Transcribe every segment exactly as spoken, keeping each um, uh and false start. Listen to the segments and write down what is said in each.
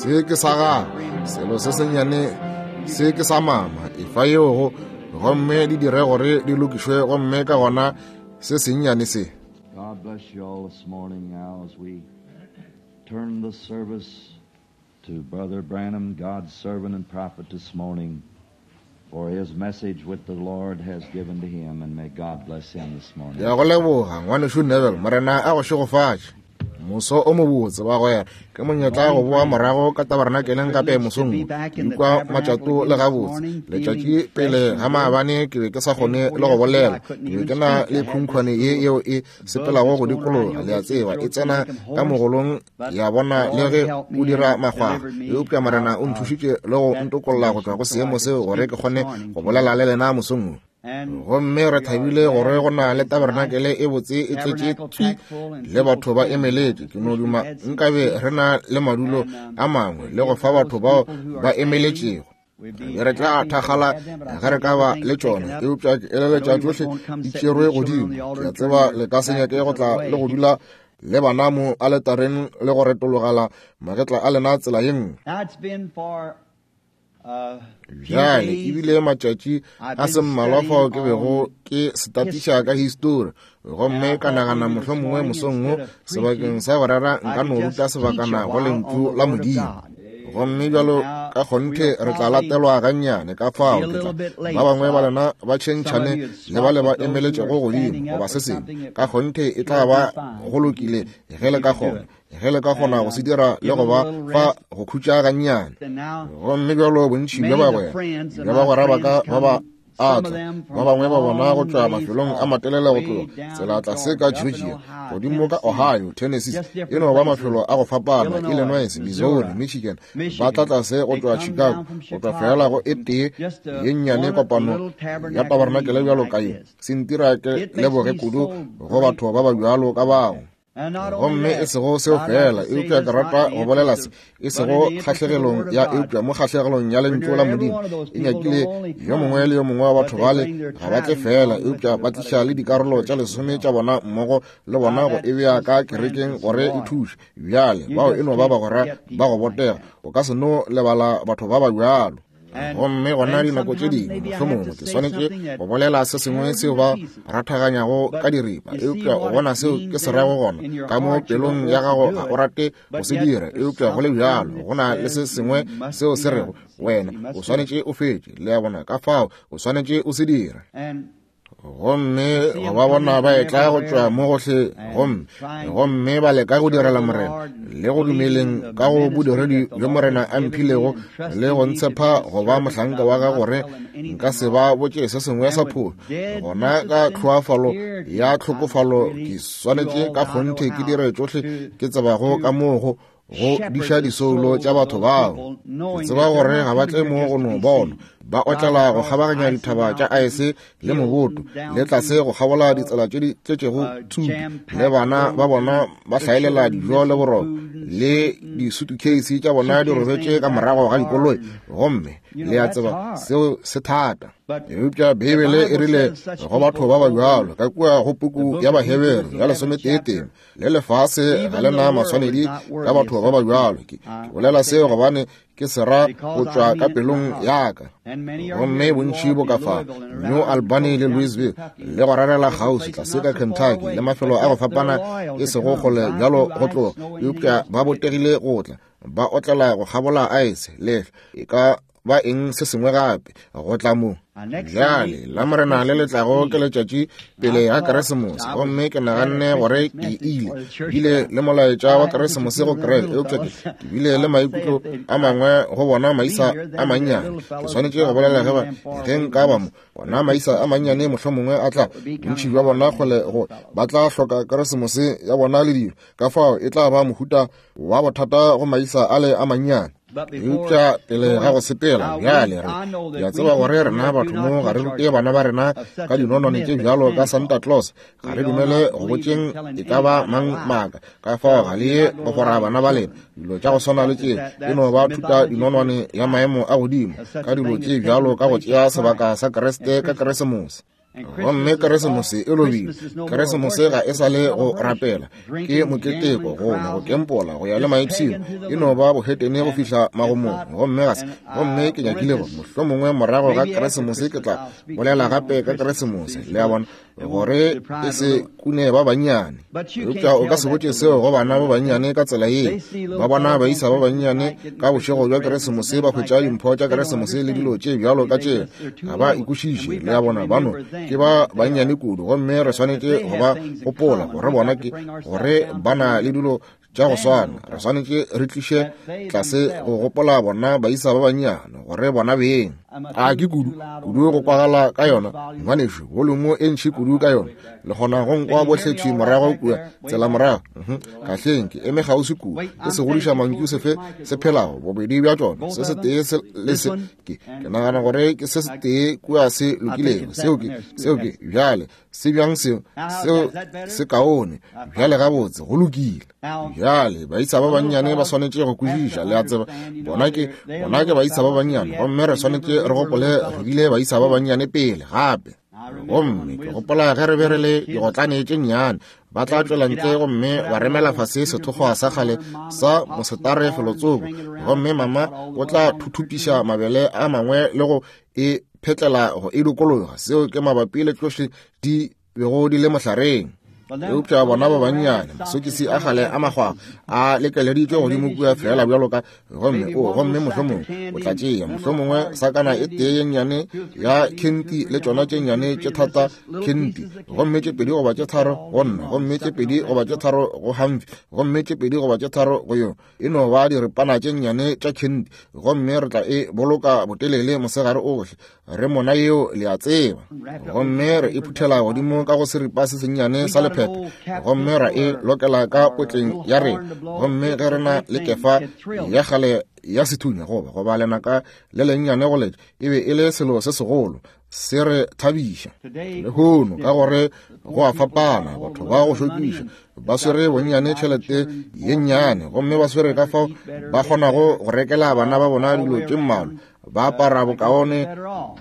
Se ke sa gago, selo se sennyane se ke sa mama, efa yeo go, gomme di dire gore di lokišwe, gomme ka gona se sennyane se. God bless you all this morning now as we turn the service to Brother Branham, God's servant and prophet this morning, for his message which the Lord has given to him, and may God bless him this morning. Ya go leboga ngwanešu Neville, Morena a go šegofatše. Moso o mobotse bagwera, ke monyetla go boa morago ka tabernakeleng gape mosong wo. Ke ikwa matšato le gabotse. Letšatši pele ga maabane ke be ke sa kgone le go bolela. Ke be ke na le khunkhwane ye yeo e sepelago go dikologa, le a tseba, e tsena ka mogolong ya bona le ge o dira makgwakgwa. Eupša Morena o nthušitše le go ntokolla go tšwa go seemo seo gore ke kgone go bolela le lena mosong wo. Gomme re thabile gore go na le tabernakele e botse e tletše tswi le batho ba emeletše. Ke no duma nkabe re na le madulo a mangwe le go fa batho bao ba emeletšego. Be re tla thakgala ge re ka ba le tšona, eupša ke eleletša tšohle di tšerwe godimo. Ke a tseba le ka se nyake go tla le go dula le bana mo aletareng le go retologela magetla a lena tsela ye nngwe. Bjale ebile matšatši a se mmalwa fao ke bego ke setatiša ka histori, gomme ka nagana mohlomongwe mosong wo sebakeng sa go rera nka no ruta sebakana go lentšu la Modimo. Gomme bjalo ka kgonthe re tla latelwa gannyane, ka fao ke tla ba bangwe ba lena ba tšhentšhane le ba le ba emeletšego godimo goba se sengwe. Ka kgonthe e tla ba go lokile ge le ka kgona, ge le ka kgona go se dira le go ba fa go khutša gannyane. Gomme bjalo bontši bja bagwera bja bagwera ba ka ba ba a tla, ba bangwe ba bona go tšwa mafelong a matelele go tloga tsela tlase ka Georgia, godimo ka Ohio, Tennessee, e no ba mafelo a go fapana, Illinois, Missouri, Michigan, ba tla tlase go tšwa Chicago, go tšwa fela go e tee ye nnyane kopano ya tabernakele bjalo ka ye. Se ntira ke leboge kudu go batho ba ba bjalo ka bao. Gomme e sego seo fela, eupša ke rata go bolela se, e sego kgahlegelong ya, eupša mo kgahlegelong ya lentšu la Modimo. E nyakile yo mongwe le yo mongwe wa batho bale ga ba tle fela, eupša ba tliša le dikarolo tša lesome tša bona mmogo le bona go e bea ka kerekeng gore e thuše. Bjale bao e no ba bagwera ba go botega, o ka se no lebala batho ba ba bjalo. Gomme gona dinako tše dingwe mohlomongwe ke swanetše go bolela se sengwe seo ba rathaganyago ka diripa, eupša o bona seo ke se rago gona ka mo pelong ya gago ga o rate go se dira, eupša go le bjalo go na le se sengwe seo se rego wena o swanetše o fetše, le a bona, ka fao o swanetše o se dire. Gomme go ba bona ba etla go tšwa mo gohle, gomme gomme ba leka go direla Morena le go dumeleng ka go bodiredi bjo Morena a mphilego le go ntshepa go ba mohlanka wa gagwe gore nka se ba botše se sengwe sa phošo. Gona ka tlhoafalo ya tlhokofalo ke swanetše ka kgonthe ke dire tšohle ke tsebago ka moo go go diša disoulo tša batho bao. Ke tseba gore ga ba tle mo go no bona, ba otlela go kgabaganya dithaba tša aese le moboto, le tlase go kgabola ditsela tše di tletšego tshupi, le bana ba bona ba hlaelela dijo le boroko, le disutukheisi tša bona di robetše ka morago ga dikoloi. Gomme le a tseba seo se thata. Eupša Beibele e rile go batho ba ba bjalo ka kua go puku ya Bahebere ya lesometee le lefase ga le na maswanedi ka batho ba ba bjalo. Ke bolela seo gobane ke se ra go tšwa ka pelong ya ka. Gomme bontši bo ka fa New Albany le Louisville le go rarela kgauswi tlase ka Kentucky le mafelo a go fapana e sego kgole bjalo go tloga, eupša ba botegile go tla ba otlela go kgabola aese le e ka ba eng se sengwe gape go tla mo. Bjale la Morena le letlago ke letšatši pele ga Keresemose, gomme ke naganne gore ke ile bile le molaetša wa Keresemose go kereke, eupša ke bile le maikutlo a mangwe go bona maisa a mannyane. Ke swanetše go bolela ge ba ge nka ba mo bona maisa a mannyane mohlomongwe a tla bontši bja bona kgole go ba tla hloka Keresemose ya bona le dilo, ka fao e tla ba mohuta wa bothata go maisa ale a mannyane. Eupša pele ga go sepela bjale re ke a tseba gore rena batho mo ga re rute bana ba rena ka dinonwane tše bjalo ka Santa Claus, ga re dumele go botšeng e ka ba mang maaka, ka fao ga le ye go fora bana ba lena. Dilo tša go swana le tše e no ba thuta dinonwane ya maemo a godimo ka dilo tše bjalo ka go tšea sebaka sa Kriste ka Keresemose. Gomme Keresemose e lobile. Keresemose ga e sa le go rapela, ke moketeko, go nwa, go kempola, go ya le maipshino, e no ba bohetene go fihla magomong. Gomme ga se, gomme ke nyakile gore mohlomongwe morago ga Keresemose ke tla bolela gape ka Keresemose, le a bona, gore e se kune ba bannyane. Eupša o ka se botše seo go bana ba bannyane ka tsela ye. Ba bona baisa ba bannyane ka bošego bja Keresemose ba hwetša dimpho tša Keresemose le dilo tše bjalo ka tše, ga ba ikwešiše, le a bona, bano ke ba bannyane kudu. Gomme re swanetše go ba gopola gore bona ke gore ba na le dilo tša go swana. Re swanetše re tliše tlase go gopola bona baisa ba bannyane gore bona beng. A ke kudu kudu go kwagala ka yona, ngwanešu, volumo e ntši kudu ka yona. Le kgona go nkwa bohle thwi morago kua tsela morago. Kahleng ke eme kgauswi kudu, ke se godiša mantšu sefe se phelago, bobedi bja tšona, se setee se le se. Ke ke nagana gore ke se setee kua se lokilego. Seo ke, seo ke, bjale se bjang seo, seo se kaone. Bjale gabotse, go lokile. Bjale baisa ba bannyane ba swanetše go kwešiša, le a tseba, bona ke, bona ke baisa ba bannyane, gomme re swanetše re gopole re bile baisa ba bannyane pele gape. Gomme ke gopola ge re be re le digotlane tše nnyane, ba tla tšwela ntle gomme ba remela fase sethokgwa sa kgale sa mosetare felotsoko, gomme mama o tla thuthupiša mabele a mangwe le go e phetlela go e dikologa. Seo ke mabapi le tšohle di bego di le mohlareng. Eupša bona ba bannyane, masokisi a kgale a makgwakgwa a lekeleditšwe godimo kua fela bjalo ka, gomme o, gomme mohlomongwe o tla tšea mohlomongwe sakana e tee ye nnyane ya khenti le tšona tše nnyane tše thata khenti, gomme tše pedi goba tše tharo go nna, gomme tše pedi goba tše tharo go Humphrey, gomme tše pedi goba tše tharo go yo. E no ba diripana tše nnyane tša khenti, gomme re tla e boloka botelele mosegare ohle re mona yeo, le a tseba. Gomme re e phuthela godimo ka go seripa se sennyane sa lephepe, gomme ra e lokela ka potleng ya rena. Gomme ge re na le kefa ya kgale ya sethunya goba goba lenaka le lennyane go letša, e be e le selo se segolo, se re thabiša. Lehono ka gore go a fapana, batho ba go šokiša ba swere bonnyane tšhelete ye nnyane, gomme ba swere ka fao ba kgonago go rekela bana ba bona dilo tše mmalwa, ba apara bokaone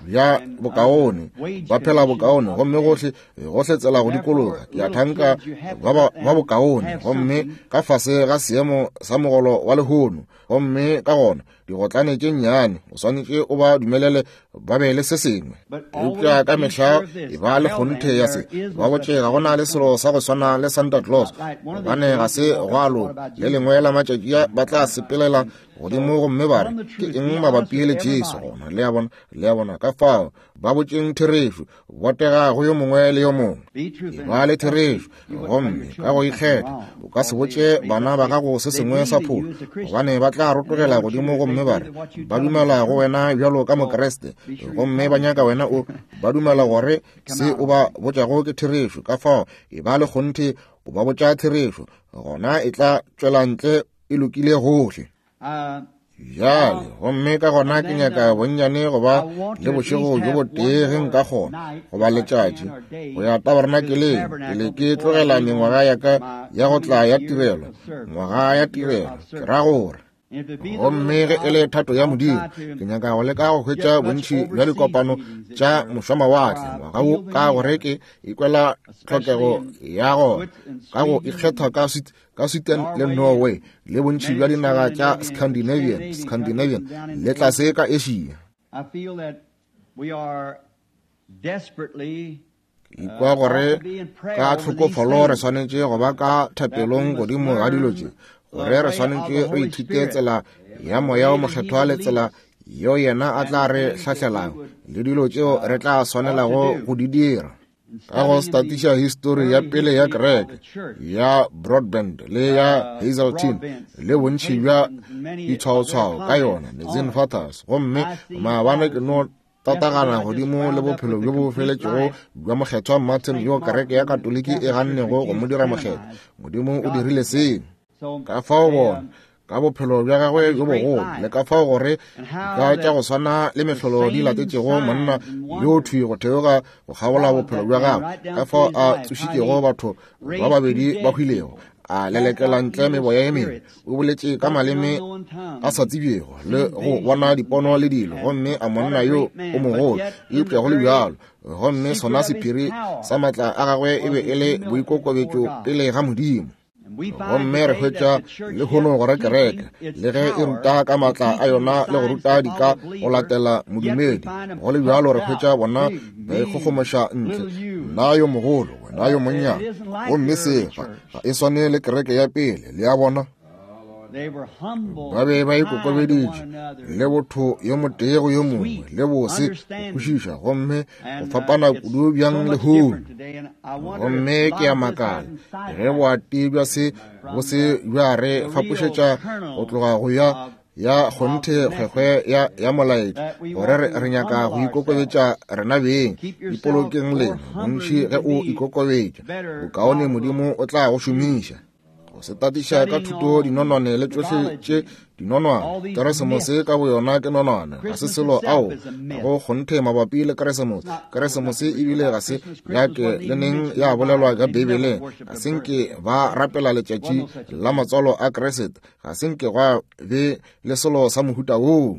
bja bokaone, ba phela bokaone, gomme gohle gohle tsela go dikologa, ke a thanka ba ba bokaone, gomme ka fase ga seemo sa mogolo wa lehono. Gomme ka gona digotlane tše nnyane o swanetše o ba dumelele ba be le se sengwe. Eupša ka mehla e ba le kgonthe ya se, ba botše ga go na le selo sa go swana le Santa Claus, gobane ga se go a loka. Le lengwe la matšatši ba tla sepelela godimo gomme ba re, ke eng mabapi le Jesu gona? Le a bona, le a bona. Ka fao ba botšeng therešo, botega go yo mongwe le yo mongwe, e ba le therešo. Gomme ka go ikgetha o ka se botše bana ba gago se sengwe sa pholo, gobane ba tla rotogela godimo gomme ba re ba dumela go wena bjalo ka Mokreste, gomme ba nyaka wena o ba dumela gore se o ba botšago ke therešo. Ka fao e ba le kgonthe o ba botša therešo, gona e tla tšwela ntle e lokile gohle. Bjale gomme ka gona ke nyaka bonnyane go ba le bošego bjo botee ge nka kgona, goba letšatši, go ya tabernakeleng pele ke tlogela mengwaga ya ka ya go tla ya tirelo, ngwaga ya tirelo, ke ra gore. Gomme ge e le thato ya Modimo, ke nyaka go leka go hwetša bontši bja dikopano tša mošwamawatle ngwaga wo, ka gore ke ikwela tlhokego ya gona ka go ikgetha ka ka Sweden le Norway le bontši bja dinaga tša Scandinavian, Scandinavian le tlase ka Asia. Ikwa gore ka tlhokofalo re swanetše go ba ka thapelong godimo ga dilo tše, gore re swanetše re ithute tsela ya Moya o Mokgethwa le tsela yeo yena a tla re hlahlelang le dilo tšeo re tla swanelago go di dira. Ka go statiša histori ya pele ya kereke ya Broadbent le ya Hazeltine le bontši bja ditshwaotshwao ka yona, Nicene Fathers, gomme maabane ke no tatagana godimo le bophelo bjo bo feletšego bja Mokgethwa Martin, yo kereke ya Katoliki e gannego go mo dira mokgethwa. Modimo o dirile seo. Ka fao bona ka bophelo bja gagwe bjo bogolo, le ka fao gore ka tša go swana le mehlolo di latetšego monna yo thwi go theoga go kgabola bophelo bja gagwe, ka fao a tsošitšego batho ba babedi ba hwilego, a lelekela ntle meboya ye mebe, o boletše ka maleme a sa tsebjego le go bona dipono le dilo, gomme a monna yo o mogolo, eupša go le bjalo, gomme sona sephiri sa maatla a gagwe e be e le boikokobetšo pele ga Modimo. Gomme re hwetša lehono gore kereke le ge e ruta ka maatla a yona le go ruta dika go latela modumedi, go le bjalo re hwetša bona ba ikgogomoša ntle, nna yo mogolo, wena yo monnyane, gomme se ga e swane le kereke ya pele. Le a bona, ba be ba ikokobeditše le botho yo motee go yo mongwe le bose go kwešiša, gomme go fapana kudu bjang lehono. Gomme ke a makala ge boati bja se bo se bja re fapošetša go tloga go ya ya kgonthe kgwekgwe ya ya molaetša, gore re, re nyaka go ikokobetša rena beng. Ipolokeng lena bontši ge o ikokobetša, bokaone Modimo o tla go šomiša. Go se tatiša ka thuto dinonwane le tšohle tše dinonwane. Keresemose ka boyona ke nonwane, ga se selo ao go kgonthe mabapi le Keresemose. Keresemose ebile ga se ya ke le neng ya bolelwa ka Beibeleng. Ga se nke ba rapela letšatši la matswalo a Kriste, ga se nke gwa be le selo sa mohuta woo.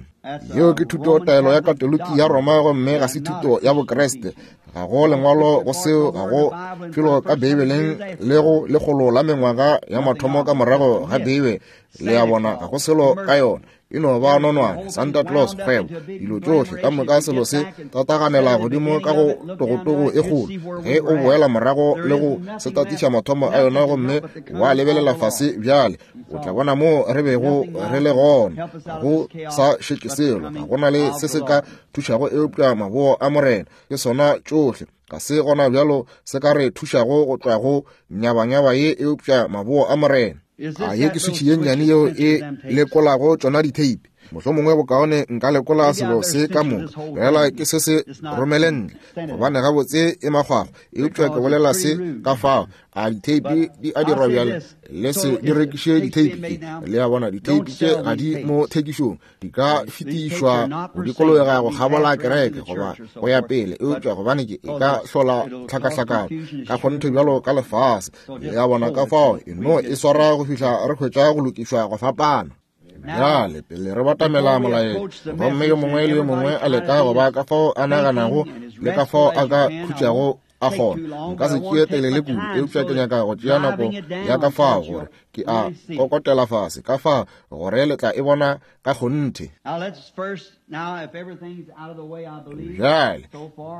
Yeo ke thuto taelo ya Katoliki ya Roma, gomme ga se thuto ya Bokriste. Ga go lengwalo go seo, ga go felo ka Beibeleng le go lekgolo la mengwaga ya mathomo ka morago ga Beibe. Le a bona, ga go selo ka yona, e no ba nonwane, Santa Claus, kgwebo, dilo tšohle ka moka. Selo se tataganela godimo ka go togotogo e kgolo ge o boela morago le go se tatiša mathomo a yona, gomme wa lebelela fase bjale, o tla bona moo re bego re le gona. Go sa šetše selo, ga go na le se se ka thušago eupša maboo a Morena, ke sona tšohle. Ga se gona bjalo se ka re thušago go tšwa go nyabanyaba ye eupša maboo a Morena. A ye ke switšhi ye nnyane yeo e lekolago tšona ditheipi. Mohlomongwe bokaone nka lekola selo se ka moka, fela ke se se romele ntle, gobane gabotse e makgwakgwa. Eupša ke bolela se ka fao, a ditheipi di a dirwa bjale, le se di rekiše ditheipi tše. Le a bona, ditheipi tše ga di mo thekišong, di ka fetišwa go dikologa go kgabola kereke goba go ya pele, eupša gobane ke e ka hlola tlhakahlakano ka kgonthe bjalo ka lefase. Le a bona, ka fao e no e swara go fihla re hwetša go lokišwa go fapana. Bjale pele re batamela molaetša, gomme yo mongwe le yo mongwe a leka go ba ka fao a naganago le ka fao a ka khutšago a kgona. Nka se tšee telele kudu, eupša ke nyaka go tšea nako ya ka fao gore ke a kokotela fase ka fao gore le tla e bona ka kgonthe. Bjale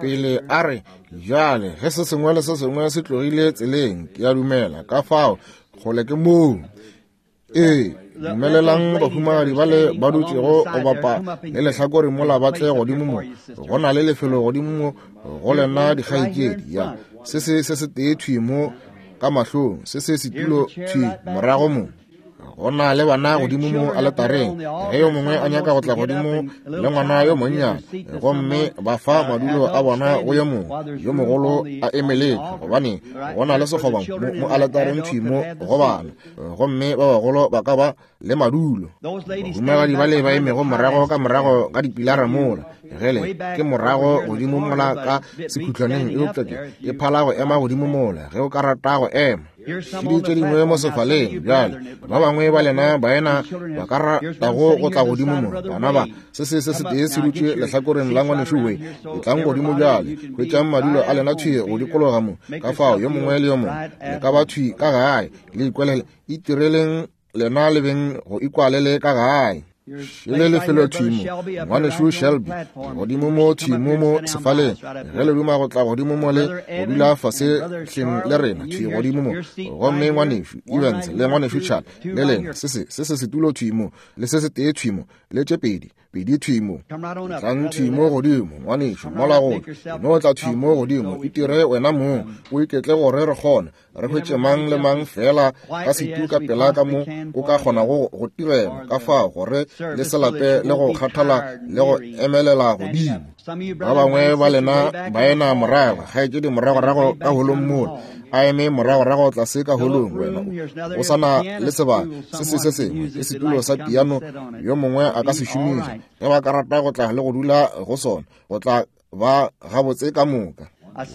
pele a re, bjale ge se sengwe le se sengwe se tlogile tseleng, ke a dumela ka fao kgole ke moo. Ee, dumelelang bahumagadi ba le ba dutšego go bapa le lehlakore mola ba tle godimo mo. Go na le lefelo godimo mo go lena dikgaetšedi. Ya se se se se tee thwi mo ka mahlong, se se setulo thwi morago mo. Go na le bana godimo mo aletareng, ge yo mongwe a nyaka go tla godimo le ngwana yo monnyane, gomme ba fa madulo a bona go yo mongwe yo mogolo a emeletše, gobane go na le sekgoba mo aletareng thwi mo go bana, gomme ba bagolo ba ka ba le madulo. Bahumagadi ba le ba emego morago ka morago ga dipilara mola, gele ke morago godimo mola ka sekhutlwaneng, eupša ke e phala go ema godimo mola ge o ka rata go ema. Šedi tše dingwe mo sefaleng bjale, ba bangwe ba lena baena ba ka ratago go tla godimo mo, bana ba se se se setee se dutše lehlakoreng la ngwanešu we, etlang godimo bjale, hwetšang madulo a lena thwi go dikologa mo, ka fao yo mongwe le yo mongwe le ka ba thwi ka gae, le ikwelele, itireleng lena le beng go ikwalele ka gae. Šele lefelo thwi mo, ngwanešu Shelby, godimo mo thwi mo mo sefaleng, ge le duma go tla godimo mo le go dula fase hleng le rena thwi godimo mo, gomme ngwanešu Evans le ngwanešu Chad le lena, se se se se setulo thwi mo, le se se tee thwi mo, le tše pedi pedi thwi mo. Tlang thwi mo godimo, ngwanešu, mola go no tla thwi mo godimo, itire wena mong o iketle gore re kgone re hwetše mang le mang fela ka setu ka pela ka mo o ka kgonago go tirela, ka fao gore le se lape le go kgathala le go emelela godimo. Ba bangwe ba lena baena morago, kgaetšedi moragorago ka holong mola, a eme moragorago tlase ka holong, wena o sa na le sebaka se se se sengwe ke setulo sa piano, yo mongwe a ka se šomiša ge ba ka rata go tla le go dula go sona, go tla ba gabotse ka moka.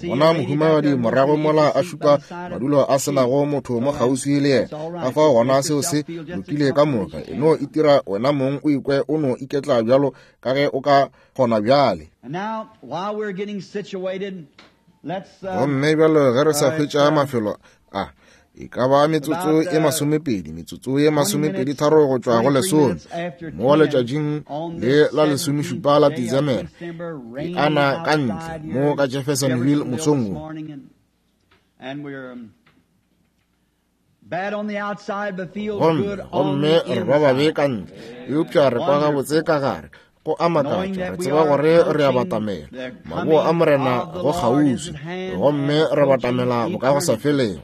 Bona mohumagadi morago mola a šupa madulo a senago motho mo kgauswi le yena. Ka fao gona seo se lokile ka moka. E no itira wena mong o ikwe o no iketla bjalo ka ge o ka kgona bjale. Gomme bjalo ge re sa hwetša mafelo a, e ka ba metsotso e masomepedi, metsotso e masomepedi tharo go tšwa go lesome, mo letšatšing le la lesomešupa la Desemere, e ana ka ntle mo ka Jeffersonville mosong wo. Gomme gomme re ba babe ka ntle, eupša re kwa gabotse ka gare. Go a makatša, re tseba gore re a batamela maboo a Morena go kgauswi, gomme re batamela bokagosafelego.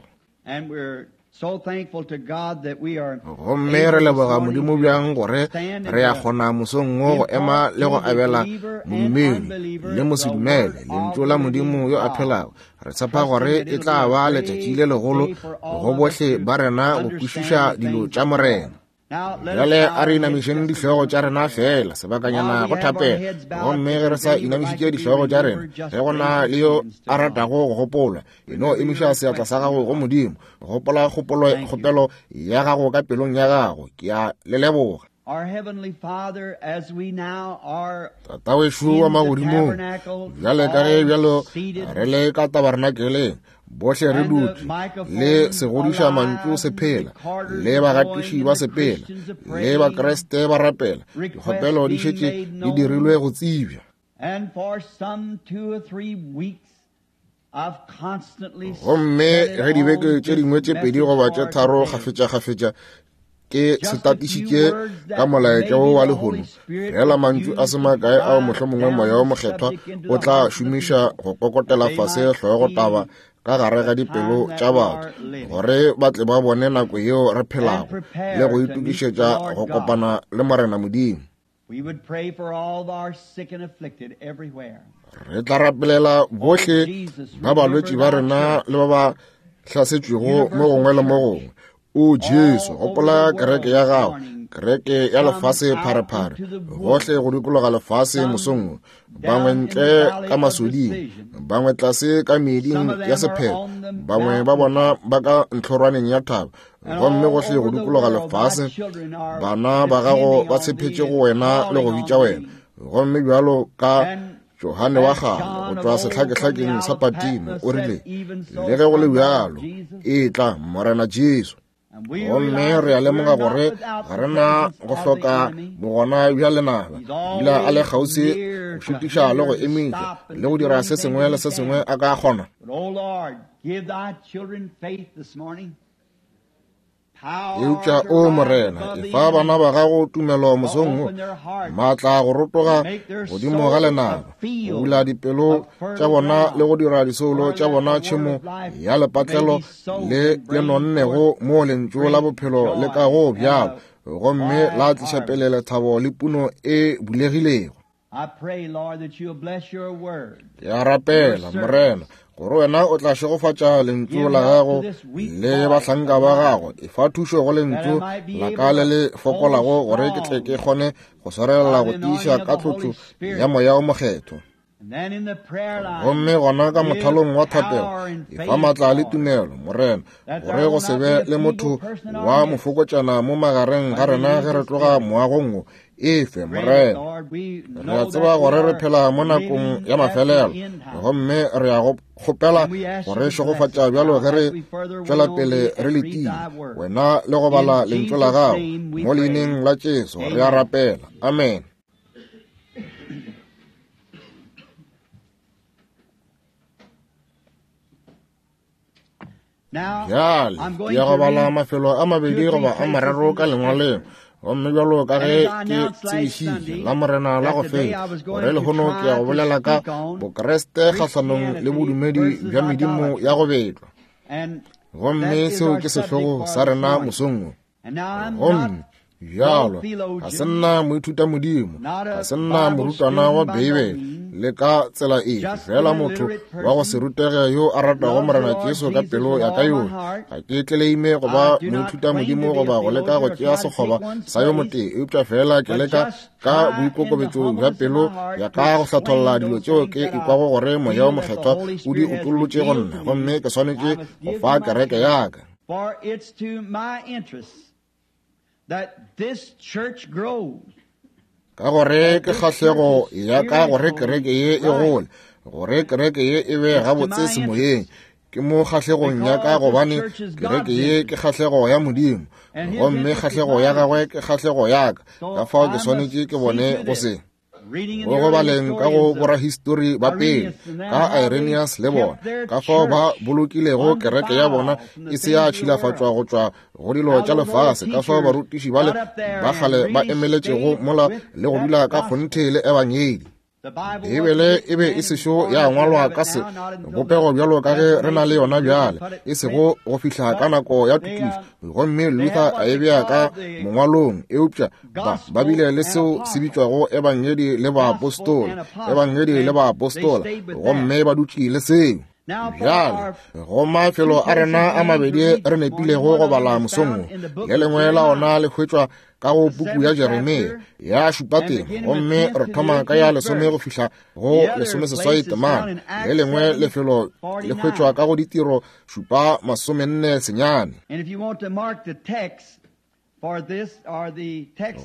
Gomme re leboga Modimo bjang gore re a kgona mosong wo go ema le go abela modumedi le mosedumele lentšu la Modimo yo a phelago. Re tshepa gore e tla ba letšatši le legolo go bohle ba rena go kwešiša dilo tša Morena. Bjale a re inamišeng dihlogo tša rena fela sebakanyana go thapela. Gomme ge re sa inamišitše dihlogo tša rena, ge go na le yo a ratago go gopola, e no emiša seatla sa gago go Modimo. Gopola kgopolo kgopelo ya gago ka pelong ya gago. Ke a le leboga. Tata wešo wa magodimong, bjale ka ge bjalo re le ka tabernakeleng, bohle re dutše le segodiša mantšu se phela, le bagatiši ba sepela, le bakreste ba rapela, dikgopelo di šetše di dirilwe go tsebja. Gomme ge dibeke tše dingwe tše pedi goba tše tharo kgafetša-kgafetša ke se tatišitše ka molaetša wo wa lehono, fela mantšu a se makae ao mohlomongwe moya wo mokgethwa o tla šomiša go kokotela fase hlogotaba ka gare ga dipelo tša batho, gore ba tle ba bone nako yeo re phelago le go itokišetša go kopana le Morena Modimo. Re tla rapelela bohle ba balwetši ba rena le ba ba hlasetšwego mo gongwe le mo gongwe. O Jesu, gopola kereke ya gago, kereke ya lefase pharephare, gohle go dikologa lefase mosong wo, bangwe ntle ka masoding, bangwe tlase ka meeding ya sephetho, bangwe ba bona ba ka ntlhorwaneng ya thaba, gomme gohle go dikologa lefase bana ba gago ba tshepetše go wena le go bitša wena. Gomme bjalo ka Johane wa kgale go tšwa sehlakehlakeng sa Patimo o rile, le ge go le bjalo, e tla Morena Jesu. Gomme re a lemoga gore ga re na go hloka bogona bja lenaba, dula a le kgauswi go šutiša le go emiša le go dira se sengwe le se sengwe a ka kgona. Eupša o Morena, efa bana ba gago tumelo mosong wo, maatla go rotoga godimo ga lenaba, go bula dipelo tša bona le go dira disoulo tša bona tšhemo ya lepatlelo le le nonnego mo lentšu la bophelo le ka go bjalo, gomme la tliša pele lethabo le puno e bulegilego. Ke a rapela Morena gore wena o tla šegofatša lentšu la gago le bahlanka ba gago. Efa thušo go lentšu la ka le le fokolago gore ke tle ke kgone go swarelela go tiiša ka tlotšo ya moya o mokgethwa. Gomme gona ka mothalong wa thapelo, efa maatla le tumelo Morena, gore go se be le motho wa mofokotšana mo magareng ga rena ge re tloga moagong wo. Efe Morena, re a tseba gore re phela mo nakong ya mafelelo, gomme re a go kgopela gore šegofatša bjalo ge re tšwela pele re letile wena le go bala lentšu la gago. Mo leineng la Jesu re a rapela, amen. Bjale ke ya go bala mafelo a mabedi goba a mararo ka lengwaleng. Gomme bjalo ka ge ke tsebišitše la Morena la go feta, gore lehono ke ya go bolela ka Bokreste kgahlanong le bodumedi bja medimo ya go betlwa. Gomme seo ke sehlogo sa rena mosong wo. Gomme Bjalo, ga se nna moithutamodimo, ga se nna morutwana wa Beibele le ka tsela efe, fela motho wa go se rutege yo a ratago Morena Jesu ka pelo ya ka yohle. Ga ke tleleime go ba moithutamodimo goba go leka go tšea sekgoba sa yo motee, eupša fela ke leka ka boikokobetšo bja pelo ya ka go hlatholla dilo tšeo ke ikwago gore Moya o Mokgethwa o di utollotše go nna, gomme ke swanetše go fa kereke ya ka. For it's to my interest that this church grows. Ka gore ke kgahlego ya ka gore kereke ye e gole, gore kereke ye e be gabotse semoyeng. Ke mo kgahlegong ya ka gobane kereke ye ke kgahlego ya Modimo, gomme kgahlego ya gagwe ke kgahlego ya ka. Ka fao ke swanetše ke bone go se. Go go baleng ka go borahistori ba pele, ka Irenaeus le bona, ka fao ba bolokilego kereke ya bona e se ya tšhilafatšwa go tšwa go dilo tša lefase, ka fao barutiši bale ba kgale ba emeletšego mola le go dula ka kgonthe le ebangedi. Beibele e be e sešo ya ngwalwa ka se bopego bjalo ka ge re na le yona bjale, e sego go fihla ka nako ya tokišo, gomme Luther a e bea ka mongwalong, eupša ba ba bile le seo se bitšwago ebangedi le baapostola, ebangedi le baapostola, gomme ba dutše le seo. Bjale, go mafelo a rena a mabedi re nepilego go bala mosong wo, le lengwe la ona le hwetšwa ka go puku ya Jeremia ya šupa tema, gomme re thoma ka ya lesome go fihla go lesomeseswai temana. Le lengwe lefelo le hwetšwa ka go ditiro šupa masomenne senyane.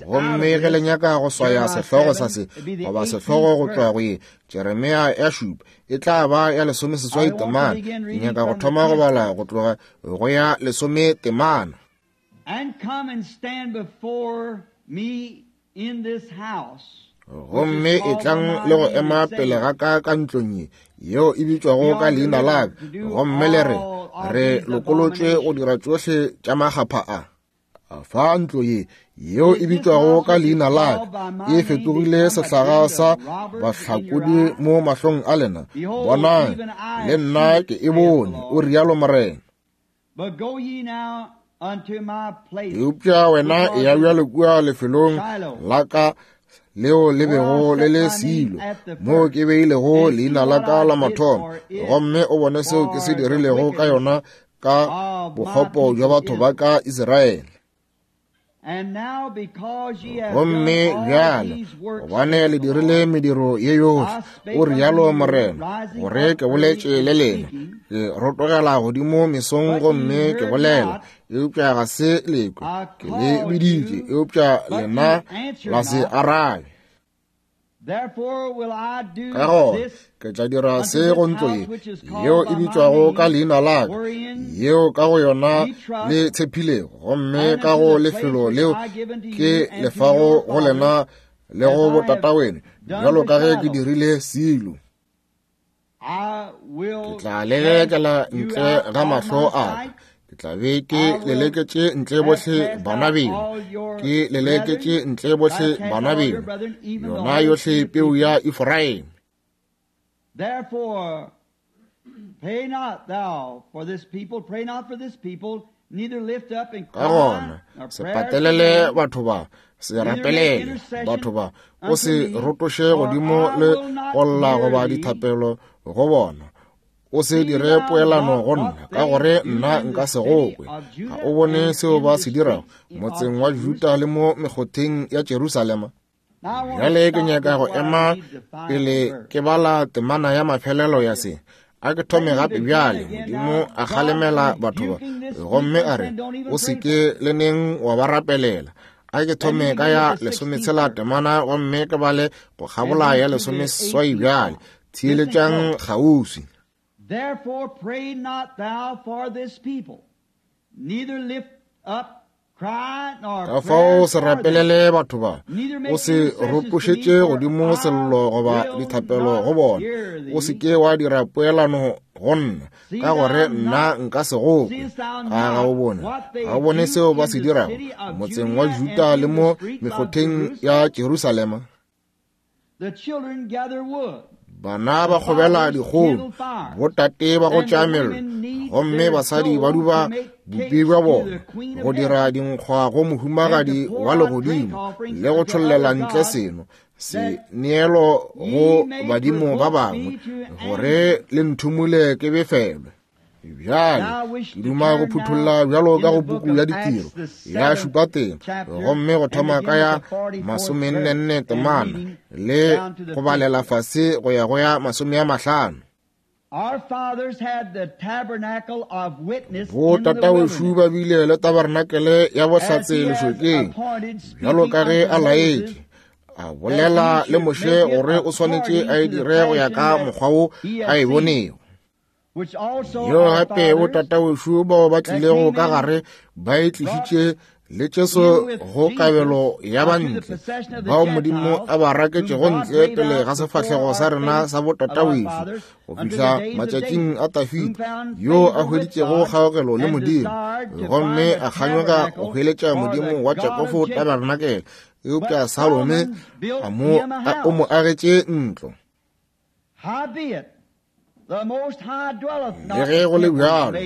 Gomme ge le nyaka go swaya sehlogo sa se goba sehlogo go tšwa go ye Jeremia ya šupa, e tla ba ya lesomeseswai temana. Ke nyaka go thoma go bala go tloga go ya lesome temana. And come and stand before me in this house. Gomme e tlang le go ema pele ga ka ka ntlong ye yeo e bitšwago ka leina la ka, gomme le re re lokolotšwe go dira tšohle tša makgapha a. Fa ntlo ye yeo e bitšwago ka leina la ka e fetogile sehlaga sa bahlakodi mo mahlong a lena, bonang le nna ke e bone, o rialo Morena. But go ye now unto my place. Eupša wena e ya bjalo kua lefelong la ka leo le bego le le Silo, moo ke beilego leina la ka la mathomo, gomme o bone seo ke se dirilego ka yona ka bokgopo bja batho ba ka Israele. Gomme bjale, gobane le dirile mediro ye yohle, o rialo Morena, gore ke boletše le lena, ke rotogela godimo mesong gomme ke bolela, eupša ga se lekwe, ke le biditše, eupša lena la se arabe. Ka gona ke tla dira se go ntlo ye yeo e bitšwago ka leina la ka, yeo ka go yona le tshepilego, gomme ka go lefelo leo ke lefago go lena le go botataweno, bjalo ka ge ke dirile Silo. Ke tla lelekela ntle ga mahlo a ka, ke tla be ke leleketše ntle bohle bana beno, ke leleketše ntle bohle bana beno, yona yohle peu ya Efraime. Therefore, pray not thou for this people, pray not for this people, neither lift up and Ka gona se patelele batho ba, se rapelele batho ba, o se rotoše godimo le go lla goba dithapelo go bona. O se dire poelano go nna, ka gore nna nka se go kwe. Ga o bone seo ba se dirago motseng wa Juda le mo mekgotheng ya Jerusalema? Bjale ke nyaka go ema pele ke bala temana ya mafelelo ya se. A ke thome gape bjale. Modimo a kgalemela batho ba, gomme a re, o se ke le neng wa ba rapelela. A ke thome ka ya lesometshela temana, gomme ke bale go kgabola ya lesomeseswai bjale. Theeletšang kgauswi. Therefore pray not thou for this people, neither lift up cry nor Ka fao se rapelele batho ba, o se rotošetše godimo sello goba dithapelo go bona, o se ke wa dira poelano go nna, ka gore nna nka se go kwe. A ga o bone, ga o bone seo ba se dirago motseng wa Juda le mo mekgotheng ya Jerusalema? The children gather wood. Bana ba kgobela dikgong, botate ba go tša mello, gomme basadi ba duba bupi bja bona go dira dinkgwa go mohumagadi wa legodimo le go tšhollela ntle seno se neelo go badimo ba bangwe gore le nthumule ke befelwe. Bjale ke duma go phutholla bjalo ka go puku ya ditiro ya šupa teng, gomme go thoma ka ya masomennenne temana le go balela fase go ya go ya masome a mahlano. Bo tatawešu ba bile le tabernakele ya bohlatse lešokeng, bjalo ka ge a laetše, a bolela le Moshe gore o swanetše a e dire go ya ka mokgwa wo a e bonego. Yo gape bo tatawešu bao ba tlilego ka gare ba e tlišitše le Jesu go kabelo ya bantle bao Modimo a ba raketšego ntle pele ga sefahlego sa rena sa botatawešu go fihla matšatšing a Dafida, yo a hweditšego kgaogelo le Modimo gomme a kganyoga go hweletša Modimo wa Jakobo tabernakele, eupša Salome a mo o mo agetše ntlo. Le ge go le bjalo,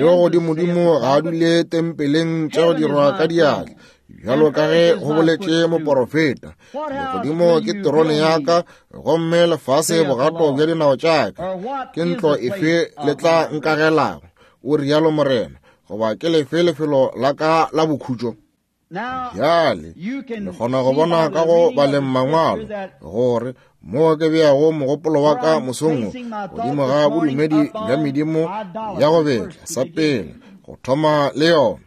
yo godimodimo ga a dule tempeleng tša go dirwa ka diatla, bjalo ka ge go boletše moporofeta, legodimo ke terone ya ka, gomme lefase bogato bja dinao tša ka. Ke ntlo efe le tla nkagelago, o rialo Morena, goba ke lefe lefelo la ka la bokhutšo? Bjale le kgona go bona ka go baleng mangwalo gore mo ke beago mogopolo wa ka mosong godimo ga bodumedi bja medimo ya go betla sa pele go thoma le yona.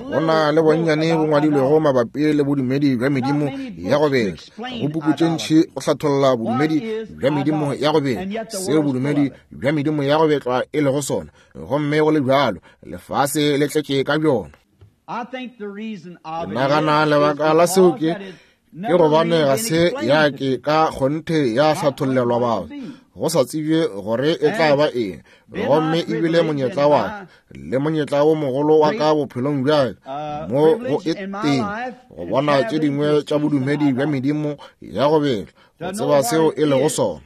Go na le bonnyane bo ngwadilwego mabapi le bodumedi bja medimo ya go betla. Go puku tše ntši go hlatholla bodumedi bja medimo ya go betla, seo bodumedi bja medimo ya go betlwa e lego sona, gomme go le bjalo lefase le tletše ka bjona. Ke nagana lebaka la seo ke ke gobane ga se ya ke ka kgonthe ya hlathollelwa batho, go sa tsebje gore e tla ba eng, gomme ebile monyetla wa ka le monyetla wo mogolo wa ka bophelong bja ka mo go e teng go bona tše dingwe tša bodumedi bja medimo ya go betla, go tseba seo e lego sona.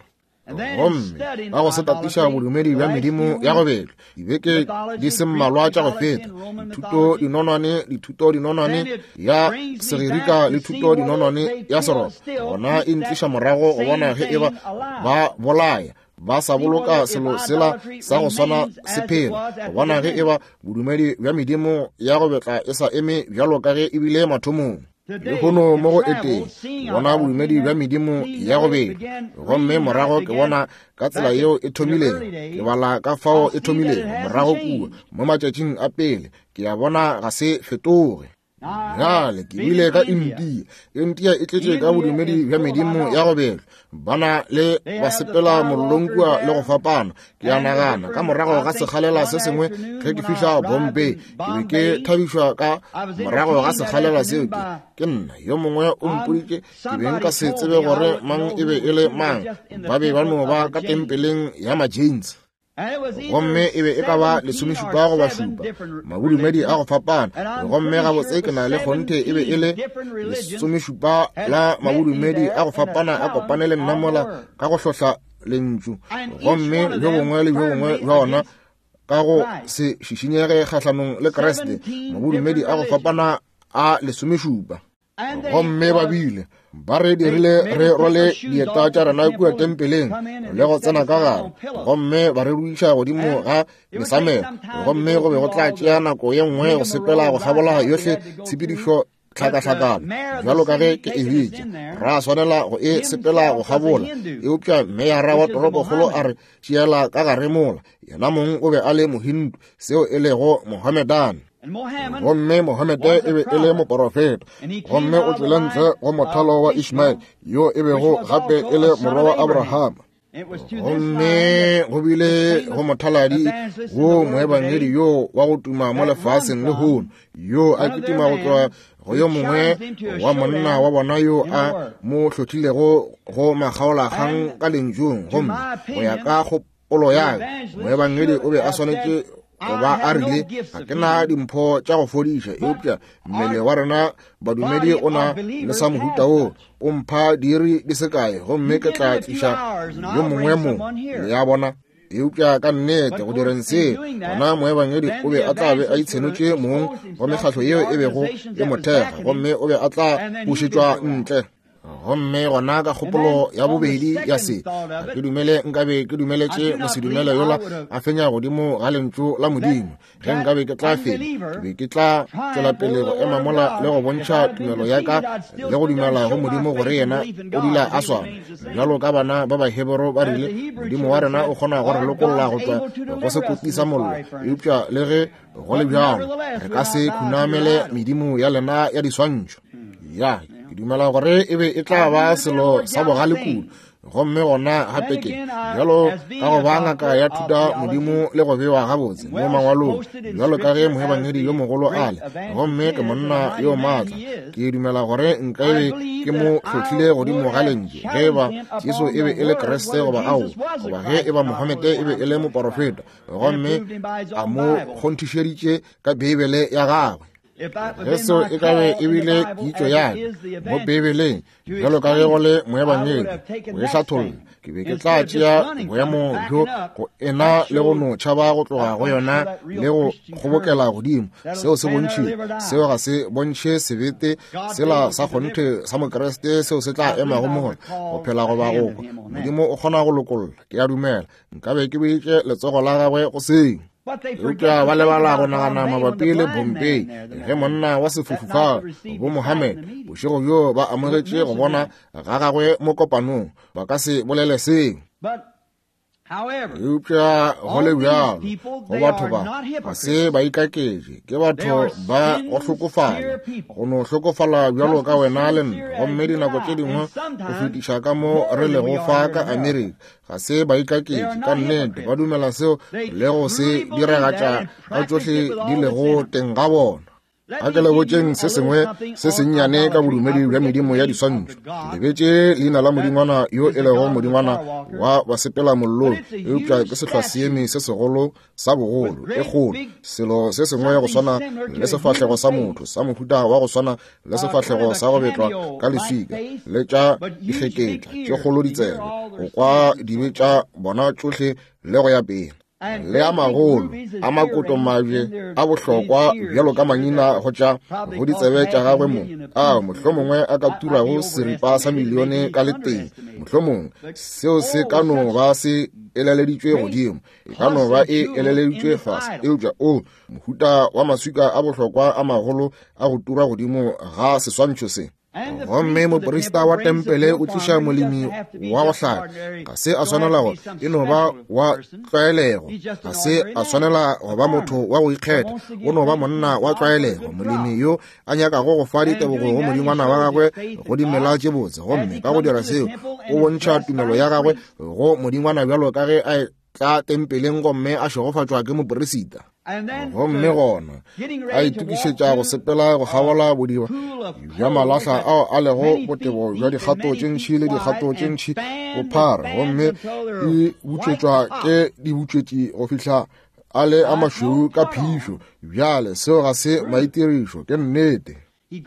Gomme ka go se tatiša bodumedi bja medimo ya go betla dibeke di se mmalwa tša go feta, dithuto dinonwane, dithuto dinonwane ya Segerika le thuto dinonwane ya Seroma, gona e ntliša morago go bona ge eba ba bolaya ba sa boloka selo sela sa go swana se phela, go bona ge eba bodumedi bja medimo ya go betla e sa eme bjalo ka ge ebile mathomong. Lehono mo go eteng ke bona bodumedi bja medimo ya go betla, gomme morago ke bona ka tsela yeo e thomilego, ke bala ka fao e thomilego morago kua mo matšatšing a pele, ke a bona ga se fetoge. Bjale ke bile ka India. India e tletše ka bodumedi bja medimo ya go betla, bana le ba sepela mollong kua le go fapana. Ke a nagana ka morago ga sekgalela se sengwe ge ke fihla Bombay, ke be ke thabišwa ka morago ga sekgalela seo ke ke nna yo mongwe o mpoditše, ke be nka se tsebe gore mang e be e le mang, ba be ba no ba ka tempeleng ya ma-Jains. Gomme e be e ka ba lesomešupa goba šupa mabodumedi a go fapana, gomme gabotse ke na le kgonthe e be e le lesomešupa la mabodumedi a go fapana a kopane le nna mola ka go hlohla lentšu, gomme bjo bongwe le bjo bongwe bja ona ka go se šišinyege kgahlanong le Kriste, mabodumedi a go fapana a lesomešupa. Gomme ba bile ba re dirile re rwale dieta tša rena kua tempeleng le go tsena ka gare, gomme ba re ruiša godimo ga mesamelo, gomme go be go tla tšea nako ye nngwe go sepela go kgabola yohle tshepedišo tlhakahlakano bjalo ka ge ke e bitša, ra swanela go e sepela go kgabola. Eupša meyara wa toropokgolo a re tšeela ka gare mola, yena mong o be a le Mohindu, seo e lego Mohammedan. Gomme Mohammed e be e le moporofeta, gomme o tšwele ntle go mothalo wa Ishmael, yo e bego gape e le morwa wa Abrahama. Gomme go bile go mothaladi wo moebangedi yo wa go tuma mo lefaseng lehono, yo a kitima go tloga go yo mongwe wa monna wa bona yo a mo hlotlilego go makgaolakgang ka lentšung, gomme go ya ka kgopolo ya ka moebangedi o be a swanetše goba a rile ga ke na dimpho tša go fodiša, eupša mmele wa rena badumedi o na le sa mohuta wo, o mpha diiri di se kae gomme ke tla tliša yo mongwe mo. Le a bona? Eupša ka nnete go direng se, gona moebangedi o be a tla be a itshenotše mong go mekgahlo yeo e bego e mo thekga, gomme o be a tla bušetšwa ntle. Gomme gona ka kgopolo ya bobedi ya se, ga ke dumele nkabe ke dumeletše mosedumele yola a fenya godimo ga lentšu la Modimo. Ge nkabe ke tla fenya, ke be ke tla tšwela pele go ema mola le go bontšha tumelo ya ka le go dumela go Modimo gore yena o dula a swana. Bjalo ka bana ba Bahebero ba rile, Modimo wa rena o kgona go re lokolla go tšwa go sekoti sa mollo, eupša le ge go le bjalo re ka se khunamele medimo ya lena ya diswantšho. Ya, ke dumela gore e be e tla ba selo sa bogale kudu. Gomme gona gape ke bjalo ka go ba ngaka ya thuta Modimo le go bewa gabotse mo mangwalong, bjalo ka ge moebangedi yo mogolo a le, gomme ke monna yo maatla, ke dumela gore nka be ke mo hlohlile godimo ga lentšu ge eba Jesu e be e le Kriste goba ao, goba ge eba Mohamede e be e le moporofeta, gomme a mo kgonthišeditše ka Beibele ya gagwe. Ge seo e ka be e bile kitšo ya ka mo Beibeleng, bjalo ka ge go le moebangedi go e hlatholla, ke be ke tla tšea boemo bjo go ena le go no tšhaba go tloga go yona le go kgobokela godimo. Seo se bontšhile, seo ga se bontšhe sebete sela sa kgonthe sa Mokriste seo se tla emago mo gona go phela goba go kwa. Modimo o kgona go lokolla, ke a dumela nkabe ke beitše letsogo la gagwe go seo. Eupša ba lebala go nagana mabapi le Bompei ge monna wa sefofu fa bo Mohammed bošego bjo ba amogetše go bona ga gagwe mo kopanong, ba ka se bolele seo. Eupša go le bjalo go batho ba ga se ba ikaketše, ke batho ba go hlokofala, go no hlokofala bjalo ka wena le nna, gomme dinako tše dingwe go fetiša ka mo re lego fa ka Amerika. Ga se ba ikaketše, ka nnete ba dumela seo le go se diragatša ka tšohle di lego teng ga bona. A ke le botšeng se sengwe se sennyane ka bodumedi bja medimo ya diswantšho. Ke lebetše leina la modingwana yo e lego modingwana wa basepela mollong, eupša ke sehlwaseeme se segolo sa bogolo, e kgolo, selo se sengwe go swana le sefahlego sa motho, sa mohuta wa go swana le sefahlego sa go betlwa ka leswika, le tša dikgeketla tše kgolo ditsebe, go kwa dibe tša bona tšohle le go ya pele. Le a magolo a makoto mabje a bohlokwa bjalo ka mangina go tša go ditsebe tša gagwe mo, a mohlomongwe a ka turago seripa sa milione ka letee, mohlomongwe seo se ka no ba se eleleditšwe godimo, e ka no ba e eleleditšwe fase, eupša o mohuta wa maswika a bohlokwa a magolo a go tura godimo ga seswantšho se. Gomme moprista wa tempele o tliša molemi wa go hlaka, ga se a swanela go e no ba wa tlwaelego, ga se a swanela go ba motho wa go ikgetha, o no ba monna wa tlwaelego, molemi yo a nyakago go fa ditebogo go modingwana wa gagwe go dimela tše botse. Gomme ka go dira seo o bontšha tumelo ya gagwe go modingwana bjalo ka ge a tla tempeleng gomme a šegofatšwa ke moperisita. Gomme gona a itokišetša go sepela go kgabola bodiba bja malahla ao a lego botebo bja dikgato tše ntši le dikgato tše ntši bophara, gomme e butšwetšwa ke dibutšwetši go fihla a le a mašweu ka phišo. Bjale seo ga se maitirišo, ke nnete.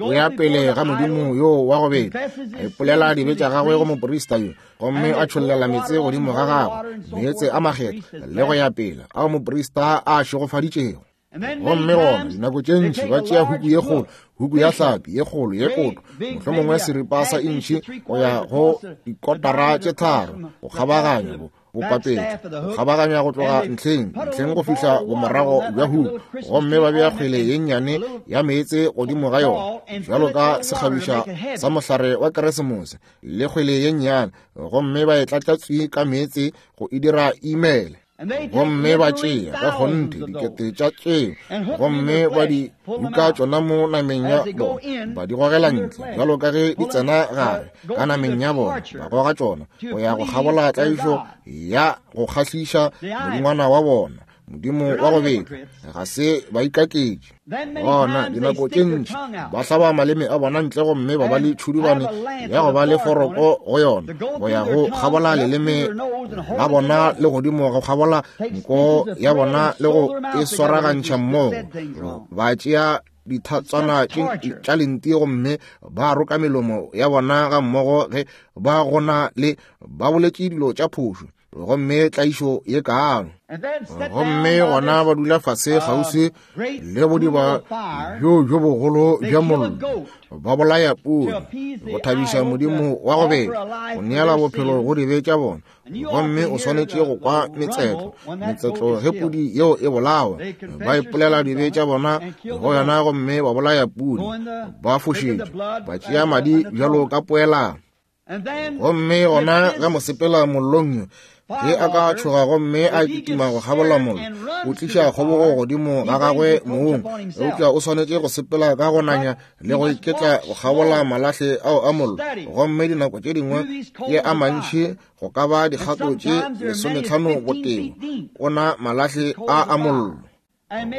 O ya pele ga modimo yo wa go betla, a ipolela dibe tša gagwe go moprista yo, gomme a tšhollela meetse godimo ga gagwe, meetse a makgethwa le go ya pele, ao moprista a šegofaditšego. Gomme gona dinako tše ntši ba tšea huku ye kgolo, huku ya hlapi ye kgolo ye koto, mohlomongwe seripa sa intšhi go ya go dikotara tše tharo, go kgabaganya bo bopapetla, go kgabaganya go tloga ntlheng ntlheng go fihla bomorago bja huku, gomme ba bea kgwele ye nnyane ya meetse godimo ga yona, bjalo ka sekgabiša sa mohlare wa Keresemose, le kgwele ye nnyane, gomme ba e tlatša tswi ka meetse go e dira imele. Gomme ba tšea ka kgonthe dikete tša tšeo, gomme ba di buka tšona mo nameng ya bona, ba di gogela ntle bjalo ka ge di tsena gare ka nameng ya bona, ba goga tšona go ya go kgabola tlaišo ya go kgahliša modingwana wa bona. modimo wa go betla. Ga se ba ikaketše. Gona dinako tše ntši ba hlaba maleme a bona ntle gomme ba ba le tšhudubane ya go ba le foroko go yona go ya go kgabola leleme la bona le godimo go kgabola nko ya bona le go e swaragantšha mmogo. Ba tšea dithatswana tša lenti gomme ba roka melomo ya bona ga mmogo ge ba gona le ba boletše dilo tša phošo, gomme tlaišo ye kaalo. Gomme gona ba dula fase kgauswi le bodiba bjo bjo bogolo bja mollo, ba bolaya pudi go thabiša modimo wa go betla, go neela bophelo go dibe tša bona. Gomme o swanetše go kwa metsetlo metsetlo ge pudi yeo e bolawa, ba ipolela dibe tša bona go yona gomme ba bolaya pudi, ba fošetša, ba tšea madi bjalo ka poelano. Gomme gona ge mosepela mollong ge a ka tšhoga gomme a kitima go kgabola mollo, o tliša kgobogo godimo ga gagwe mong, eupša o swanetše go sepela ka go nanya le go iketla go kgabola malahle ao a mollo. Gomme dinako tše dingwe ke a mantši go ka ba dikgato tše lesometlhano botebo ona malahle a a mollo.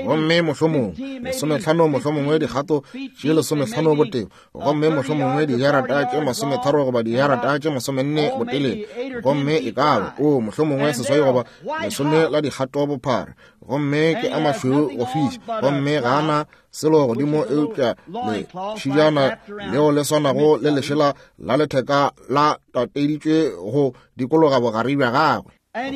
Gomme mohlomongwe lesometlhano, mohlomongwe dikgato tše lesometlhano botebo, gomme mohlomongwe dijarata tše masometharo goba dijarata tše masomenne botelele, gomme e ka ba o mohlomongwe seswai goba lesome la dikgato bophara. Gomme ke a mašweu go fiša, gomme ga ana selo godimo eupša letšhijana leo le swanago le lešela la letheka la tateditšwe go dikologa bogare bja gagwe.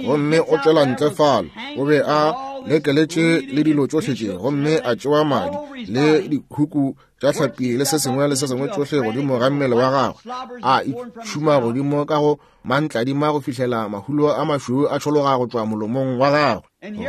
Gomme o tšwela ntle fale, o be a lekeletše le dilo tšohle tše, gomme a tšewa madi le dikhuku tša hlapi le se sengwe le se sengwe tšohle godimo ga mmele wa gagwe, a itšhuma godimo ka go mantladima go fihlela mahulo a mašweu a tšhologa go tšwa molomong wa gagwe.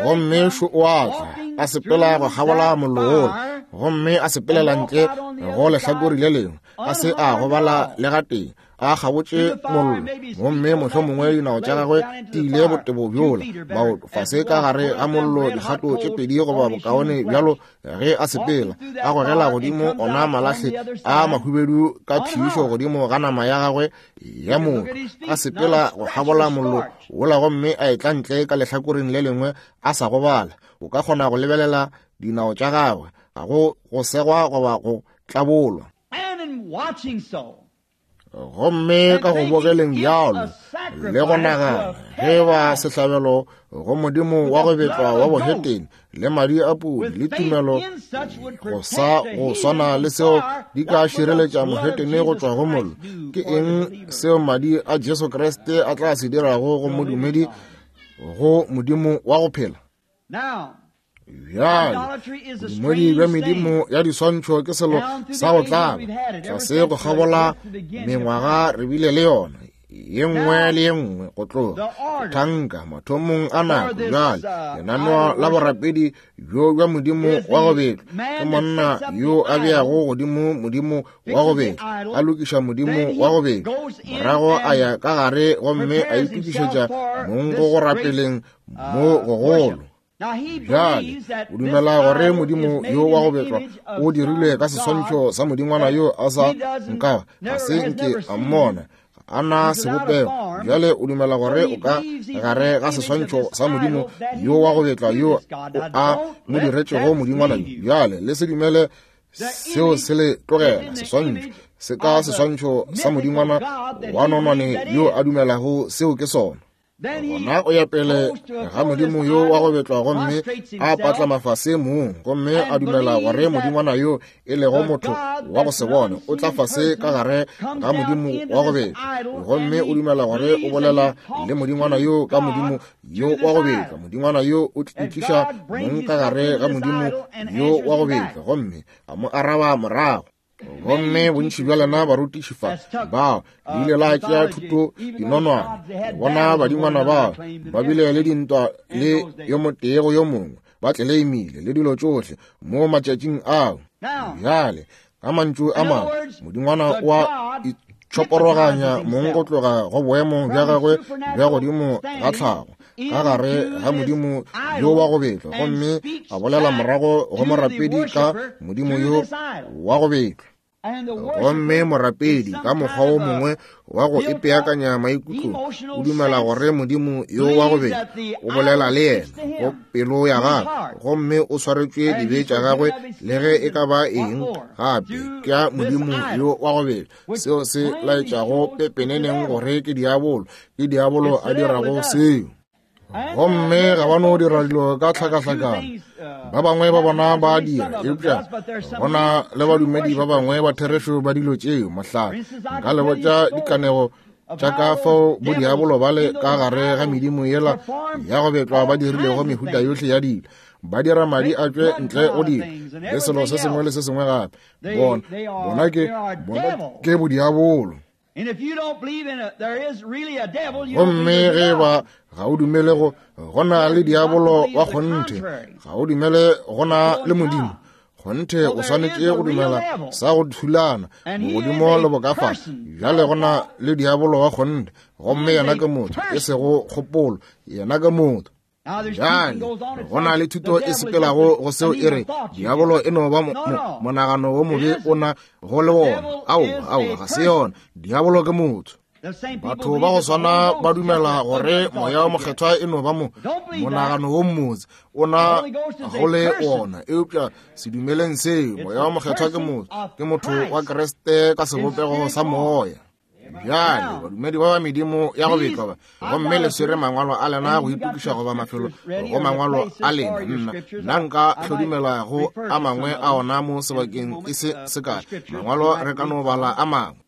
Gomme šo o a tla a sepela go kgabola mollo wola, gomme a sepelela ntle go lehlakore le lengwe, a se a gobala le gatee, a kgabotše mollo. Gomme mohlomongwe dinao tša gagwe di ile botebo bjola, maoto fase ka gare ga mollo dikgato tše pedi goba bokaone bjalo ge a sepela, a gogela godimo ona malahle a mahubedu ka phišo godimo ga nama ya gagwe ya motho, a sepela go kgabola mollo wola gomme a etla ntle ka lehlakoreng le lengwe a sa gobala. O ka kgona go lebelela dinao tša gagwe, ga go go segwa goba go tlabolwa. Gomme ka go bogeleng bjalo le go nagana ge ba sehlabelo go modimo wa go betlwa wa bohetene le madi a pudi le tumelo go sa go swana le seo di ka šireletša mohetene go tšwa go mollo, ke eng seo madi a Jesu Kriste a tla se dirago go modumedi go modimo wa go phela? Bjale bodumedi bja medimo ya diswantšho ke selo sa go tlaba. Tlase go kgabola mengwaga re bile le yona ye nngwe le ye nngwe go tloga thanka mathomong a nako. Bjale lenaneo la borapedi bjo bja modimo wa go betla ke monna yo a beago godimo modimo wa go betla, a lokiša modimo wa go betla, morago a ya ka gare gomme a itokišetša mong go go rapeleng mo gogolo. Bjale o dumela gore modimo yo wa go betlwa o dirilwe ka seswantšho sa modingwana yo a sa nka ga se nke a mmona, a na sebopego. Bjale o dumela gore o ka gare ga seswantšho sa modimo yo wa go betlwa yo a mo diretšego modingwana yo. Bjale le se dumele seo se le tlogela seswantšho se ka seswantšho sa modingwana wa nonwane yo a dumelago seo ke sona. Gona o ya pele ga modimo yo wa go betlwa gomme a patla mafase mong, gomme a dumela gore modingwana yo e lego motho wa go se bone o tla fase ka gare ga modimo wa go betlwa, gomme o dumela gore o bolela le modingwana yo ka modimo yo wa go betlwa. Modingwana yo o tliša mong ka gare ga modimo yo wa go betlwa gomme a mo araba morago. Gomme bontši bja lena barutiši fa bao le ile la tšea thuto dinonwane, bona badingwana bao ba bile le dintwa le yo motee go yo mongwe, ba tleleimile le dilo tšohle mo matšatšing ao. Bjale ka mantšu a mangwe, modingwana wa itšhoporoganya mong go tloga go boemo bja gagwe bja godimo ga tlhago ka gare ga modimo yo wa go betlwa, gomme a bolela morago go morapedi ka modimo yo wa go betlwa. Gomme morapedi ka mokgwa wo mongwe wa go ipeakanya maikutlo o dumela gore modimo yo wa go bela o bolela le yena go pelo ya gagwe, gomme o swaretšwe dibe tša gagwe le ge e ka ba eng gape ke ya modimo yo wa go bela. Seo se laetšago pepeneneng gore ke diabolo, ke diabolo a dirago seo. Gomme ga ba no dira dilo ka tlhakahlakano. Ba bangwe ba bona ba dira, eupša gona le badumedi ba bangwe ba therešo ba dilo tšeo. Mohlala, nka le botša dikanego tša ka fao bodiabolo ba le ka gare ga medimo yela ya go betlwa ba dirilego mehuta yohle ya dilo, ba dira madi a tšwe ntle go dilo le selo se sengwe le se sengwe gape. Bona bona ke bona ke bodiabolo. Gomme ge ba ga o dumele go gona le diabolo wa kgonthe, ga o dumele gona le modimo kgonthe, o swanetše go dumela sa go thulana bogodimo le bokafa. Bjale gona le diabolo wa kgonthe, gomme yena ke motho, e sego kgopolo, yena ke motho. Bjale go na le thuto e sepelago go seo e re diabolo e no ba monagano wo mobe o na go le wona. Aowa, aowa, ga se yona. Diabolo ke motho. Batho ba go swana ba dumela gore moya wa mokgethwa e no ba mo monagano wo mmotse o na go le wona, eupša se dumeleng seo. Moya wa mokgethwa ke motho, ke motho wa Kriste ka sebopego sa moya. Bjale badumedi ba ba medimo ya go betlwa ba, gomme le swere mangwalo a lena go itokiša goba mafelo go mangwalo a lena. Nna nna nka hlodumela go a mangwe a ona mo sebakeng e se sekae. Mangwalo re ka no bala a mangwe.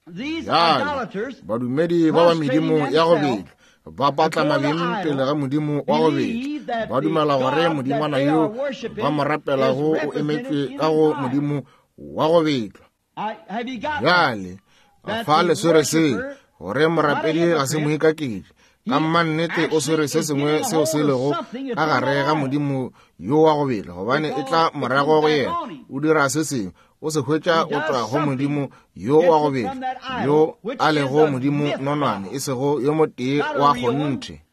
Bjale badumedi ba ba medimo ya go betlwa ba patla mabeng pele ga modimo wa go betlwa, ba dumela gore modingwana yo ba mo rapelago o emetšwe ka go modimo wa go betlwa. Bjale fa le swere se gore morapedi ga se moikaketši, ka mannete o swere se sengwe seo se lego ka gare ga modimo yo wa go bela, gobane e tla morago go yena. O dira se sengwe, o se hwetša go tšwa go modimo yo wa go bela, yo a lego modimo nonwane, e sego yo motee wa kgonthe.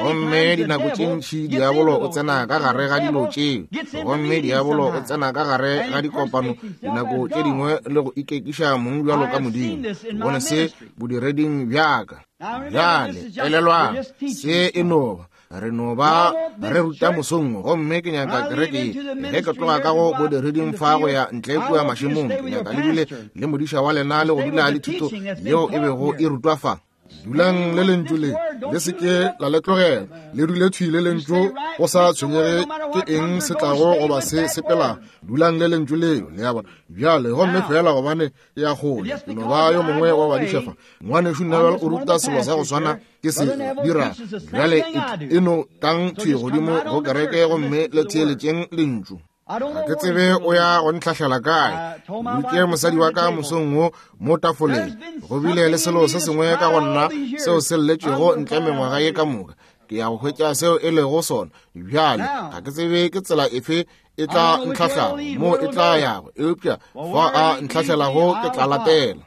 Gomme dinako tše ntši diabolo o tsena ka gare ga dilo tšeo, gomme diabolo o tsena ka gare ga dikopano dinako tše dingwe le go ikekiša mong bjalo ka modimo. Bone se bodireding bjaka. Bjale elelwang, se e no ba re no ba re ruta mosong, gomme ke nyaka kereke ge ke tloga ka go bodireding fa go ya ntle kua mašemong, ke nyaka le dule le modiša wa lena le go dula le thuto yeo e bego e rutwa fa. Dulang le lentšu le, le se ke la le tlogela, le dule thwi le lentšu, go sa tshwenyege ke eng se tlago goba se sepelago. Dulang le lentšu leo, le a bona. Bjale gomme fela gobane e ya kgole, ke no ba yo mongwe wa badiša fa. Ngwanešu Neville o ruta selo sa go swana ke se dira. Bjale e no tlang thwi godimo go kereke gomme le theeletšeng lentšu. Ga ke tsebe o ya go ntlhahlela kae. Ke mosadi wa ka mosong wo mo tafoleng, go bile le selo se sengwe ka go nna seo se lletšego ntle mengwaga ye ka moka. Ke ya go hwetša seo e lego sona. Bjale ga ke tsebe ke tsela efe e tla ntlhahlago mo e tla yago, eupša fa a ntlhahlelago ke tla latela.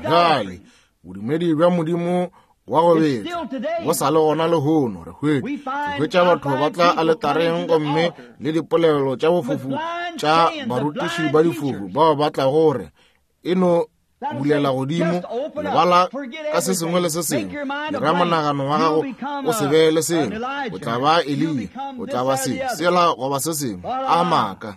Bjale bodumedi bja modimo wa go betla go sa le gona lehono. Re hwetša hwetša batho ba tla aletareng gomme le dipolelo tša bofofu tša barutiši ba difofu bao ba tla gore e no bulela godimo, lebala ka se sengwe le se sengwe, dira monagano wa gago o se be le selo, o tla ba Eliya, o tla ba se sela goba se sengwe. A maaka.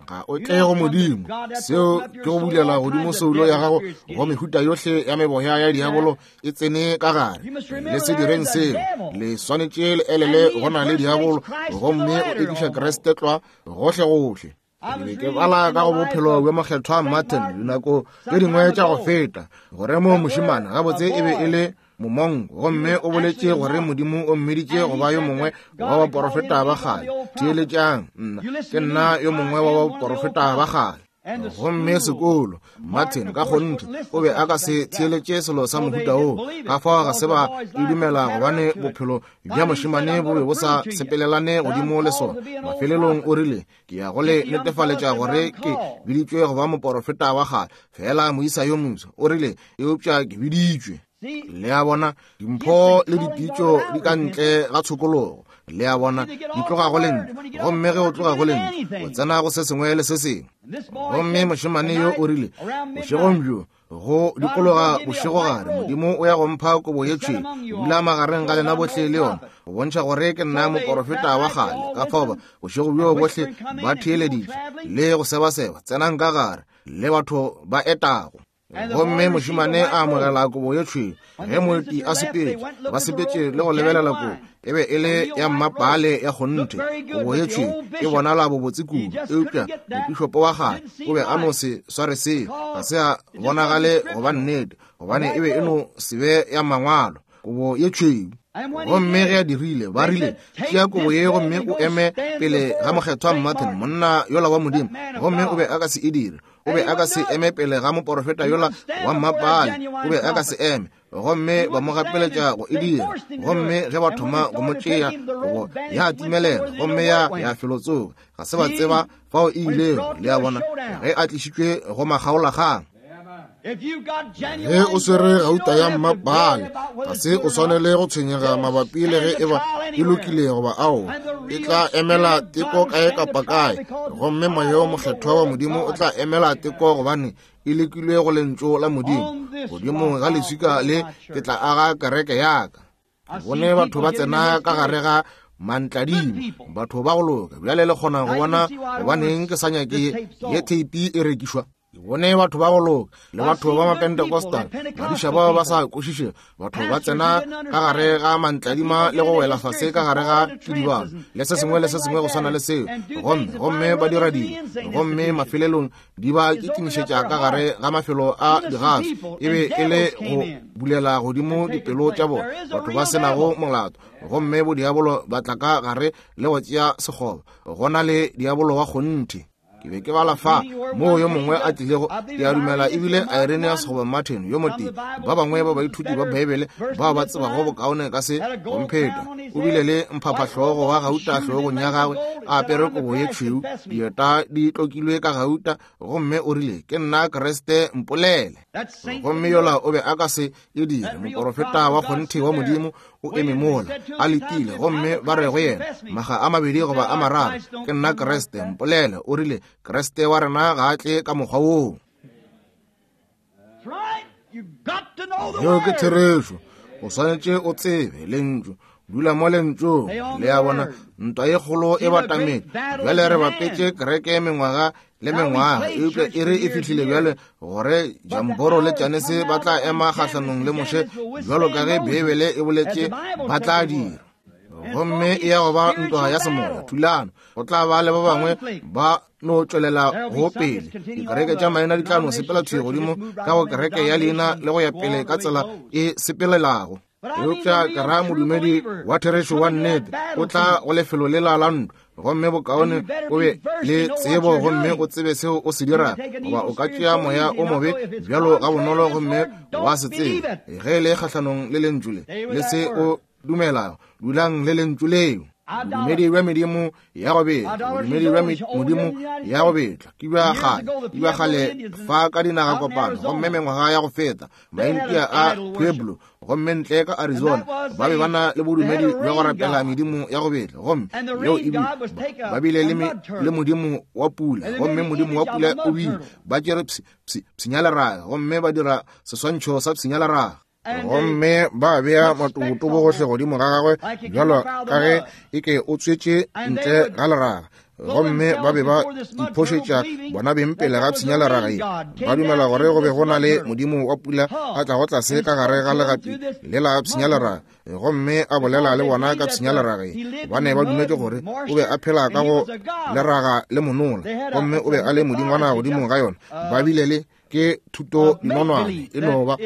Ga o tle go modimo. Seo ke go bulela godimo soulo ya gago go mehuta yohle ya meboya ya diabolo e tsene ka gare. Le se direng seo, le swanetše le elele go na le diabolo, gomme o ekiša Kriste tlwa gohle gohle. Ke be ke bala ka go bophelo bja mokgethwa Martin dinako tše dingwe tša go feta, gore mo mošemane gabotse e be e le momongo, gomme o boletše gore modimo o mmiditše go ba yo mongwe wa baporofeta ba kgale. Theeletšang nna, ke nna yo mongwe wa baporofeta ba kgale. Gomme sekolo Martin ka kgonthe o be a ka se theeletše selo sa mohuta woo, ka fao ga se ba e dumela, gobane bophelo bja mošemane bo be bo sa sepelelane godimo le sona. Mafelelong o rile, ke ya go le netefaletša gore ke biditšwe go ba moporofeta wa kgale, fela moisa yo moswa o rile, eupša ke biditšwe. Le a bona, dimpho le dipitšo di ka ntle ga tshokologo. Le a bona, di tloga go lentšu, gomme ge o tloga go lentšu o tsena go se sengwe le se sengwe. Gomme mošemane yo o rile bošegong bjo go dikologa bošegogare, Modimo o ya go mpha kobo ye tšhweu, dula magareng ga lena bohle le yona, go bontšha gore ke nna moporofeta wa kgale. Ka fao ba bošego bjo bohle ba theeleditše le go sebaseba, tsenang ka gare le batho ba etago. Gomme mošemane a amogela kobo ye tšhweu. Ge moeti a sepetše, ba sepetše le go lebelela kobo, e be e le ya mmapale ya kgonthe. Kobo ye tšhweu e bonala bobotse kudu, eupša mopišopo wa kgale o be a no se sware seo, ga se a bonagale go ba nnete, gobane e be e no se be ya mangwalo, kobo ye tšhweu. Gomme ge a dirile, ba rile, tšea kobo ye gomme o eme pele ga mokgethwa Martin, monna yola wa Modimo. Gomme o be a ka se e dire. O be a ka se eme pele ga moporofeta yola wa mmapale, o be a ka se eme. Gomme ba mo gapeletša go e dira. Gomme ge ba thoma go mo tšea, kobo ya timelela gomme ya ya felotsoka. Ga se ba tseba fao e ilego. Le a bona, ge a tlišitšwe go makgaolakgang. Ge o swere gauta ya mmapale, ga se o swanele go tshwenyega mabapi le ge e ba e lokile goba ao, e tla emela teko kae kapa kae. Gomme moya wo mokgethwa wa Modimo o tla emela teko, gobane e lekilwe go lentšu la Modimo. Godimo ga leswika le ke tla aga kereke ya ka. Bone batho ba tsena ka gare ga mantladimo, batho ba go loka. Bjale le kgona go bona gobaneng ke sa nyake ye theipi e rekišwa. Bone batho ba go loka le batho ba Mapentecostal, badiša bao ba sa kwešišego, batho ba tsena ka gare ga mantladima le go wela fase ka gare ga kidibalo le se sengwe le se sengwe go swana le seo, gomme gomme ba dira dilo, gomme mafelelong di ba kitimišetša ka gare ga mafelo a digaso. E be e le go bulela godimo dipelo tša bona, batho ba senago molato, gomme bodiabolo ba tla ka gare le go tšea sekgoba. Go na le diabolo wa kgonthe. Ke be ke bala fa moo yo mongwe a tlilego, ke a dumela ebile Irenaeus goba Martin yo motee, ba bangwe ba baithuti ba Beibele bao ba tsebago bokaone ka se gompheta. O bile le mphaphahlogo wa gauta hlogong ya gagwe, a apere kobo ye tšhweu, dieta di tlokilwe ka gauta, gomme o rile, ke nna Kriste, mpolele. Gomme yola o be a ka se e dire. Moporofeta wa kgonthe wa Modimo o eme mola a letile, gomme ba re go yena maga a mabedi goba a mararo, ke nna Kriste, mpolele. O rile, Kriste wa rena ga a tle ka mokgwa woo. Yeo ke therešo. O swanetše o tsebe lentšu, dula mo lentšung. Le a bona, ntwa ye kgolo e batametše. Bjale re bapetše kereke mengwaga le mengwaga, eupša e re e fihlile bjale gore Jamboro le Janese ba tla ema kgahlanong le Moshe, bjalo ka ge Beibele e boletše ba tla dira. Gomme e ya go ba ntwa ya semoya, thulano. Go tla ba le ba bangwe ba no tšwelela go pele. Dikereke tša maina di tla no sepela thwi godimo ka go kereke ya leina le go ya pele ka tsela e sepelelago. Eupša ke ra modumedi wa therešo wa nnete o tla go lefelo lela la ntwa, gomme bokaone o be le tsebo gomme o tsebe seo o se dirago, goba o ka tšea moya o mobe bjalo ga bonolo gomme wa se tsebe. Ge le kgahlanong le lentšu le le se o dumelago, dulang le lentšu leo. Bodumedi bja medimo ya go betla, bodumedi bja modimo ya go betla ke bja kgale, ke bja kgale fa ka dinaga kopano, gomme mengwaga ya go feta Maintia a Pueblo gomme ntle ka Arizona ba be ba na le bodumedi bja go rapela medimo ya go betla, gomme yeo e bile ba bile le, le modimo wa pula, gomme modimo wa pula o bile ba tšere pshinyaleraga gomme ba dira seswantšho sa pshinyaleraga, gomme ba bea matobotobo gohle godimo ga gagwe bjalo ka ge e ke o tswetše ntle ga leraga, gomme ba be ba iphošetša bona beng pele ga pshinyaleraga ye, ba dumela gore go be go na le modimo wa pula a tlago tlase ka gare ga legapi le la pshinyaleraga, gomme a bolela le bona ka pshinyaleraga ye, gobane ba dumetše gore o be a phela ka go leraga le monola, gomme o be a le modingwana godimo ga yona. Ba bile le ke thuto dinonwane, e no ba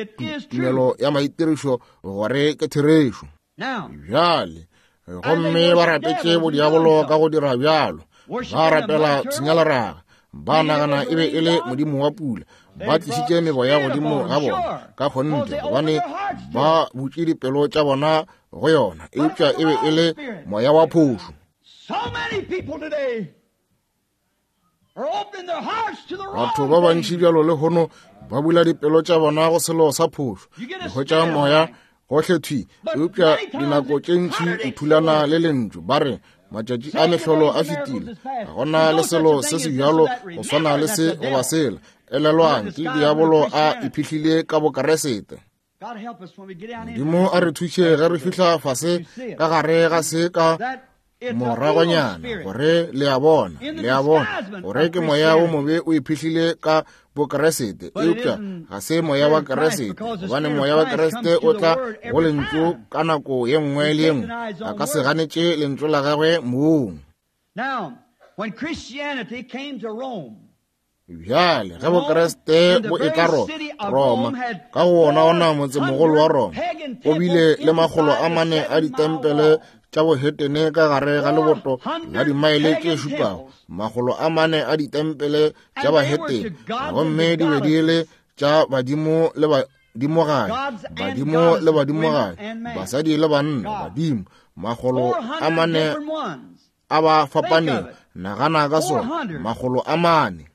tumelo ya maitirišo gore ke therešo. Bjale gomme ba rapetše bodiabolo ka go dira bjalo, ba rapela pshinyaleraga, ba nagana e be e le modimo wa pula, ba tlišitše meboya godimo ga bona ka kgonthe, gobane ba butše dipelo tša bona go yona, eupša e be e le moya wa phošo. Batho ba bantši bjalo lehono ba bula dipelo tša bona go selo sa phošo, go hwetša moya Gohle thwi, eupša dinako tše ntši o thulana le lentšu. Ba re matšatši a mehlolo a fetile, ga gona le selo se se bjalo go swana le se goba sela. Elelwang, ke diabolo a iphihlile ka bokeresete. Modimo a re thuše ge re fihla fase ka gare ga se ka moragonyana, gore le a bona, le a bona gore ke moya wo mobe o iphihlile ka bokeresete, eupša ga se moya wa Keresete, gobane moya wa Keresete o tla go lentšu ka nako ye nngwe le ye nngwe, a ka se ganetše lentšu la gagwe mong. Bjale ge bokeresete bo etla Roma, ka go wona ona motsemogolo wa Roma, o bile le makgolo a mane a ditempele tša bohetene ka gare ga leboto la dimaele tše šupago, makgolo a mane a ditempele tša bahetene, gomme di be di le tša badimo le badimogadi, badimo le badimogadi, basadi le banna, badimo, makgolo a mane a ba fapaneng. Nagana ka sona, makgolo a mane.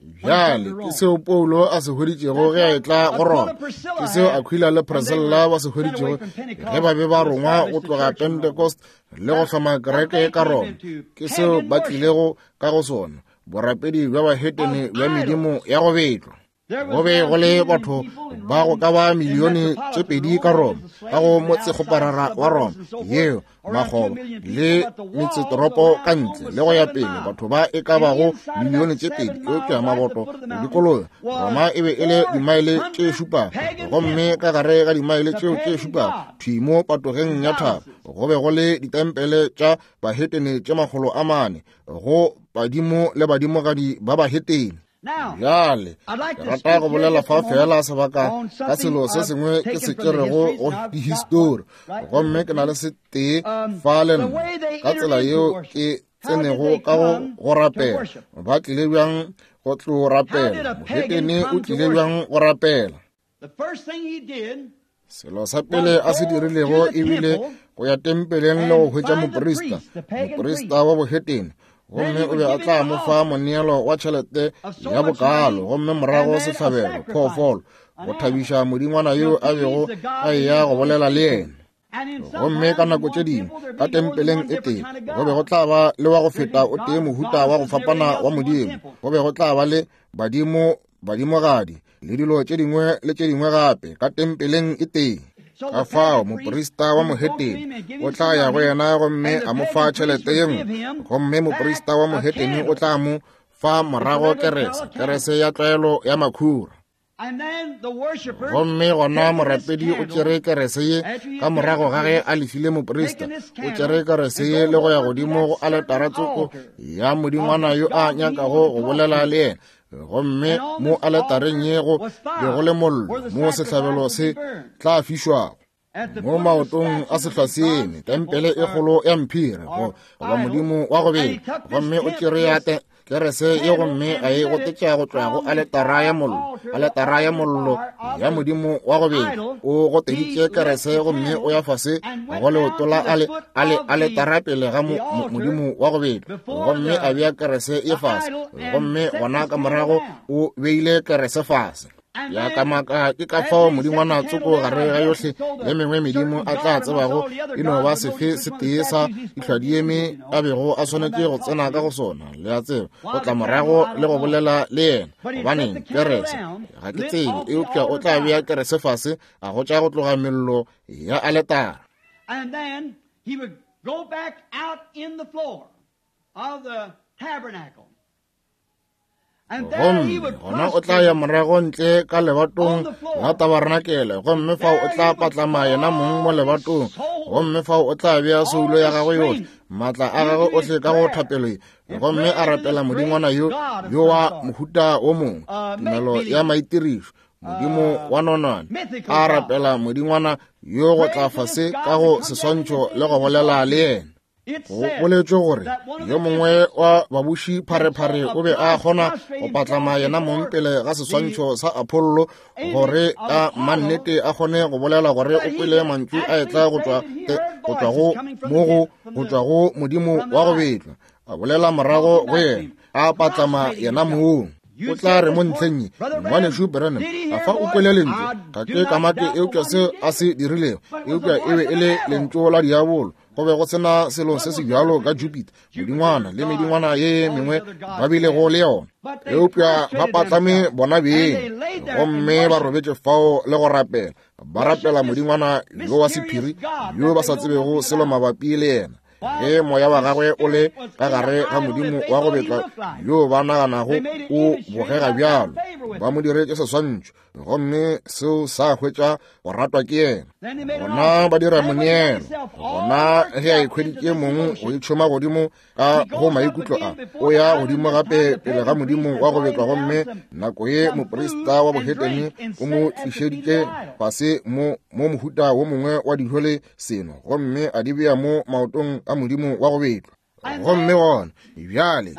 Bjale ke seo Paulo a se hweditšego ge a etla go Roma, ke seo Aquila le Priscilla ba se hweditšego ge ba be ba rongwa go tloga Pentecost le go hloma kereke ka Roma, ke seo ba tlilego ka go sona, borapedi bja bahetene bja medimo ya go betlwa. Go be go le batho ba go ka ba milione tše pedi ka Roma, ka go motsekgoparara wa Roma yeo makgoba le metsetoropo ka ntle le go ya pele, batho ba e ka bago milione tše pedi, eupša maboto dikoloya Roma e be e le dimaele tše šupago, gomme ka gare ga dimaele tšeo tše šupago thwi mo patogeng ya thaba go be go le ditempele tša bahetene tše makgolo a mane go badimo le badimogadi ba bahetene. Bjale ke rata go bolela fa fela sebaka ka selo se sengwe ke se tšerego go dihistori, gomme ke na le se tee fa le nna ka tsela yeo ke tsenego ka go go rapela. Ba tlile bjang go tlo rapela? Mohetene o tlile bjang go rapela? Selo sa pele a se dirilego ebile go ya tempeleng le go hwetša moprista, moprista wa bohetene, gomme o be a tla mo fa moneelo wa tšhelete ya bokalo, gomme morago sehlabelo phoofolo go thabiša modingwana yo a bego a eya go bolela le yena. Gomme ka nako tše dingwe ka tempeleng e tee go be go tla ba le wa go feta o tee mohuta wa go fapana wa modimo, go be go tla ba le badimo, badimogadi le dilo tše dingwe le tše dingwe gape ka tempeleng e tee. Ka fao moprista wa mohetene o tla ya go yena gomme a mo fa tšhelete ye nngwe, gomme moprista wa mohetene o tla mo fa morago kerese, kerese ya tlwaelo ya makhura. Gomme gona morapedi o tšere kerese ye ka morago ga ge a lefile moprista, o tšere kerese ye le go ya godimo go aletara tsoko ya modingwana yo a nyakago go bolela le yena, gomme mo aletareng ye go be go le mollo mo sehlabelo se tla fišwago. Mo maotong a sehlwaseeme, tempele e kgolo ya mphiri goba modimo wa go bela, gomme o tšere ya kerese ye gomme a e gotetša go tloga go aletara ya mollo, aletara ya mollo ya modimo wa go bela. O goteditše kerese gomme o ya fase go leoto la ale, ale, aletara pele ga mo, mo, modimo wa go bela, gomme a bea kerese ye fase, gomme gona ka morago o beile kerese fase. Ya ka maka ke ka fao modingwana tsoko gare ga yohle le mengwe medimo a tla tsebago e no ba sefe se tee sa dihlwadieme a bego a swanetše go tsena ka go sona, le a tseba, go tla morago le go bolela le yena. Gobaneng kerese? Ga ke tsebe, eupša o tla bea kerese fase a gotša go tloga mello ya aletara. And then he would go back out in the floor of the tabernacle. Gomme gona o tla ya morago ntle ka lebatong la tabarnakele, gomme fao o tla patlama yena mong mo lebatong, gomme fao o tla bea soulo ya gagwe yohle, maatla a gagwe ohle ka go thapelo ye, gomme a rapela modingwana yo yo wa mohuta wo mongwe, tumelo ya maitirišo, modimo wa nonwane, a rapela modingwana yo go tla fase ka go seswantšho le go bolela le yena. Go boletšwe gore yo mongwe wa babuši pharephare o be a kgona go patlama yena mong pele ga seswantšho sa Apollo gore ka mannete a kgone go bolela gore o kwele mantšu a etla go tšwa go tšwa go mo go go tšwa go modimo wa go betlwa, a bolela morago go yena a patlama yena mong. O tla re mo ntlheng ye, Ngwanešu Branham, a fa o kwele lentšu? Ga ke kamake eupša se a se dirilego, eupša e be e le lentšu la diabolo. Go be go sena selo se se bjalo ka Jupiter, modingwana le medingwana ye mengwe ba bilego le yona, eupša ba patlame bona beng gomme ba robetše fao le go rapela, ba rapela modingwana yo wa sephiri yo ba sa tsebego selo mabapi le yena. Ge moya wa gagwe o le ka gare ga modimo wa go betlwa yo ba naganago o bogega bjalo, ba mo diretše seswantšho gomme seo sa hwetša go ratwa ke yena. Gona ba dira moneelo. Gona ge a ikhweditše mong go itšhoma godimo ka go maikutlo a, o ya godimo gape pele ga modimo wa go betlwa, gomme nako ye moprista wa bohetene o mo tlišeditše fase mo mo mohuta wo mongwe wa dijo le seno, gomme a di bea mo maotong a modimo wa go betlwa. Gomme gona bjale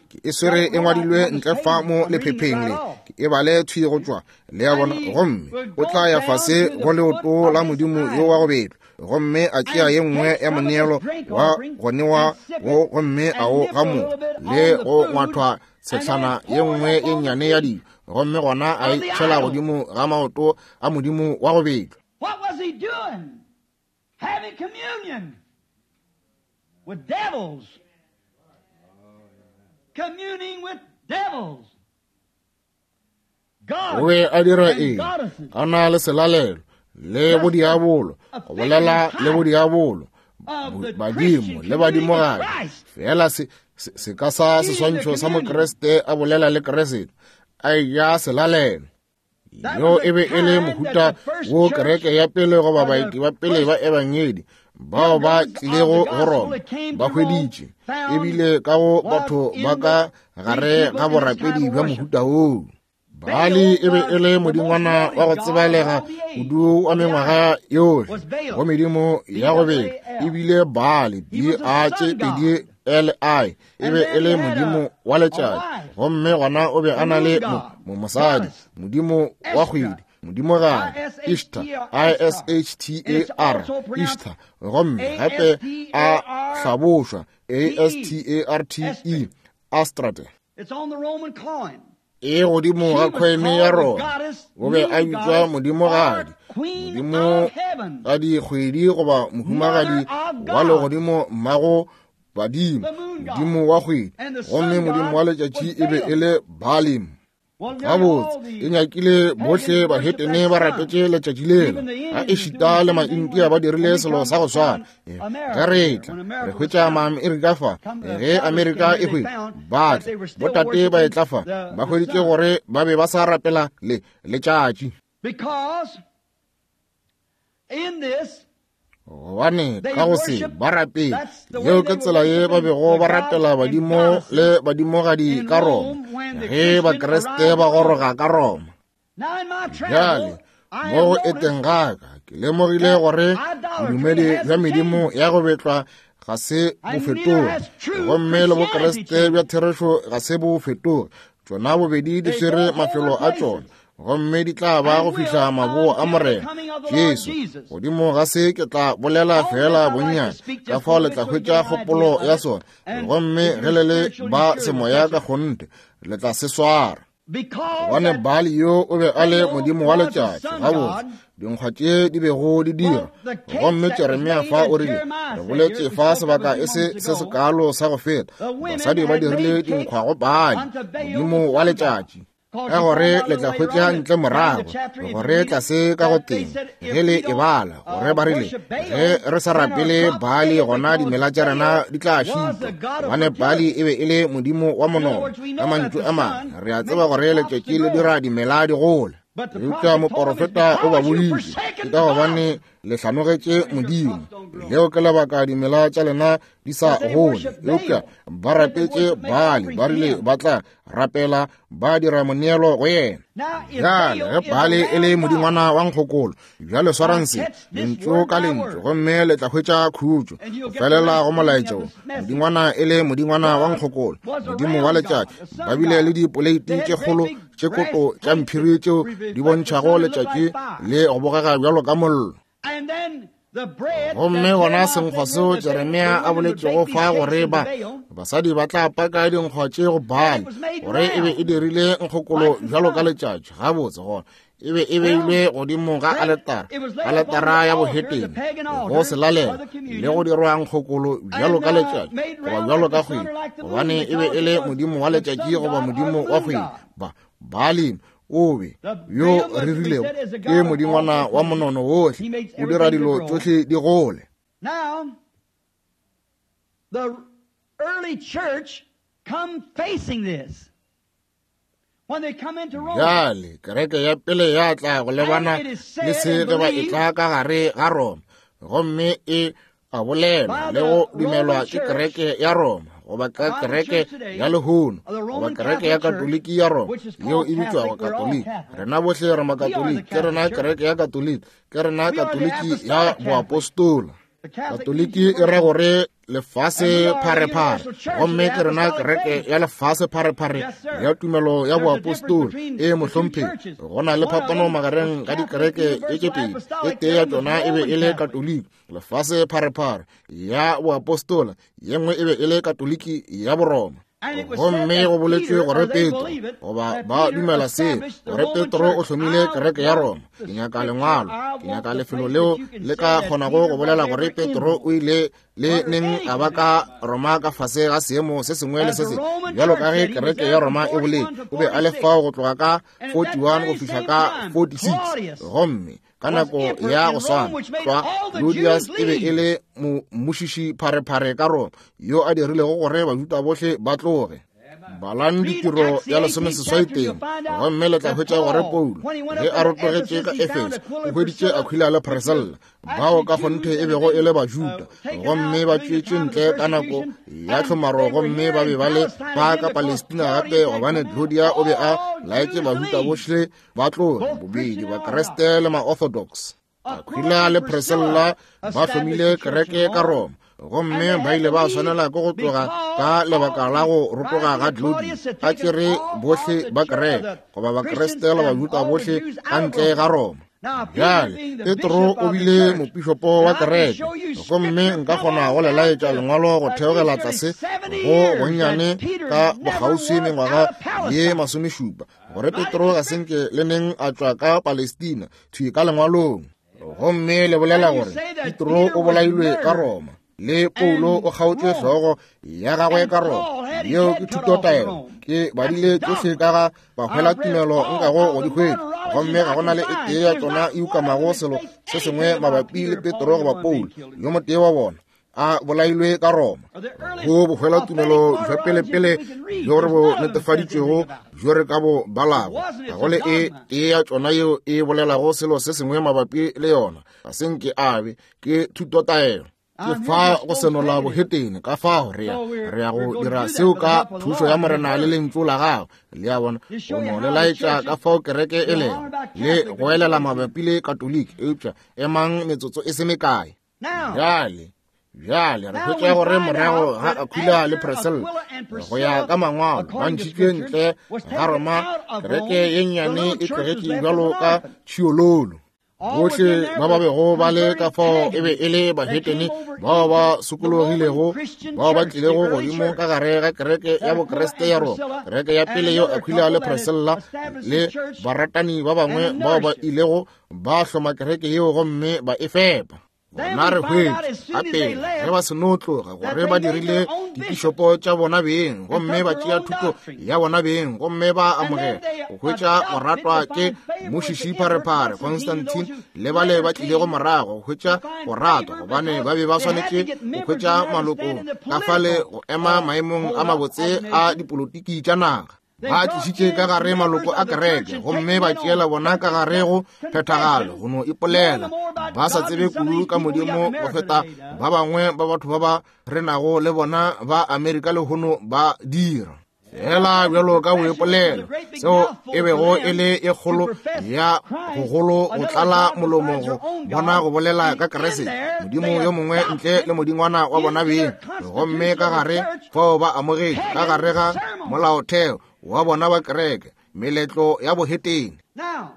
ke e swere e ngwadilwe ntle fa mo lephepheng le, ke e bale thwi go tšwa le ya bona. Gomme o tla ya fase go leoto la modimo yo wa go betlwa, gomme a tšea ye nngwe ya moneelo wa go newa wo, gomme a o gamoga le go ngwathwa tshetlana ye nngwe ye nnyane ya dijo, gomme gona a e tšhela godimo ga maoto a modimo wa go betlwa. What was he doing? Having communion with devils. Communing with devils. O be a dira eng? A na le selalelo le bodiabolo, go bolela le bodiabolo, badimo le badimogadi. Fela se se ka sa seswantšho sa Mokriste a bolela le Kriste, a eja selalelo. Yo e be e le mohuta wo kereke ya pele goba baeti ba pele ba ebangedi bao ba tlilego go Roma ba hweditše, ebile ka go batho ba ka gare ga borapedi bja mohuta woo. Baali e be e le modingwana wa go tsebalega kudu wa mengwaga yohle go medimo ya go betla, ebile Baali B A tše pedi L I e be e le modimo wa letšatši, gomme gona o be a na le mo mosadi, modimo wa kgwedi, modimogadi Ishtar, I S H T A R, Ishtar, gomme gape a hlabošwa A S T A R T E, Astrate. E godimo ga kgweme ya Roma, o be a bitšwa modimogadi, modimogadi kgwedi goba mohumagadi wa legodimo, mmago badimo, modimo wa kgwedi, gomme modimo wa letšatši e be e le Baalim. Gabotse e nyakile bohle bahetene ba rapetše letšatši lela, ga ešita le Maindia ba dirile selo sa go swana. Ge re tla re hwetša Maamerika fa, ge Amerika e hwetša ba tla botate ba etla fa, ba hweditše gore ba be ba sa rapela le letšatši, gobane ka go se ba rapele. Yeo ke tsela ye ba bego ba rapela badimo le badimogadi ka Roma ge Bakriste ba goroga ka Roma. Bjale mo go eteng gaka ke lemogile gore bodumedi bja medimo ya go betlwa ga se bo fetoge, gomme le Bokriste bja therešo ga se bo fetoge. Tšona bobedi di swere mafelo a tšona, gomme di tla ba go fihla maboo a Morena Jesu. Godimo ga se ke tla bolela fela bonnyane, ka fao le tla hwetša kgopolo ya sona, gomme ge le le ba semoya ka kgonthe le tla se swara. Gobane Baali yo o be a le modimo wa letšatši, gabotse dinkgwa tše di bego di dira. Gomme Jeremia fa o rile, re boletše fa sebaka e se se sekalo sa go feta, basadi ba dirile dinkgwa go Baali, modimo wa letšatši. Ka gore le tla hwetša ntle morago gore tlase ka go teng ge le e bala gore ba rile ge re sa rapele Baali gona dimela tša rena di tla šitwa, gobane Baali e be e le modimo wa monono. Ka mantšu a mangwe, re a tseba gore letšatši le dira dimela di gole, eupša moporofeta o ba boditše, ke ka gobane le hlanogetše Modimo, leo ke lebaka dimela tša lena di sa gole. Eupša ba rapetše Baali, ba rile ba tla rapela ba dira moneelo go yena. Bjale ge Baali e le modingwana wa nkgokolo, bjale swarang se lentšu ka lentšu, gomme le tla hwetša khutšo go felela go molaetša wo. Modingwana e le modingwana wa nkgokolo, modimo wa letšatši, ba bile le dipoleiti tše kgolo tše koto tša mphiri tšeo di bontšhago letšatši le go bogega bjalo ka mollo. Gomme gona senkgwa seo Jeremia a boletšego fa gore ba basadi ba tla paka dinkgwa tše go Baali, gore e be e dirile nkgokolo bjalo ka letšatši. Gabotse gona e be e beilwe godimo ga aletara, aletara ya bohetene, go selalela le go dirwa nkgokolo bjalo ka letšatši goba bjalo ka kgwedi, gobane e be e le modimo wa letšatši goba modimo wa kgwedi. Ba Baali o be yo rerilego ke modingwana wa monono wohle, o dira dilo tšohle di gole. Now, the early church come facing this. When they come into Rome, Bjale kereke ya pele ya tla go lebana le se ge ba etla ka gare ga Roma, gomme e a bolelwa le go dumelwa ke kereke ya Roma, goba ka kereke ya lehono, goba kereke ya Katoliki ya Roma yeo e bitšwago Katoliki. Rena bohle re Makatoliki, ke rena kereke ya Katoliki, ke rena Katoliki ya boapostola. Katoliki e ra gore lefase pharephare, gomme ke rena kereke ya lefase pharephare ya tumelo ya boapostola. E mohlomphegi, go na le phapano magareng ga dikereke e tše pedi. E tee ya tšona e be e le Katoliki lefase pharephare ya boapostola, ye nngwe e be e le Katoliki ya Boroma. Gomme go boletšwe gore Petro, goba ba dumela seo, gore Petro o hlomile kereke ya Roma. Ke nyaka lengwalo, ke nyaka lefelo leo le ka kgonago go bolela gore Petro o ile le neng a ba ka Roma ka fase ga seemo se sengwe le se sengwe, bjalo ka ge kereke ya Roma e boletše. O be a le fao go tloga ka forty-one go fihla ka forty-six. Gomme ka nako ya go swana tlwa Claudius e be e le mmušiši pharephare ka Roma, yo a dirilego gore Bajuda bohle ba tloge. Balang ditiro ya lesomeseswai teng, gomme le tla hwetša gore Paulo ge a rotogetše ka Efeso o hweditše Aquila le Priscilla, bao ka kgonthe e bego e le Bajuda, gomme ba tšwetše ntle ka nako ya tlhomaro, gomme ba be ba le ba ka Palestina gape, gobane Claudia o be a laetše Bajuda bohle ba tloge, bobedi Bakreste le ma-Orthodox. Aquila le Priscilla ba hlomile kereke ka Roma, gomme ba ile ba swanela ke go tloga ka lebaka la go rotoga ga Claudius, a tšere bohle ba kereke goba Bakreste le Bajuda bohle ka ntle ga Roma. Bjale Petro o bile mopišopo wa kereke, gomme nka kgona go le laetša lengwalo go theogela tlase go bonnyane ka bokgauswi mengwaga ye masomešupa, gore Petro ga senke le neng a tšwa ka Palestina thwi ka lengwalong. Gomme le bolela gore Petro o bolailwe ka Roma, le Paulo o kgaotšwe hlogo ya gagwe ka Roma. Yeo ke thutotaelo. Ke badile tšohle ka ga bahwela tumelo nkago go di hwetša, gomme ga gona le e tee ya tšona e ukamago selo se sengwe mabapi le Petro goba Paulo, yo motee wa bona a bolailwe ka Roma. Go bohwela tumelo jwa pelepele bjo re bo netefaditšwego bjo re ka bo balago, ga go le e tee ya tšona yeo e bolelago selo se sengwe mabapi le yona. Ga se nke a be ke thutotaelo. Ke fa go senola bohetene, ka fao re ya re ya go dira seo ka thušo ya Morena le lentšu la gagwe. Le a bona, go no le laetša ka fao kereke e lego, le go elela mabapi le Katoliki. Eupša emang metsotso e se mekae. Bjale bjale re hwetša gore morago ga Aquila le Priscilla, go ya ka mangwalo, ba ntšhitšwe ntle ga Roma, kereke ye nnyane e tlogetše bjalo ka tšhiololo. Bohle ba ba bego ba le ka fao e be e le bahetene bao ba sokologilego, bao ba tlilego godimo ka gare ga kereke ya Bokreste ya Roma, kereke ya pele yeo Aquila le Priscilla le baratani ba bangwe bao ba ilego ba hloma kereke yeo gomme ba e fepa. Bona re hwetše gape ge ba seno tloga gore ba dirile dipišopo tša bona beng, gomme ba tšea thuto ya bona beng, gomme ba amogela go hwetša go ratwa ke mmušiši pharephare Constantine le bale ba tlilego morago go hwetša go ratwa, gobane ba be ba swanetše go hwetša maloko ka fale go ema maemong a mabotse a dipolotiki tša naga. Ba tlišitše ka gare maloko a kereke, gomme ba tšeela bona ka gare go phethagalo go no ipolela, ba sa tsebe kudu ka Modimo go feta ba bangwe ba batho ba ba renago le bona ba Amerika lehono ba dira. Fela bjalo ka boipolelo, seo e bego e le e kgolo ya gogolo go tlala molomo go bona go bolela ka Kriste, Modimo yo mongwe ntle le modingwana wa bona beng, gomme ka gare fao ba amogetše ka gare ga molaotheo wa bona ba kereke meletlo ya bohetene. Now,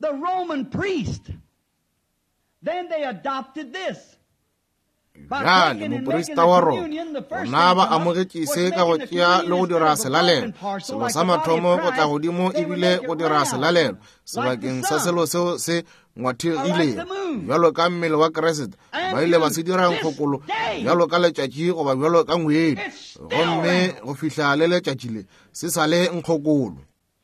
the Roman priest Bjale moprista wa Roma bona ba amogetše se ka go tšea le go dira selalelo. Selo sa mathomo go tla godimo ebile go dira selalelo sebakeng sa selo seo se ngwathegilego bjalo ka mmele wa Kriste. Ba ile ba se dira nkgokolo bjalo ka letšatši goba bjalo ka ngwedi, gomme go fihla le letšatši le se sa le nkgokolo.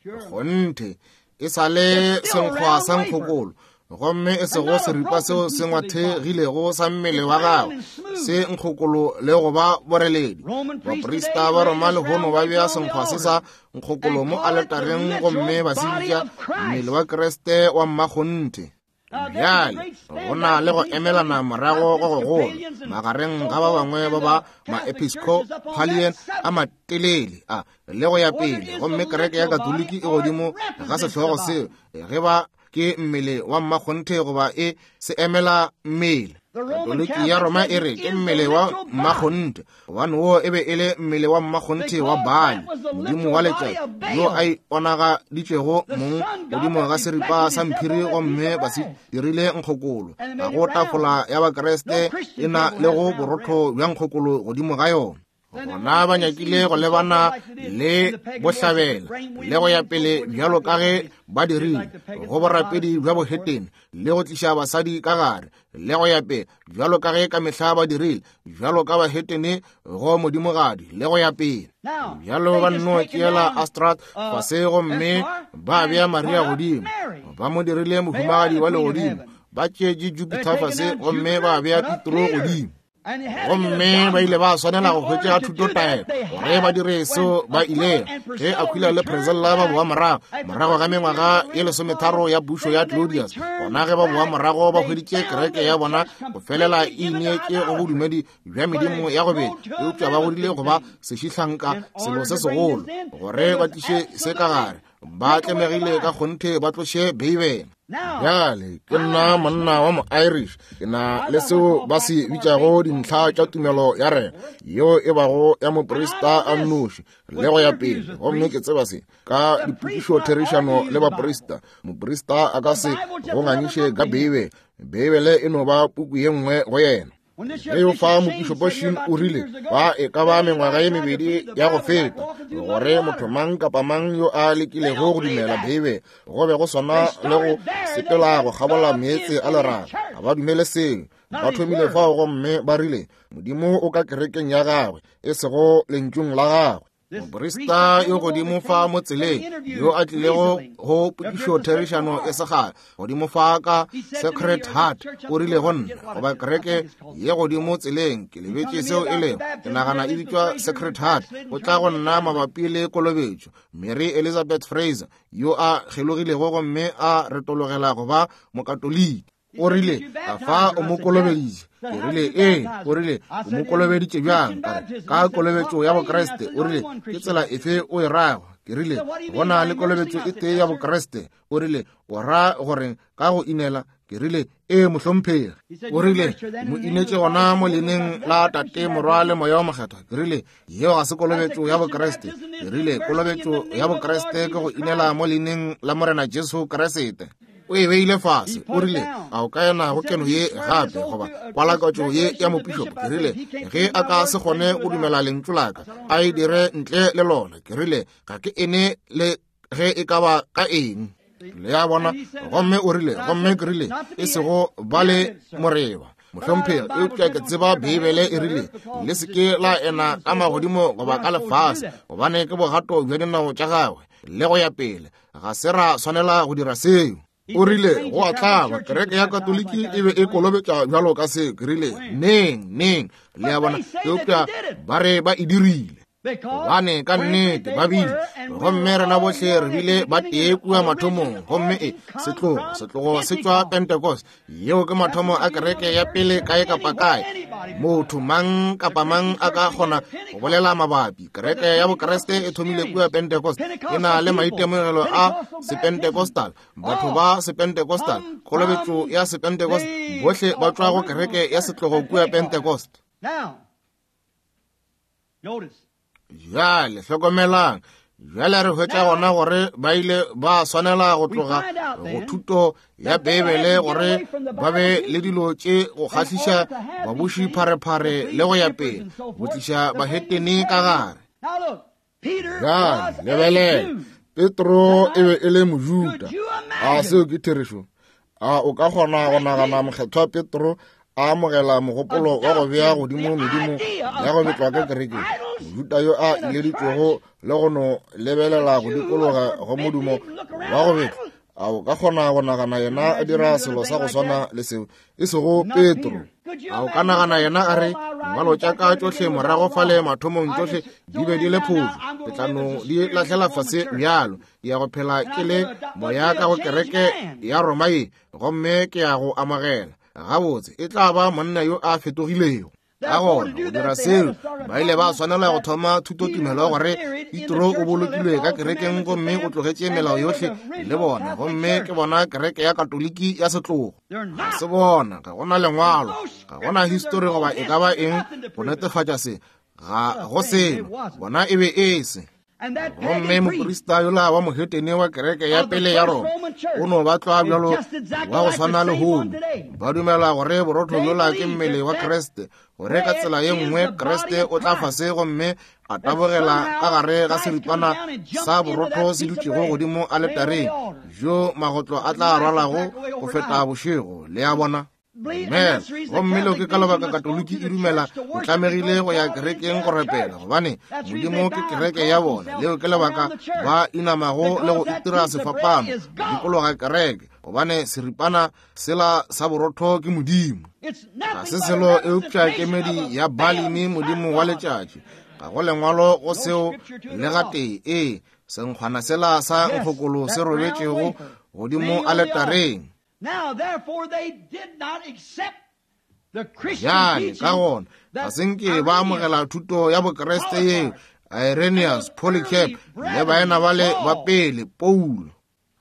Kgonthe e sa le senkgwa sa nkgokolo, gomme e sego seripa seo se ngwathegilego sa mmele wa gagwe se nkgokolo le go ba boreledi. Baprista ba Roma lehono ba bea senkgwa se sa nkgokolo mo aletareng gomme ba se bitša mmele wa Kriste wa mmakgonthe. Bjale go na le go emelana morago go gogolo magareng ga ba bangwe ba ba ma-Episcopalian a matelele a le go ya pele, gomme kereke ya Katoliki e godimo ga sehlogo seo ge ba ke mmele wa mmakgonthe goba e se emela mmele. Katoliki ya Roma e re ke mmele wa mmakgonthe, gobane wo e be e le mmele wa mmakgonthe wa Baali, modimo wa letšatši, yo a iponagaditšego mong godimo ga seripa sa mphiri, gomme ba se dirile nkgokolo. Ga go tafola ya Bakriste e na le go borotho bja nkgokolo godimo ga yona. Gona ba nyakile go lebana le bohlabela le go ya pele bjalo ka ge ba dirile go borapedi bja bohetene le go tliša basadi ka gare le go ya pele bjalo ka ge ka mehla ba dirile bjalo ka bahetene go modimogadi le go ya pele. Bjalo ba nno tšeela Astrat fase gomme ba bea Maria godimo, ba mo dirile mohumagadi wa legodimo. Ba tšeetše Jupiter fase gomme ba bea Petro godimo. Gomme ba ile ba swanela go hwetša thutotaelo gore ba dire seo ba ilego. Ge Aquila le Priscilla ba boa morago morago ga mengwaga ye lesometharo ya pušo ya Claudius, gona ge ba boa morago ba hweditše kereke ya bona go felela e ineetše go bodumedi bja medimo ya go beta, eupša ba godile go ba sešihlanka selo se segolo gore ba tliše se ka gare. Ba tlemegile ka kgonthe ba tloše Beibele. Bjale ke nna monna wa mo-Irish, ke na le seo ba se bitšago dintlha tša tumelo ya rena, yeo e bago ya moprista a nnoši le go ya pele. Gomme ke tseba se ka dipotšišotherišano le baprista. Moprista a ka se go ngangiše ka Beibele. Beibele e no ba puku ye nngwe go yena. Ge yo fa mopišopo Sheen o rile ba e ka ba mengwaga ye mebedi ya go feta gore motho mang kapa mang yo a lekilego go dumela Beibele go be go swana le go sepela go kgabola meetse a leraga. Ga ba dumele seo. Ba thomile fao gomme ba rile Modimo o ka kerekeng ya gagwe e sego lentšung la gagwe. Moprista yo godimo fa mo tseleng yo a tlilego go potšišotherišano e segale godimo fa ka Sacred Heart o rile go nna, goba kereke ye godimo tseleng, ke lebetše seo e lego, ke nagana e bitšwa Sacred Heart, o tla go nna mabapi le kolobetšo. Mary Elizabeth Fraser yo a kgelogilego gomme a retologela go ba mokatoliki o rile a fa o mo kolobeditše. Ke rile ee. O rile o mo kolobeditše bjang? Ka kolobetšo ya Bokriste. O rile ke tsela efe o e rago? Ke rile go na le kolobetšo e tee ya Bokriste. O rile o ra gore ka go inela? Ke rile ee mohlomphegi. O rile mo inetše gona mo leineng la Tate, Morwa le Moya o Mokgethwa. Ke rile yeo ga se kolobetšo ya Bokriste. Ke rile kolobetšo ya Bokriste ke go inela mo leineng la Morena Jesu Kriste. O e beile fase. O rile a o ka ena go keno ye gape goba kwalakatšo ye ya mopišopo? Ke rile ge a ka se kgone go dumela lentšu la ka a e dire ntle le lona. Ke rile ga ke ene le ge e ka ba ka eng. Le ya bona. Gomme o rile, gomme ke rile e sego ba le moreba mohlomphegi, eupša ke tseba Beibele e rile le se ke la ena ka magodimo goba ka lefase, gobane ke bogato bja dinao tša gagwe le go ya pele. Ga se ra swanela go dira seo. O rile go a tlaba kereke ya Katoliki e be e kolobetša bjalo ka seo. Ke rile neng neng. Le a bona, eupša ba re ba e dirile gobane ka nnete ba bile, gomme rena bohle re bile ba tee kua mathomong. Gomme e setlogo setlogo se tšwa Pentecost, yeo ke mathomo a kereke ya pele kae kapa kae. Motho mang kapa mang a ka kgona go bolela mabapi. Kereke ya Bokriste e thomile kua Pentecost, e na le maitemogelo a Sepentecostal, batho ba Sepentecostal, kolobetšo ya Sepentecost, bohle ba tšwa go kereke ya setlogo kua Pentecost. Bjale hlokomelang, Bjale re hwetša gona gore ba ile ba swanela go tloga go thuto ya Beibele gore ba be le dilo tše go kgahliša babuši pharephare le go ya pele, go tliša bahetene ka gare. Bjale lebelela, Petro e be e le Mojuda. A seo ke therešo? A o ka kgona go nagana mokgethwa Petro a amogela mogopolo wa go bea godimo medimo ya go betlwa ka kerekeng? Mojuda yo a ileditšwego le go no lebelela go dikologa go modumo wa go betla. A o ka kgona go nagana yena a dira selo sa go swana le seo? E sego Petro. A o ka nagana yena a re, ngwalo tša ka tšohle morago fale mathomong tšohle di be di le phošo, ke tla no di lahlela fase bjalo, ke ya go phela ke le moya ka go kereke ya Roma ye, gomme ke ya go amogela. Gabotse, e tla ba monna yo a fetogilego. Ka gona go dira seo, ba ile ba swanela go thoma thutotumelo gore Petro o bolokilwe ka kerekeng gomme o tlogetše melao yohle le bona, gomme ke bona kereke ya Katoliki ya setlogo. Ga se bona, ga gona lengwalo, ga gona histori goba e ka ba eng go netefatša se, ga go selo, bona e be e se. Gomme moprista yola wa mohetene wa kereke ya pele ya Roma o no ba tlwa bjalo wa go swana le lehono. Ba dumela gore borotho yola ke mmele wa Kriste, gore ka tsela ye nngwe Kriste o tla fase gomme a tabogela ka gare ga seripana sa borotho se dutšego godimo aletareng, jo magotlo a tla rwalago go feta bošego. Le a bona? Amen. Gomme leo ke ka lebaka Katoliki e dumela o tlamegile go ya kerekeng go rapela, gobane Modimo ke kereke ya bona. Leo ke lebaka ba inamago le go itira sefapano go dikologa kereke, gobane seripana sela sa borotho ke Modimo. Ga se selo eupša kemedi ya Balimi, modimo wa letšatši. Ga go lengwalo go seo le gatee. Ee, senkgwana sela sa nkgokolo se robetšego godimo aletareng. Now, therefore, they did not accept the Christian Bjale ka teaching gona ga that se nke ba amogela thuto ya Bokriste yeo Irenaeus, Polycarp le baena bale ba pele, Paulo.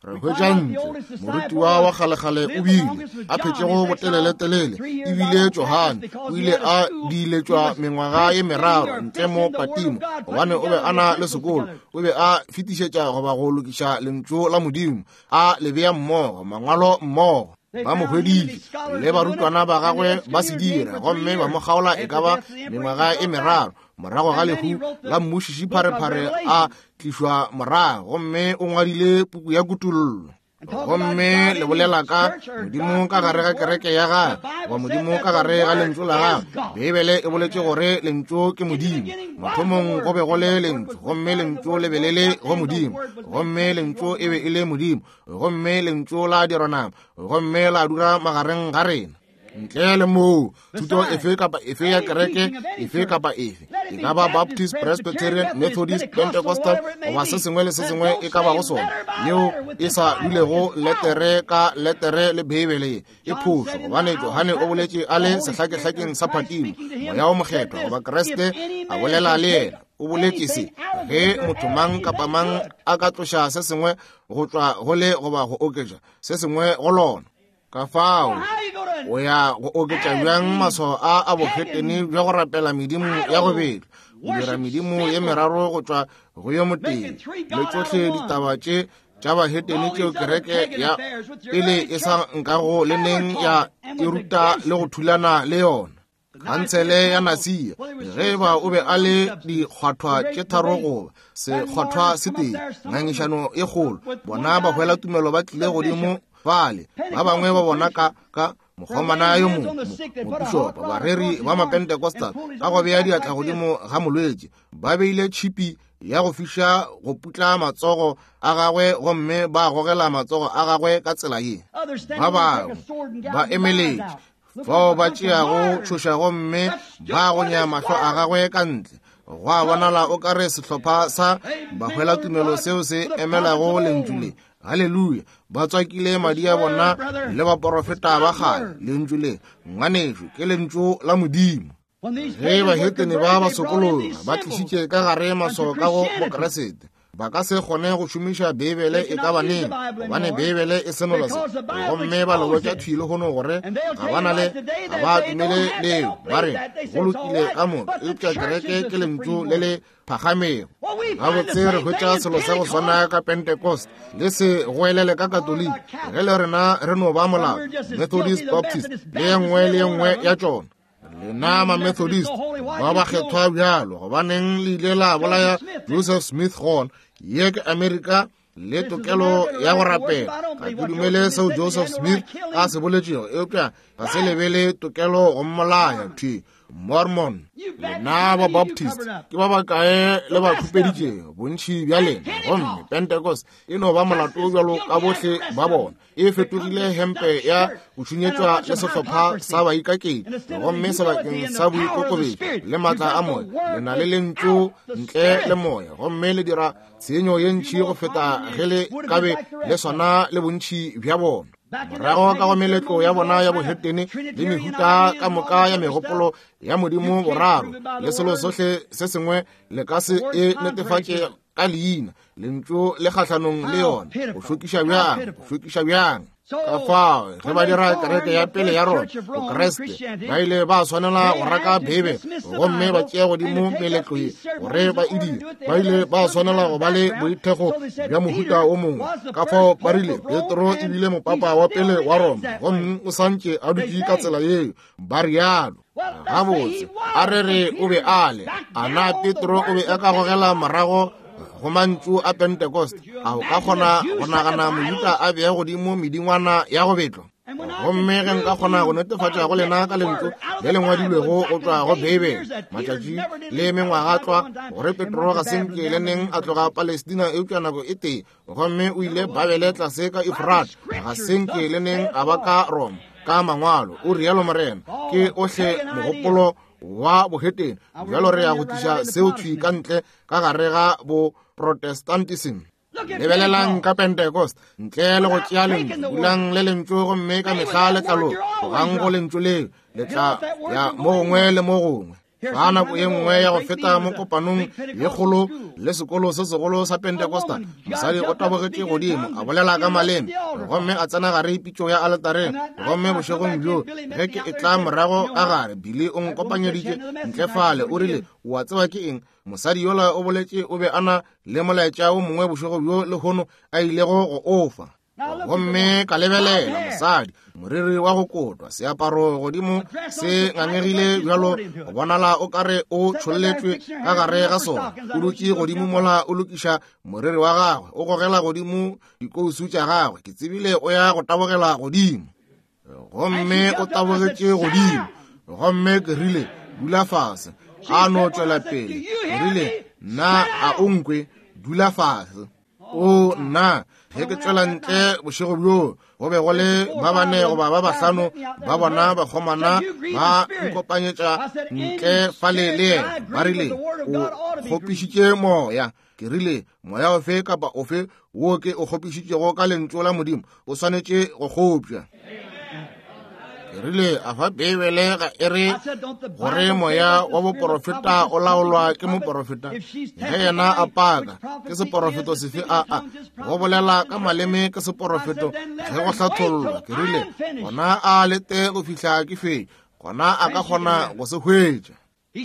Re hwetša ntle morutiwa wa kgalekgale o bile a phetšego boteleletelele, ebile Johane o ile a diiletšwa mengwaga ye meraro ntle mo Patimo, gobane o be a na le sekolo, o be a fetišetša goba go lokiša lentšu la Modimo, a le bea mmogo, mangwalo mmogo. Ba mo hweditše le barutwana ba gagwe ba se dira, gomme ba mo kgaola e ka ba mengwaga e meraro morago ga lehu la mmušiši pharephare a tlišwa morago, gomme o ngwadile puku ya Kutollo. Gomme le bolela ka Modimo ka gare ga kereke ya gagwe, goba Modimo ka gare ga lentšu la gagwe. Beibele e boletše gore lentšu ke Modimo. Mathomong go be go le lentšu, gomme lentšu le be le le go Modimo, gomme lentšu e be e le Modimo, gomme lentšu la dirwa nama, gomme la dula magareng ga rena. Ntle le moo, thuto efe kapa efe ya kereke efe kapa efe, e ka ba Baptist, Presbyterian, Methodist, Pentecostal, goba se sengwe le se sengwe e ka bago sona, yeo e sa dulego letere ka letere le Beibele ye, e phošo, gobane Johane o boletše a le sehlakehlakeng sa Patimo, Moya o Mokgethwa goba Kriste a bolela le yena. O boletše se, ge motho mang kapa mang a ka tloša se sengwe go tšwa go le goba go oketša se sengwe go lona. Ka fao o ya go oketša bjang maswao a a bohetene bja go rapela medimo ya go betlwa, go dira medimo ye meraro go tšwa go yo motee, le tšohle ditaba tše tša bahetene tšeo kereke ya pele e sa nkago le neng ya e ruta le go thulana le yona. Khansele ya Nasia, ge ba o be a le dikgwathwa tše tharo goba sekgwathwa se tee, ngangišano e kgolo, bona ba hwela tumelo ba tlile godimo fale, ba bangwe ba bona ka ka mokgomana yo mongwe, mopišopo, bareri ba Mapentecostal, ka go bea diatla godimo ga molwetši, ba beile tšhipi ya go fiša go putla matsogo a gagwe, gomme ba gogela matsogo a gagwe ka tsela ye. Ba bangwe ba emeletše fao ba tšeago tšhoša gomme ba gonya mahlo a gagwe ka ntle. Go a bonala o ka re sehlopha sa bahwelatumelo seo se emelago lentšu le, haleluya, ba tswakile madi a bona le baporofeta ba kgale. Lentšu le, ngwanešu, ke lentšu la Modimo. Ge bahetene ba ba sokologa, ba tlišitše ka gare maswao ka go Bokreste. Ba ka se kgone go šomiša Beibele e ka baneng, gobane Beibele e senola se. Gomme ba le botša thwi lehono gore ga ba na le, ga ba dumele leo. Ba re go lokile ka moka, eupša kereke ke lentšu le le phagamego. Gabotse re hwetša selo sa go swana ka Pentecost, le se goelele ka Katoliki, ge le rena re no ba molao, Methodist, Baptist, le ye nngwe le ye nngwe ya tšona. Lena ma-Methodist ba ba kgethwa bjalo, gobaneng le ile la bolaya Joseph Smith gona? Ye ke Amerika le tokelo ya go rapela. Ga ke dumele seo Joseph Smith a se boletšego, eupša ga se lebele tokelo go mmolaya. Thwi Mormon, lena ba Baptist ke ba bakae le ba khupeditšego bontši bja lena? Gomme Pentecost e no ba molato bjalo ka bohle ba bona. E fetogile hempe ya go šunyetšwa le sehlopha sa baikakedi, gomme sebakeng sa boikokobetšo le maatla a moya, le na le lentšu ntle le moya, gomme le dira tshenyo ye ntši go feta ge le kabe le swana le bontši bja bona. Morago ka go meletlo ya bona ya bohetene le mehuta ka moka ya megopolo ya Modimo boraro le selo sohle se sengwe, le ka se e netefatše ka leina. Lentšu le kgahlanong le yona. Go šokiša bjang, go šokiša bjang. Ka fao ge ba dira kereke ya pele ya Roma Bokreste, ba ile ba swanela go raka Beibele gomme ba tšea godimo meletlo ye gore ba e dire. Ba ile ba swanela go ba le boithekgo bja mohuta o mongwe. Ka fao ba rile Petro e bile mopapa wa pele wa Roma, gomme o santše a dutše ka tsela yeo, ba rialo. Gabotse, a re re o be a le ana Petro o be a ka gogela morago go mantšu a Pentecost? A o ka kgona go nagana Mojuda a bea godimo medingwana ya go betlwa? Gomme ge nka kgona go netefatša go lena ka lentšu le le ngwadilwego go tšwa go Beibele, matšatši le mengwaga tlwa, gore Petro ga se nke le neng a tloga Palestina eupša nako e tee, gomme o ile Babele tlase ka Efrata, ga se nke le neng a ba ka Roma, ka mangwalo, o rialo Morena. Ke ohle mogopolo wa bohetene. Bjalo re ya go tliša seo thwi ka ntle ka gare ga bo Protestantism. Lebelelang ka Pentecost, ntle le go tšea lentšu, dulang le lentšu gomme ka mehla le tla loka. Tlogang go lentšu leo, le tla ya mo gongwe le mo gongwe. Ka nako ye nngwe ya go feta mo kopanong ye kgolo le sekolo se segolo sa Pentecosta, mosadi o tabogetše godimo a bolela ka maleme, gomme a tsena gare pitšo ya aletareng. Gomme bošegong bjo ge ke e tla morago ka gare, Billy o nkopanyeditše ntle fale, o rile, o a tseba ke eng? Mosadi yola o boletše o be a na le molaetša o mongwe bošego bjo lehono a ilego go ofa. Gomme ka lebelela mosadi, moriri wa go kotwa, seaparo godimo se ngangegile bjalo go bonala o kare o tšholletšwe ka gare ga sona. O dutše godimo mola o lokiša moriri wa gagwe, o gogela godimo dikousu tša gagwe. Ke tsebile o ya go tabogela godimo, gomme o tabogetše godimo. Gomme ke rile, dula fase. A no tšwela pele. Ke rile, nna a o nkwe, dula fase. O nna, ge ke tšwela ntle bošego bjo, go be go le ba bane goba ba bahlano ba bona bakgomana ba nkopanyetša ntle fale le yena. Ba rile, o kgopišitše moya. Ke rile, moya ofe kapa ofe wo ke o kgopišitšego ka lentšu la Modimo o swanetše go kgopša. Ke rile, a fa Beibele ga e re gore moya wa boporofeta o laolwa ke moporofeta? Ge yena a paka, ke seporofeto sefe a a go bolela ka maleme ke seporofeto ge go hlathollwa? Ke rile, gona a lete go fihla ke fetša, gona a ka kgona go se hwetša.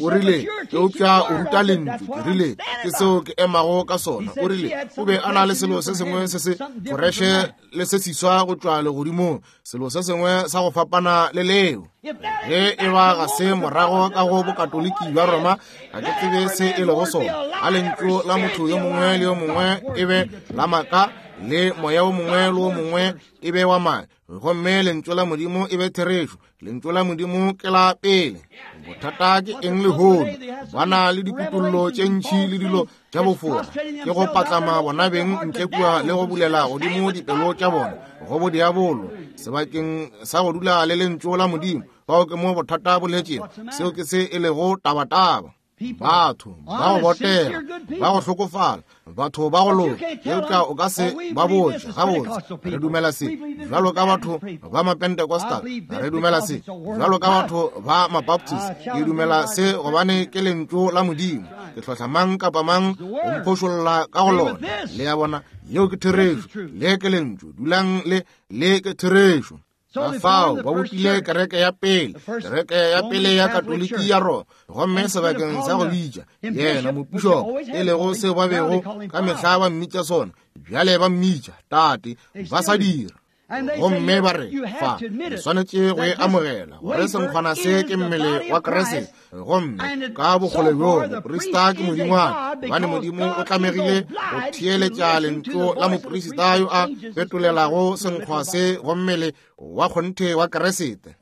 O rile, eupša o ruta lentšu. Ke rile, ke seo ke emago ka sona. O rile, o be a na le selo se sengwe se se foreše le se siswa go tšwa legodimong, selo se sengwe sa go fapana le leo. Ge e ba ga se morago ka go bokatoliki bja Roma, ga ke tsebe se e lego sona. A lentšu la motho yo mongwe le yo mongwe e be la maaka, le moya o mongwe le o mongwe e be wa maaka, gomme lentšu la Modimo e be therešo. Lentšu la Modimo ke la pele. Bothata ke eng lehono? Ba na le dikutollo tše ntši le dilo tša bofora, ke go patlama bona beng ntle kua le go bulela godimo dipelo tša bona go bodiabolo sebakeng sa go dula le lentšu la Modimo. Fao ke mo bothata bo letšego. Seo ke se e lego tabataba. Batho ba go botega, ba go hlokofala, batho ba go loka, eupša o ka se ba botše gabotse re dumela se bjalo ka batho ba Mapentecostal, re dumela se bjalo ka batho ba Mabaptist, ke dumela se gobane ke lentšu la Modimo. Ke hlohla mang kapa mang go mphošolla ka go lona. Le a bona, yeo ke therešo, le ke lentšu, dulang le le ke therešo. Ka fao ba bopile kereke ya pele, kereke ya pele ya Katoliki ya Roma, gomme sebakeng sa go bitša yena mopišopo, e lego seo ba bego ka mehla ba mmitša sona, bjale ba mmitša tate, ba sa dira. Gomme ba re, fa, re swanetše go e amogela gore senkgwana se ke mmele wa Kriste, gomme ka bokgole bjo moprista ke modingwana, gobane Modimo o tlamegile go theeletša lentšu la moprista yo a fetolelago senkgwa se go mmele wa kgonthe wa Kriste.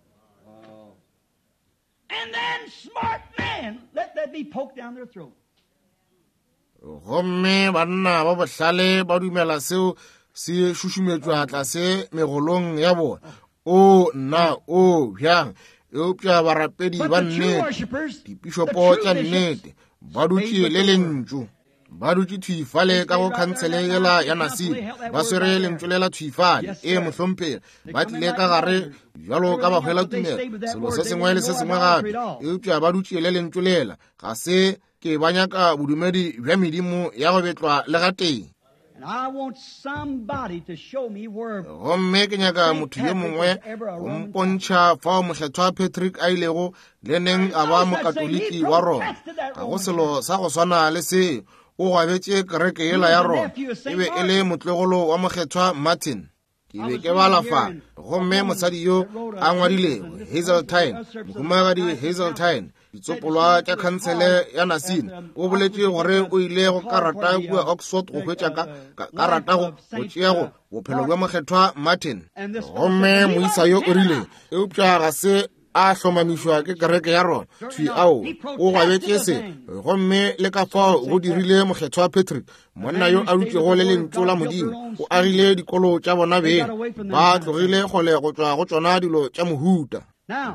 Gomme banna ba bohlale ba dumela seo se šušumetšwa tlase megolong ya bona. O nna, o bjang. Eupša barapedi ba nnete, dipišopo tša nnete, ba dutše le lentšu, ba dutše thwi fale ka go khansele yela ya Nasile, ba swere lentšu lela thwi fale. E mohlomphegi, ba tlile ka gare bjalo ka bahwela tumelo, selo se sengwe le se sengwe gape, eupša ba dutše le lentšu lela. Ga se ke ba nyaka bodumedi bja medimo ya go betlwa le gatee. Gomme ke nyaka motho yo mongwe go mpontšha fao Mokgethwa Patrick a ilego le neng a ba Mokatoliki wa Roma. Ga go selo sa go swana le seo. O gwabetše kereke yela ya Roma. E be e le motlogolo wa Mokgethwa Martin. Ke be ke bala fa, gomme mosadi yo a ngwadilego Hazeltine, mohumagadi Hazeltine, ditsopolwa tša khansele ya Nasine, o boletše gore o ile go karata kua Oxford go hwetša ka karata go tšea go bophelo bja Mokgethwa Martin. Gomme moisa yo o rile, eupša ga se a hlomamišwa ke kereke ya Roma. Thwi ao, o gwabetše se, gomme le ka fao go dirile Mokgethwa Patrick, monna yo a dutšego le lentšu la Modimo. O agile dikolo tša bona beng, ba tlogile kgole go tšwa go tšona dilo tša mohuta.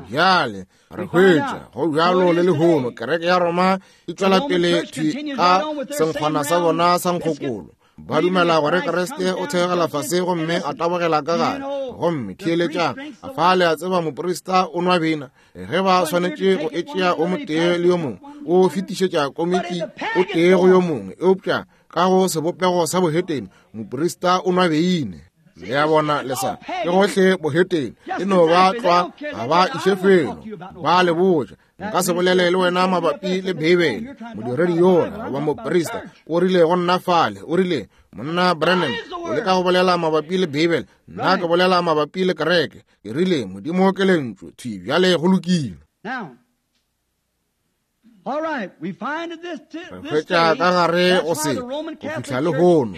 Bjale re hwetša go bjalo le lehono kereke ya Roma e tšwela pele thwi ka senkgwana sa bona sa nkgokolo. Ba dumela gore Kriste o theogela fase gomme a tabogela ka gare. Gomme theeletšang, fa le a tseba moprista o nwa bina. Ge ba swanetše go etšea o motee le yo mongwe, o fetišetša komiki o tee go yo mongwe, eupša ka go sebopego sa bohetene moprista o nwa beine. Le a bona le sa ke gohle bohetene, e no ba tlwa, ga ba iše felo. Ba le botša, nka se bolele le wena mabapi le Beibele. Modiredi yola goba moprista o rile go nna fale, o rile, monna Branham, o leka go bolela mabapi le Beibele, nna ke bolela mabapi le kereke. Ke rile, Modimo ke lentšu, thwi bjale go lokile. Re hwetša ka gare go se go fihla lehono.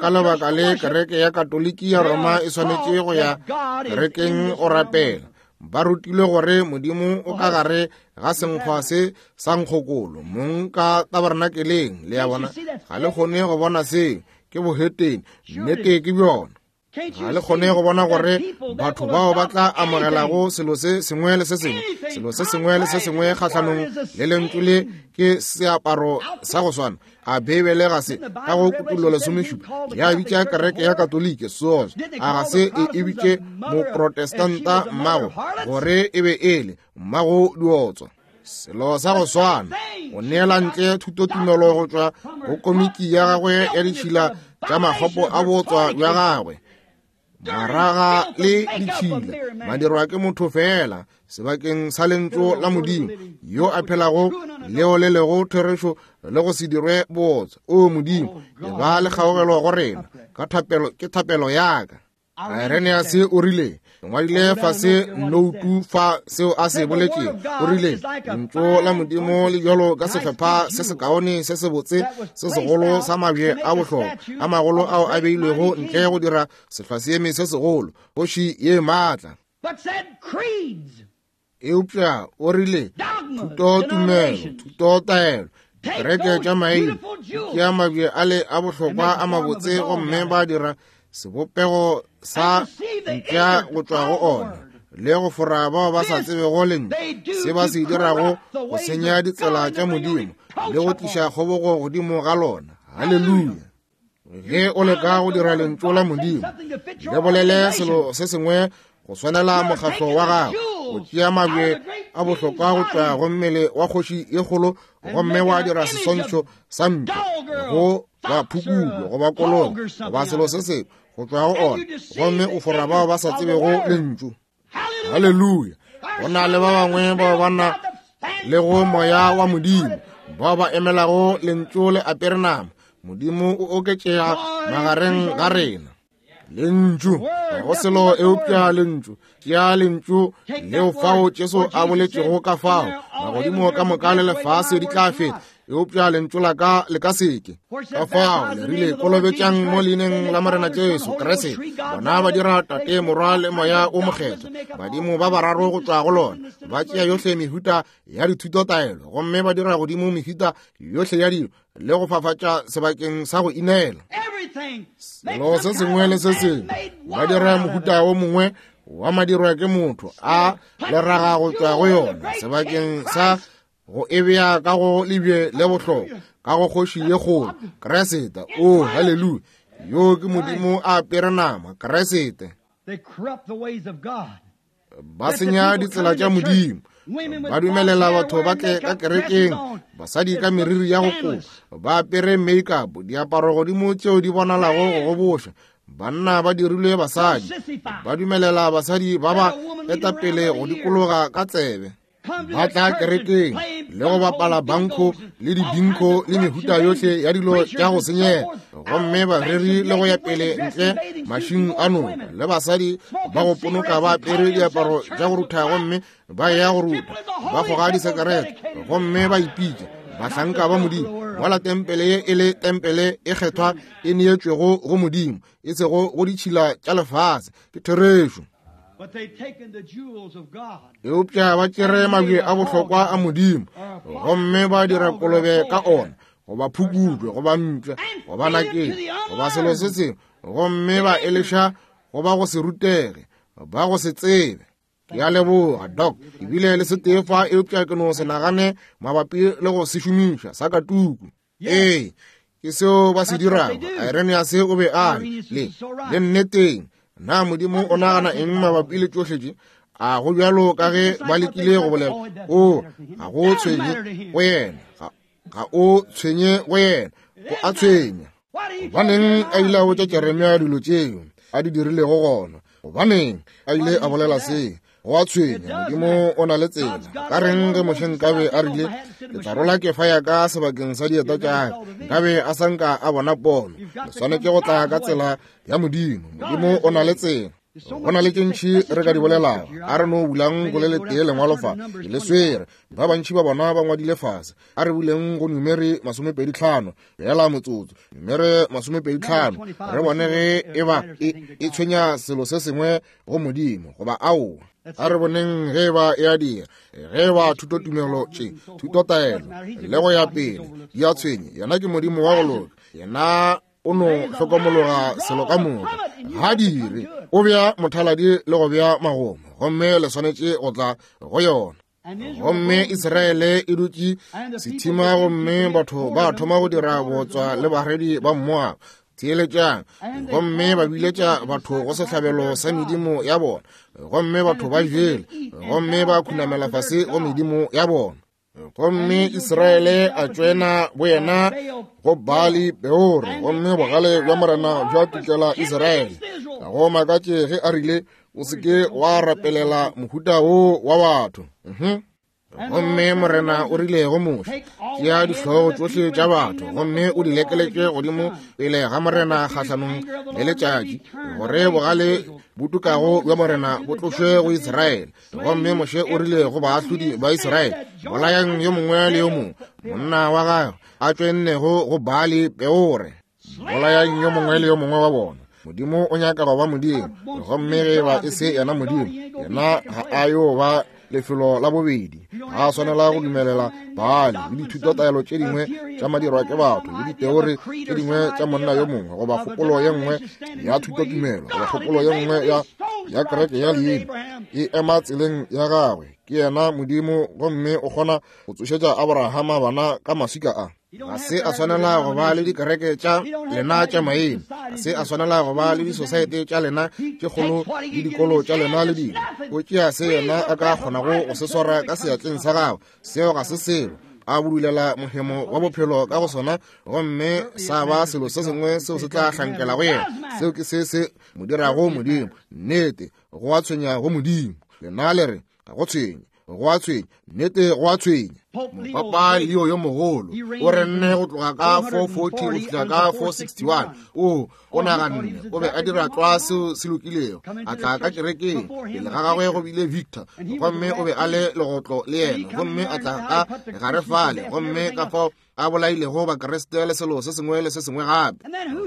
Ka lebaka le kereke ya Katoliki ya Roma e swanetše go ya kerekeng go rapela. Ba rutilwe gore Modimo o ka gare ga senkgwa se sa nkgokolo, mong ka tabernakeleng. Le a bona, ga le kgone go bona seo, ke bohetene, nnete ke bjona. Ga le kgone go bona gore batho bao ba tla amogelago selo se sengwe le se sengwe, selo se sengwe le se sengwe kgahlanong le lentšu le ke seaparo sa go swana. A Beibele ga se ka go Kutullo lesomešupa ya bitša kereke ya Katoliki sohle? A ga se e e bitše Moprotestanta mmago gore e be e le mmago diotswa? Selo sa go swana, o neela ntle thutotumelo go tšwa go komiki ya gagwe ya ditšhila tša makgopo a botswa bja gagwe, maraga le ditšhila madirwa ke motho fela sebakeng sa lentšu la Modimo yo a phelago leo le lego therešo le go se dirwe botswa. O Modimo, e ba le kgaogelo go rena ka thapelo, ke thapelo ya ka. Irenaeus o rile, ngwadile fase noutu fa seo a se boletšego. O rile, lentšu la Modimo le bjalo ka sehlopha se sekaone se sebotse se segolo sa mabje a bohlokwa a magolo ao a beilwego ntle go dira sehlwaseeme se segolo, kgoši ye maatla. Eupša o rile, thuto tumelo, thuto taelo, kereke tša maina ke a mabje a le a bohlokwa a mabotse, gomme ba dira sebopego sa mpša go tšwa go ona le go fora bao ba sa tsebego lentšu. Se ba se dirago go senya ditsela tša Modimo le go tliša kgobogo godimo ga lona. Haleluya. Ge o leka go dira lentšu la Modimo le bolele selo se sengwe go swanela mokgatlo wa gago, o tšea mabje a bohlokwa go tšwa go mmele wa kgoši ye kgolo gomme wa dira seswantšho sa mpša go ba phukulo goba kolobe goba selo se sengwe go tšwa go ona, gomme o fora bao ba sa tsebego lentšu. Haleluya. Go na le ba bangwe bao ba na le go moya wa Modimo, bao ba emelago lentšu le apere nama. Modimo o oketšega magareng ga rena. Lentšu, ga go selo eupša lentšu. Tšea lentšu leo fao Jesu a boletšego ka fao, magodimo ka moka le lefase di tla feta, eupša lentšu la ka le ka seke. Ka fao le rile, kolobetšang mo leineng la Morena Jesu Kriste. Bona ba dira Tate, Morwa le Moya o Mokgethwa, badimo ba bararo go tšwa go lona. Ba tšea yohle mehuta ya dithutotaelo gomme ba dira godimo mehuta yohle ya dilo le go fafatša sebakeng sa go inela. Selo se sengwe le se sengwe ba dira mohuta o mongwe wa madirwa ke motho a leraga go tšwa go yona sebakeng sa go e bea ka go lebje le bohlokwa ka go kgoši ye kgolo Kriste. O haleluya. Yo ke Modimo a apere nama, Kriste. Ba senya ditsela tša Modimo. Ba dumelela batho ba tle ka kerekeng, basadi ka meriri ya go kopa, ba apere make-up, diaparo godimo tšeo di bonalago go goboša. Banna ba dirilwe basadi, ba dumelela basadi ba ba etapele go dikologa ka tsebe. Ba tla kerekeng le go bapala banko le dibinko le mehuta yohle ya dilo tša go senyega, gomme bareri le go ya pele ntle mašing a noka le basadi ba go ponoka ba apere diaparo tša go rutha gomme ba ya go ruta, ba goga disekerete gomme ba ipitša bahlanka ba Modimo. Mola tempele ye e le tempele e kgethwa e neetšwego go Modimo, e sego go ditšhila tša lefase. Ke therešo. Eupša ba tšere mabje a bohlokwa a Modimo gomme ba dira kolobe ka ona, goba phukutwe, goba mpša, goba nakeng, goba selo se sengwe, gomme ba eleša goba go se rutege, ba go se tsebe. Ke a leboga, Doc. Ebile le se tee fa, eupša ke no se nagane mabapi le go se šomiša sa ka tuku. Ee, ke seo ba se dirago. Irenaeus o be a le le nneteng. Na Modimo o nagana eng mabapi le tšohle tše? A go bjalo ka ge ba lekile go bolela, o ga go tshwenye go yena, ga o tshwenye go yena, o a tshwenya. Gobaneng a ile a botša Jeremia dilo tšeo a di dirilego gona? Gobaneng a ile a bolela se? Go a tshwenya. Modimo o na le tsela. Ka reng ge Moshe nkabe a rile, ke tla rola kefa ya ka sebakeng sa dieta tša ka, nkabe a sa nka a bona pono. Le swanetše go tla ka tsela ya Modimo. Modimo o na le tsela. Go na le tše ntši re ka di bolelago. A re no bulang go le letee lengwalo fa, ke le swere. Ba bantši ba bona ba ngwadile fase. A re buleng go Numeri masomepedi tlhano, bjala motsotso. Numeri masomepedi tlhano, re bone ge e ba e, e tshwenya selo se sengwe go Modimo goba aowa. A re boneng ge ba e a dira, ge ba thutotumelo tše, thutotaelo le go ya pele di a tshwenya. Yena ke Modimo wa go loka. Yena o no hlokomologa selo ka moka. Ga dire, o bea mothaladi le go bea magomo, gomme le swanetše go tla go yona. Gomme Israele e dutše sethima, gomme batho ba thoma go dira botswa le baredi ba Moaba. Theeletšang. Gomme ba biletša batho go sehlabelo sa medimo ya bona, gomme batho ba jele, gomme ba khunamela fase go medimo ya bona. Gomme Israele a tšwena boyena go Baali Peore, gomme bogale bja Morena bja tukela Israele. Ga go makatše ge a rile, o se ke wa rapelela mohuta wo wa batho. Mhm. Gomme Morena o rile go Moshe, tšea dihlogo tšohle tša batho gomme o di lekeletše godimo pele ga Morena kgahlanong le letšatši, gore bogale bo tukago bja Morena bo tlošwe go Israele. Gomme Moshe o rile go baahlodi ba Israele, bolayang yo mongwe le yo mongwe monna wa gagwe a tšwennego go Baali Peore. Bolayang yo mongwe le yo mongwe wa bona. Modimo o nyaka go ba Modimo, gomme ge ba e se yena Modimo, yena ga a yo ba lefelo la bobedi. Ga a swanela go dumelela Baali le dithutotaelo tše dingwe tša madirwa ke batho le diteori tše dingwe tša monna yo mongwe, goba kgopolo ye nngwe ya thutotumelo, goba kgopolo ye nngwe ya ya kereke ya leina E ema tseleng ya gagwe. Ke yena Modimo, gomme o kgona go tsošetša Abrahama bana ka maswika a. Ga se a swanela go ba le dikereke tša lena tša maina, ga se a swanela go ba le disosaete tša lena tše kgolo le dikolo tša lena le dilo. O tšea se yena a ka kgonago go se swara ka seatleng sa gagwe, seo ga se selo. A budulela mohemo wa bophelo ka go sona, gomme sa ba selo se sengwe seo se tla hlankela go yena. Seo ke se se mo dirago Modimo. Nnete, go a tshwenya go Modimo. Lena le re ga go tshwenye, go a tshwenya. Nnete, go a tshwenya. Mopapa Leo yo mogolo o renne go tloga ka four forty go fihla ka four sixty-one. O o naganne o be a dira tlwa seo se lokilego. A tla ka kerekeng, pele ga gagwe go bile Victor, gomme o be a le legotlo le yena, gomme a tla ka gare fale, gomme ka fao a bolailego Bakriste le selo se sengwe le se sengwe gape.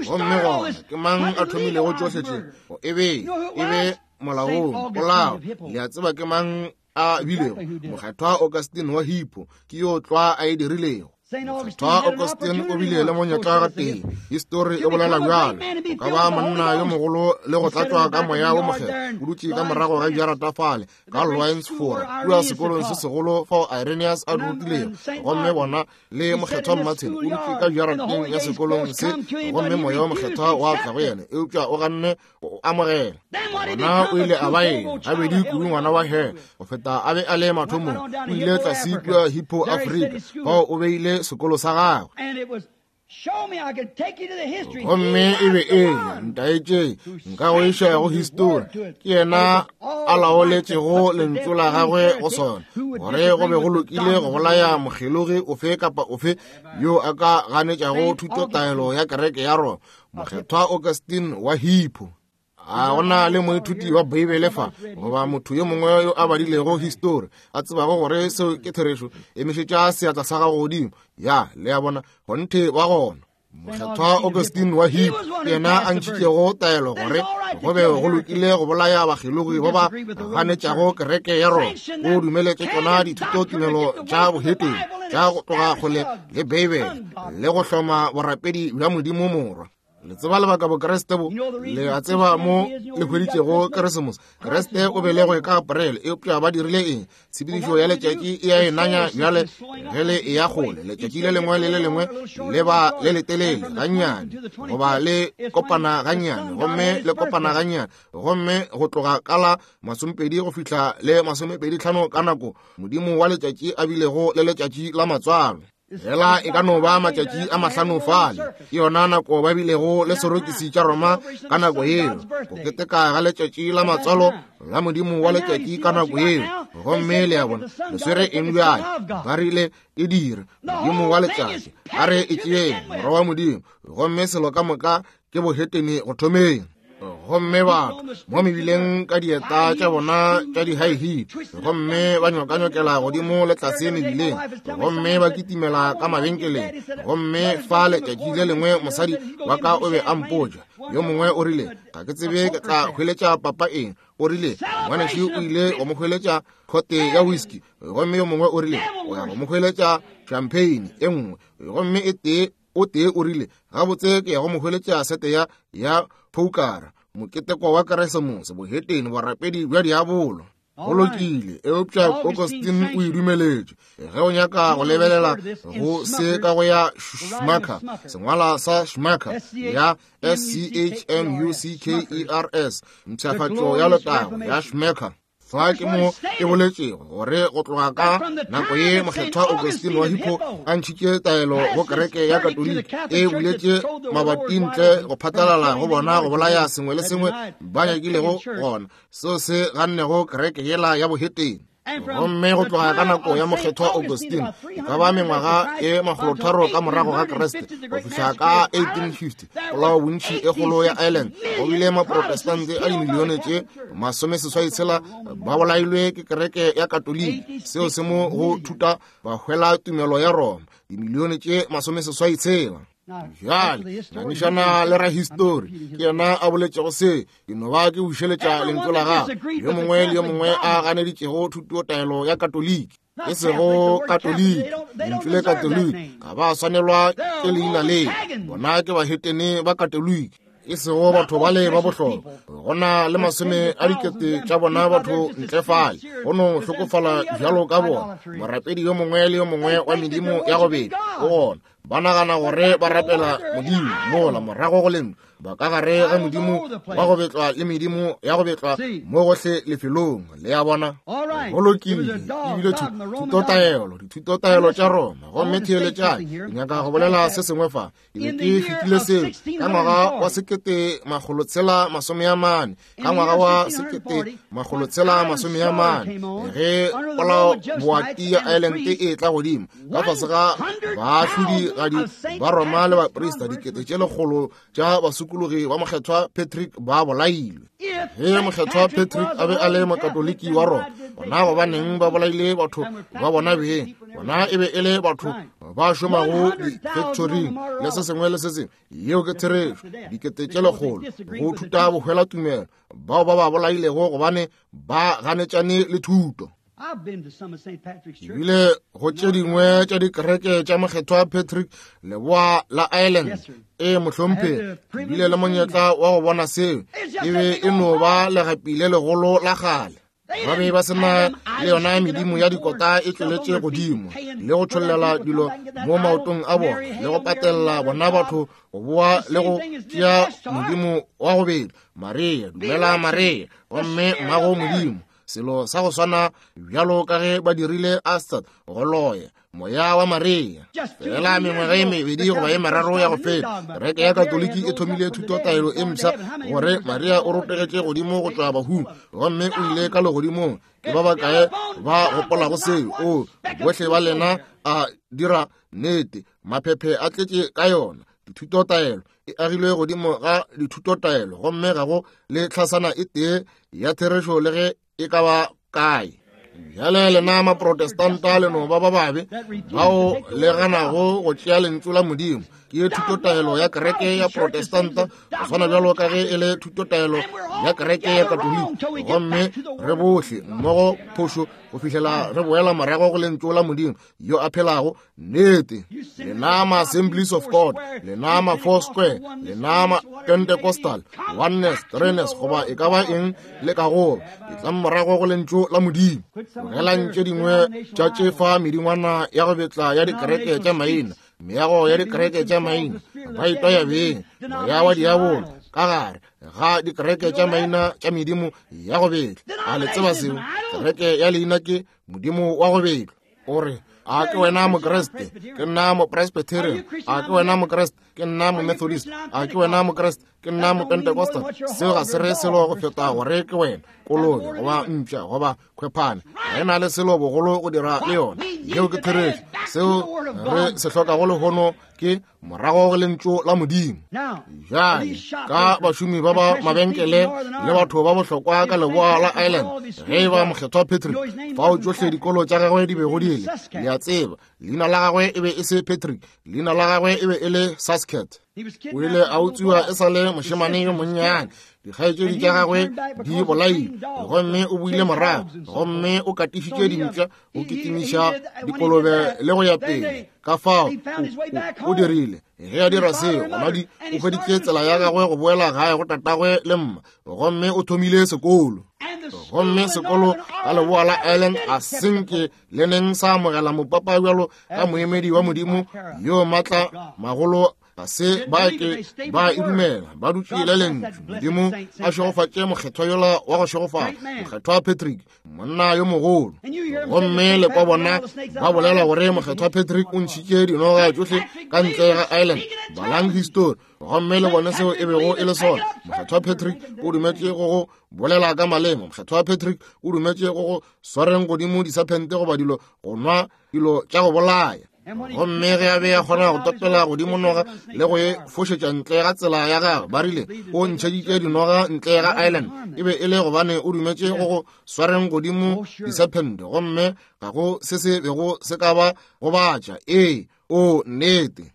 Gomme gona ke mang a thomilego tšohle tše? E be e be molaong polao. Le a tseba ke mang a bilego? Mokgethwa Augustine wa Hippo ke yo tlwa a e dirilego. Mokgethwa Augustine o bile le monyetla gatee. Histori e bolela bjalo. O ka ba monna yo mogolo le go tlatšwa ka moya wo mokgethwa. O dutše ka morago ga jarata fale ka Lyons Fora, kua sekolong se segolo fao Irenaeus a rutilego. Gomme bona le mokgethwa Martin o dutše ka jarateng ya sekolong se, gomme moya wo mokgethwa wa tla go yena, eupša o ganne go amogela. Gona o ile a ba eng? Gabedi kudu ngwana wa he go feta a be a le mathomong. O ile tlase kua Hippo Afrika, fao o beile sekolo sa gagwe. Gomme e be e ntaetše nka go iša go histori. Ke yena a laoletšego lentšu la gagwe go sona, gore go be go lokile go bolaya mokgelogi ofe kapa ofe yo a ka ganetšago thutotaelo ya kereke ya Roma. Mokgethwa Augustine wa Hippo. A gona le moithuti wa Beibele fa, goba motho yo mongwe yo a badilego histori a tsebago gore seo ke therešo, emišetša seatla sa gago godimo. Ya, le a bona, kgonthe wa gona. Mokgethwa Augustine wa Hippo ke yena a ntšhitšego taelo gore go be go lokile go bolaya bakgelogi ba ba ganetšago kereke ya Roma. O dumeletše tšona dithutotumelo tša bohetene tša go tloga kgole le Beibele le go hloma borapedi bja Modimo Morwa. Le tseba lebaka Bokreste bo, le a tseba mo le hweditšego Keresemose. Kreste o belegwe ka Aprele, eupša ba dirile eng? Tshepedišo ya letšatši e a e nanya bjale ge le e ya kgole. Letšatši le lengwe le le lengwe le ba le letelele gannyane, goba le kopana gannyane, gomme le kopana gannyane, gomme go tloga ka la masomepedi go fihla le masomepedi tlhano ka nako Modimo wa letšatši a bilego le letšatši la matswalo. Hela e ka no ba matšatši a mahlano fale. Ke yona nako ba bilego le sorokisi tša Roma ka nako yeo, go keteka ga letšatši la matswalo la Modimo wa letšatši ka nako yeo. Gomme le a bona, le swere eng bjale? Ba rile e dire Modimo wa letšatši, a re e tšeeng morwa wa Modimo, gomme selo ka moka ke bohetene go thomeng. Gomme batho mo mebileng ka dieta tša bona tša di-high heel, gomme ba nyokanyokela godimo le tlase mebileng, gomme ba kitimela ka mabenkeleng. Gomme fa letšatši le lengwe mosadi wa ka o be a mpotša, yo mongwe o rile, ga ke tsebe ke tla hweletša papa eng. O rile ngwanešu o ile go mo hweletša khote ya whisky, gomme yo mongwe o rile o ya go mo hweletša champagne e nngwe, gomme e tee o tee o rile gabotse ke ya go mo hweletša sete ya ya poukara. Moketeko wa Keresemose, bohetene, borapedi bja diabolo. Go lokile, eupša Augustine o e dumeletše. Ge o nyaka go lebelela go se ka go ya Schmucker, sengwala sa Schmucker ya S C H M U C K E R S, mpshafatšo ya letago ya Schmucker. Fa ke mo e boletšego gore go tloga ka nako ye mokgethwa Augustine wa Hippo a ntšhitše taelo go kereke ya Katoliki e buletše mabati ntle go phatlalala go bona go bolaya sengwe le sengwe ba nyakilego gona, seo se gannego kereke yela ya bohetene. Gomme go tloga ka nako ya mokgethwa Augustine, e ka ba mengwaga e makgolotharo ka morago ga Kriste, go fihla ka eighteen fifty, polao bontši e kgolo ya Ireland, go bile maprotestante a dimilione tše masomeseswai tshela ba bolailwe ke kereke ya Katoliki. Seo se mo go thuta bahwela tumelo ya Roma, dimilione tše masomeseswai tshela. Bjale ngangišana le rahistori, ke yena a boletšego se. Ke no ba ke bušeletša lentšu la gagwe. Yo mongwe le yo mongwe a ganeditšego thutotaelo ya Katoliki, e sego Katoliki, lentšu le Katoliki ga ba swanelwa ke leina le. Bona ke bahetene ba Katoliki. E sego batho bale ba bohlokwa, go na le masome a dikete tša bona batho ntle fale go no hlokofala bjalo ka bona. Morapedi yo mongwe le yo mongwe wa medimo ya go betla o gona. Ba nagana gore ba rapela modimo mola morago go lentšu ba ka gare ga modimo wa go betlwa le medimo ya go betlwa mo gohle lefelong. Le ya bona, go lokile. Ebile thutotaelo, dithutotaelo tša Roma. Gomme theeletšang, ke nyaka go bolela se sengwe fa. Ke be ke fetile seo ka ngwaga wa sekete makgolo tshela masome a mane, ka ngwaga wa sekete makgolo tshela masome a mane, ge polao boati ya Ireland e tla godimo ka fase ga baahlodi gadi ba Roma le baprista, dikete tše lekgolo tša basokologi ba Mokgethwa Patrick ba bolailwe. Ge Mokgethwa Patrick a be a le mokatoliki wa Roma, bona gobaneng ba bolaile batho ba bona beng? Bona e be e le batho ba šomago di-factoring le se sengwe le se sengwe. Yeo ke therešo. Dikete tše lekgolo go thuta bohwela tumelo bao ba ba bolailego gobane ba ganetšane le thuto. Ebile go tše dingwe tša dikereke tša Mokgethwa Patrick leboa la Ireland, e mohlomphegi, ebile le monyetla wa go bona seo. E be e no ba legapi le legolo la kgale. Ba be ba sena le yona medimo ya dikota e tšweletše godimo le go tšhollela dilo mo maotong a bona le go patella bona batho go boa le go tšea modimo wa go betla Maria, dumela Maria, gomme mmago modimo. Selo sa go swana bjalo ka ge ba dirile Astad go loya moya wa Maria. Fela mengwaga e mebedi goba e meraro ya go feta, kereke ya Katoliki e thomile thutotaelo e mpsha gore Maria o rotogetše godimo go tšwa bahung gomme o ile ka legodimong. Ke ba bakae ba gopolago seo? O bohle ba lena a dira nnete, maphephe a tletše ka yona. Dithutotaelo e agilwe godimo ga dithutotaelo, gomme ga go le tlhasana e tee ya therešo le ge e ka ba kae. Bjale lena maprotestanta le no ba ba babe bao le ganago go tšea lentšu la Modimo. Ke thutotaelo ya kereke ya Protestanta go swana bjalo ka ge e le thutotaelo ya kereke ya Katoliki, gomme re bohle mmogo phošo go fihlela re boela morago go lentšu la Modimo yo a phelago. Nnete. Lena ma Assemblies of God, lena ma Four Square, lena ma Pentecostal, Oneness, Threeness, goba e ka ba eng le ka go, e tlang morago go lentšu la Modimo. Tlogelang tše dingwe tša tše fa medingwana ya go betla ya dikereke tša maina, meago ya dikereke tša maina, ba itwaya beng moya wa diabolo ka gare ga dikereke tša maina tša medimo ya go betla. A le tseba seo? Kereke ya leina ke modimo wa go betla. O re, a ke wena Mokreste? Ke nna Mopresbyterian. A ke wena Mokreste? Ke nna Momethodist. A ke wena Mokreste? Ke nna Mopentecostal. Seo ga se re selo go feta gore ke wena kolobe goba mpša goba khwephane. Ga e na le selo bogolo go dira le yona. Yeo ke therešo. Seo re se hlokago lehono ke morago go lentšu la Modimo. Bjale ka bašomi ba ba mabenkele le batho ba bohlokwa ka leboa la Ireland, ge e ba Mokgethwa Patrick, fao tšohle dikolo tša gagwe di bego di le, le a tseba, leina la gagwe e be e se Patrick, leina la gagwe e be e le Sasket. O ile a utswiwa e sa le mošemane yo monnyane, dikgaetšedi tša gagwe di bolailwe, gomme o boile morago, gomme o katišitše dimpša, o kitimiša dikolobe le go ya pele. Ka fao o dirile. Ge a dira seo, gona di o hweditše tsela ya gagwe go boela gae go tatagwe le mma, gomme o thomile sekolo. Gomme sekolo ka leboa la Ireland ga senke le neng sa amogela mopapa bjalo ka moemedi wa Modimo yo maatla magolo. Ga se ba ke ba e dumela, ba dutše le lentšu. Modimo a šegofatše mokgethwa yola wa go šegofala, Mokgethwa Patrick, monna yo mogolo. Gomme le kwa bona ba bolela gore Mokgethwa Patrick o ntšhitše dinoga tšohle ka ntle ga Ireland. Balang histori gomme le bone seo e bego e le sona. Mokgethwa Patrick o dumetše go go bolela ka maleme. Mokgethwa Patrick o dumetše go go swareng godimo disaphente goba dilo, go nwa dilo tša go bolaya. Gomme ge a be a kgona go topela godimo noga le go e fošetša ntle ga tsela ya gagwe, ba rile o ntšheditše dinoga ntle ga Ireland. E be e le gobane o dumetše go go swareng godimo disephente, gomme ga go se se bego se ka ba gobatša. Ee, o nnete.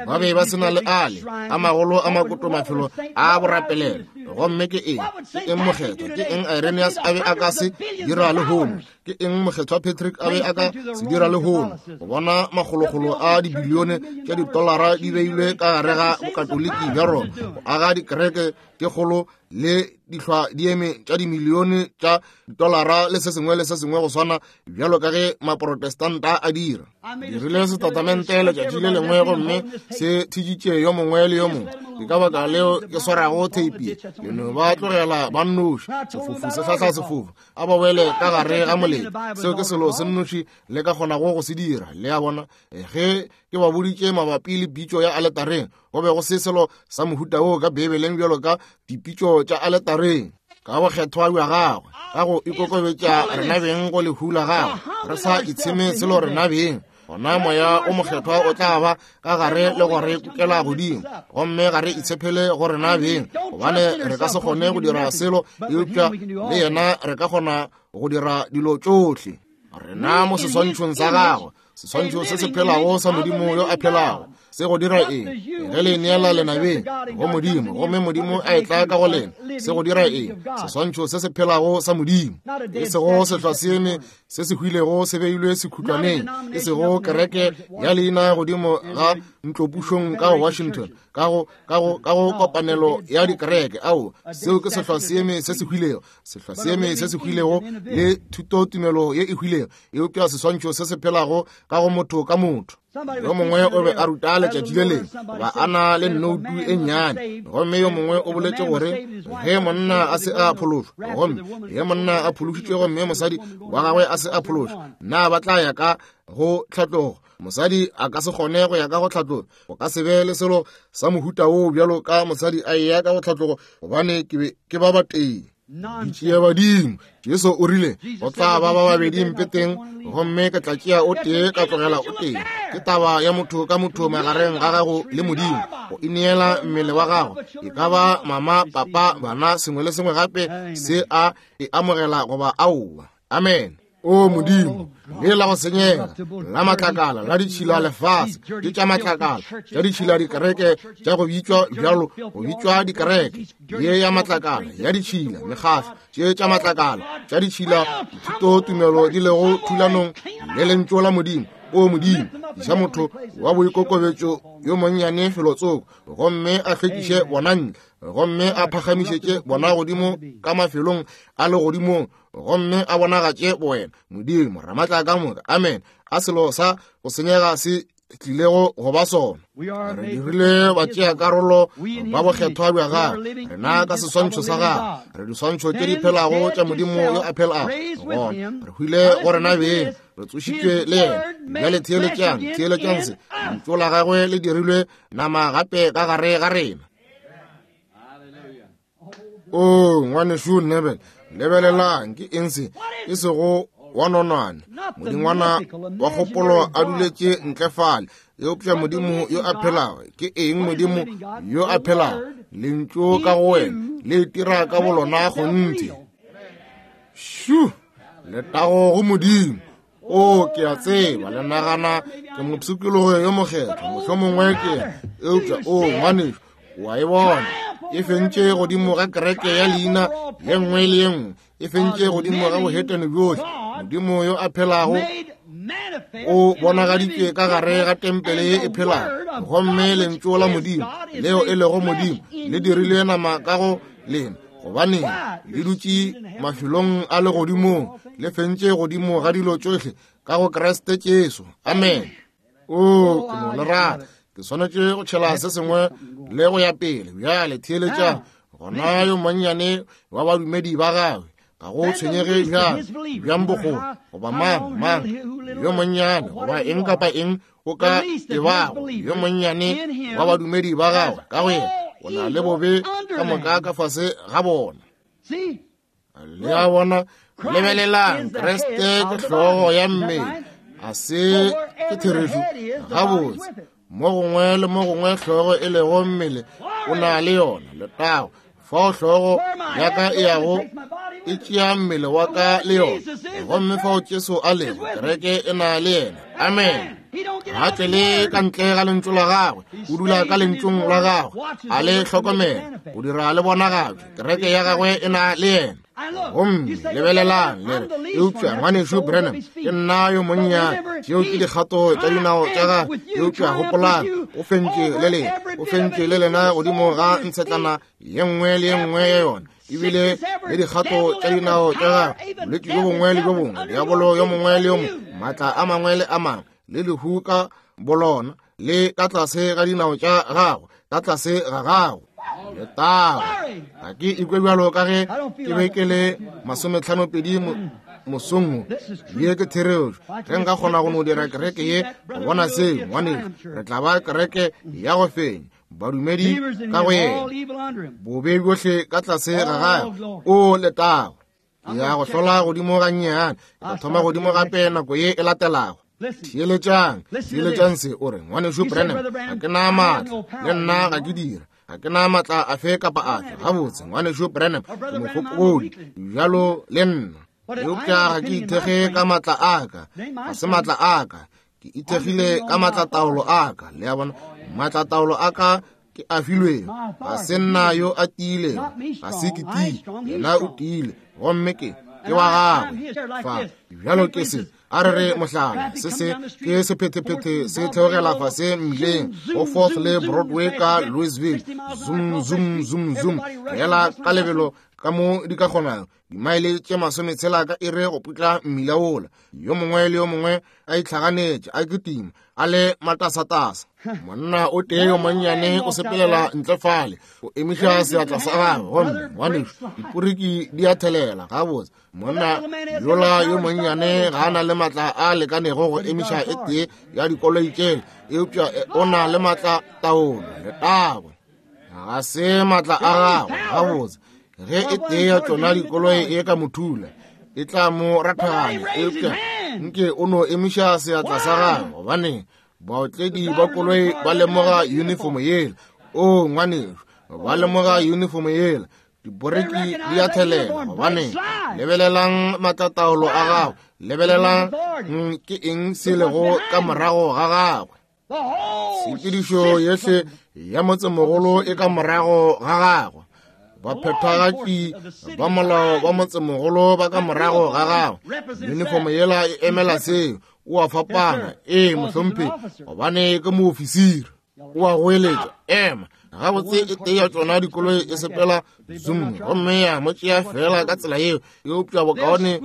Ba be ba sena le ale a magolo a makoto mafelo a borapelelo. Gomme ke eng? Ke eng mokgethwa? Ke eng Irenaeus a be a ka se dira lehono? Ke eng Mokgethwa Patrick a be a ka se dira lehono, go bona makgolokgolo a dibilione tša ditolara di beilwe ka gare ga bokatoliki bja Roma, go aga dikereke tše kgolo le dihlwa dieme tša dimilione tša ditolara le se sengwe le se sengwe go swana bjalo ka ge maprotestanta a dira. Dirile setatamente letšatši le lengwe gomme se thitšitše yo mongwe le yo mongwe. Ke ka baka leo ke swarago theipi. Le no ba tlogela ba nnoši, sefofu se hlahla sefofu, a ba wele ka gare ga molete. Seo ke selo se nnoši le ka kgonago go se dira. Le a bona, ge ke ba boditše mabapi le pitšo ya aletareng, go be go se selo sa mohuta woo ka Beibeleng bjalo ka dipitšo tša aletareng. Ka bokgethwa bja gagwe, ka go ikokobetša rena beng go lehu la gagwe, re sa itsheme selo rena beng, gona moya o mokgethwa o tla ba ka gare le go re kukela godimo. Gomme ga re itshepele go rena beng, gobane re ka se kgone go dira selo, eupša le yena re ka kgona go dira dilo tšohle. Rena mo seswantšhong sa gagwe, seswantšho se se phelago sa Modimo yo a phelago. Se go dira eng? Ge le neela lenabeng go Modimo, gomme Modimo a etla ka go lena, se go dira eng? Seswantšho se se phelago sa Modimo, e sego sehlwaseeme se se hwilego se beilwe sekhutlwaneng, e sego kereke ya leina godimo ga ntlopušong ka go Washington, ka go ka go ka go kopanelo ya dikereke. Ao, seo ke sehlwaseeme se se hwilego, sehlwaseeme se se hwilego le thutotumelo ye e hwilego, eupša seswantšho se se phelago ka go motho ka motho. Yo mongwe o be a ruta letšatši le lengwe, ba a na le nnoutu e nnyane, gomme yo mongwe o boletše gore ge monna a se a phološwa, gomme ge monna a phološitšwe gomme mosadi wa gagwe a se a phološwa, na ba tla ya ka go tlhatlogo? Mosadi a ka se kgone go ya ka go tlhatlogo. Go ka se be le selo sa mohuta woo bjalo ka mosadi a eya ka go tlhatlogo, gobane ke be ke ba batee. Ditšea badimo. Jesu o rile go tla ba ba babedi mpeteng, gomme ke tla tšea o tee ka tlogela o tee. Ke taba ya motho ka motho magareng ga gago le Modimo, go ineela mmele wa gago, e ka ba mama, papa, bana, sengwe le sengwe gape se a e amogela goba aowa. Amen. O Modimo, le la go senyega la matlakala la ditšhila lefase, ke tša matlakala tša ditšhila dikereke tša go bitšwa bjalo, go bitšwa dikereke ye ya matlakala ya ditšhila, mekgahlo tše tša matlakala tša ditšhila, dithutotumelo di lego thulanong le lentšu la Modimo. O Modimo, iša motho wa boikokobetšo yo monnyane felotsoko, gomme a hlwekiše bona ntle, gomme a phagamišetše bona godimo ka mafelong a legodimong, gomme a bonagatše bowena. Modimo Ramatla ka moka. Amen. A selo sa go senyega se tlilego go ba sona. Re dirile batšea karolo ba bokgethwa bja gagwe, rena ka seswantšho sa gagwe, re diswantšho tše di phelago tša Modimo yo a phelago. Gona re hwile go rena beng, re tsošitšwe le yena. Bjale theeletšang, theeletšang se, lentšu la gagwe le dirilwe nama gape ka gare ga rena. O ngwanešu Nebel, lebelelang ke eng se? E sego wa nonwane, modingwana wa kgopolo a duletše ntle fale, eupša Modimo yo a phelago. Ke eng Modimo yo a phelago? Lentšu ka go wena le itira ka bolona kgonthe. Shu, letago go Modimo. O, ke a tseba le nagana ke mopshikologo yo mokgethwa, mohlomongwe ke, eupša o ngwanešu, wa e bona e fentše godimo ga kereke ya leina ye nngwe le ye nngwe, e fentše godimo ga bohetene bjohle. Modimo yo a phelago o bonagaditšwe ka gare ga tempele ye e phelago, gomme lentšu la Modimo leo e lego Modimo le dirile nama ka go lena, gobane le dutše mafelong a legodimong, le fentše godimo ga dilo tšohle ka go Kriste Jesu. Amen. O, ke no le rata. Ke swanetše go tšhela se sengwe le go ya pele. Bjale theeletšang, gona yo monnyane wa badumedi ba gagwe, ga go tshwenyege bjang bjang bogolo goba mang mang yo monnyane goba eng kapa eng o ka e bago, yo monnyane wa badumedi ba gagwe ka go yena o na le bobe ka moka ka fase ga bona. Le a bona, lebelelang, Kriste ke hlogo ya mmele, a se ke therešo? Gabotse, mo gongwe le mo gongwe hlogo e lego mmele o na le yona. Letago, fao hlogo ya ka e yago e tšea mmele wa ka le yona, gomme fao Jesu a lego, kereke e na le yena. Amen. Ga tšwele ka ntle ga lentšu la gagwe, o dula ka lentšung la gagwe, a le hlokomela, o dira le bonagatšwe. Kereke ya gagwe e na le yena. Gomme lebelelang le re, eupša ngwanešu Branham, ke nna yo monnyane, tšeo ke dikgato tša dinao tša gagwe, eupša gopolang, o fentše le lena, o fentše le lena godimo ga ntshetlana ye nngwe le ye nngwe ya yona, ebile le dikgato tša dinao tša gagwe, bolwetši bjo bongwe le bjo bongwe, diabolo yo mongwe le yo mongwe, maatla a mangwe le a mangwe, le lehu ka bolona, le ka tlase ga dinao tša gagwe, ka tlase ga gagwe. Letago. Ga ke ikwe bjalo ka ge ke be ke le masometlhanopedi mosong. Ye ke therešo. Ge nka kgona go no dira kereke ye go bona seo, ngwanešu, re tla ba kereke ya go fenya badumedi ka go yena, bobe bjohle ka tlase ga gagwe. O letago. Ke ya go hlola godimo gannyane, ke tla thoma godimo gape nako ye e latelago. Theeletšang, theeletšang se, o re, ngwanešu Branham, ga ke na maatla, le nna ga ke dira, ga ke na maatla afe kapa afe. Gabotse, ngwanešu Branham, ke mofokodi bjalo le nna, eupša ga ke ithekge ka maatla a ka, ga se maatla a ka, ke ithekgile ka maatlataolo a ka. Le a bona, maatlataolo a ka ke a filwego, ga se nna yo a tiilego, ga se ke tiile, yena o tiile, gomme ke ke wa gagwe. Fa bjalo ke se, a re re mohlala, se se ke sephethephethe se theogela fase mmileng go Fourth le Broadway ka Louisville, zoom zoom zoom zoom, fela ka lebelo ka mo di ka kgonago, dimaele tše masometshela ka iri go putla mmila wola. Yo mongwe le yo mongwe a itlhaganetše, a kitima, a le matasatasa. Monna o tee yo monnyane o sepelela ntle fale, o emiša seatla sa gagwe, gomme ngwanešu, diporiki di a thelela. Gabotse, monna yola yo monnyane ga a na le maatla a lekanego go emiša e tee ya dikoloi tšela, eupša o na le maatla taolo. Letago. Ga se maatla a gagwe. Gabotse, ge e tee ya tšona dikoloi e ka mothula, e tla mo rathaganya, eupša nke o no emiša seatla sa gagwe, gobane baotledi ba koloi ba lemoga uniform yela. O ngwanešu, ba lemoga uniform yela, diporeki di a thelela, gobane lebelelang maatlataolo a gagwe, lebelelang ke eng se lego ka morago ga gagwe. Tshepedišo yohle ya motsemogolo e ka morago ga gagwe. Baphethagatši ba molao ba motsemogolo ba ka morago ga gagwe. Uniform yela e emela seo. O a fapana, ee mohlomphegi, gobane ke moofisiri. O a goeletša, ema. Gabotse e tee ya tšona dikoloi e sepela zoom, gomme ya mo tšea fela ka tsela yeo, eupša bokaone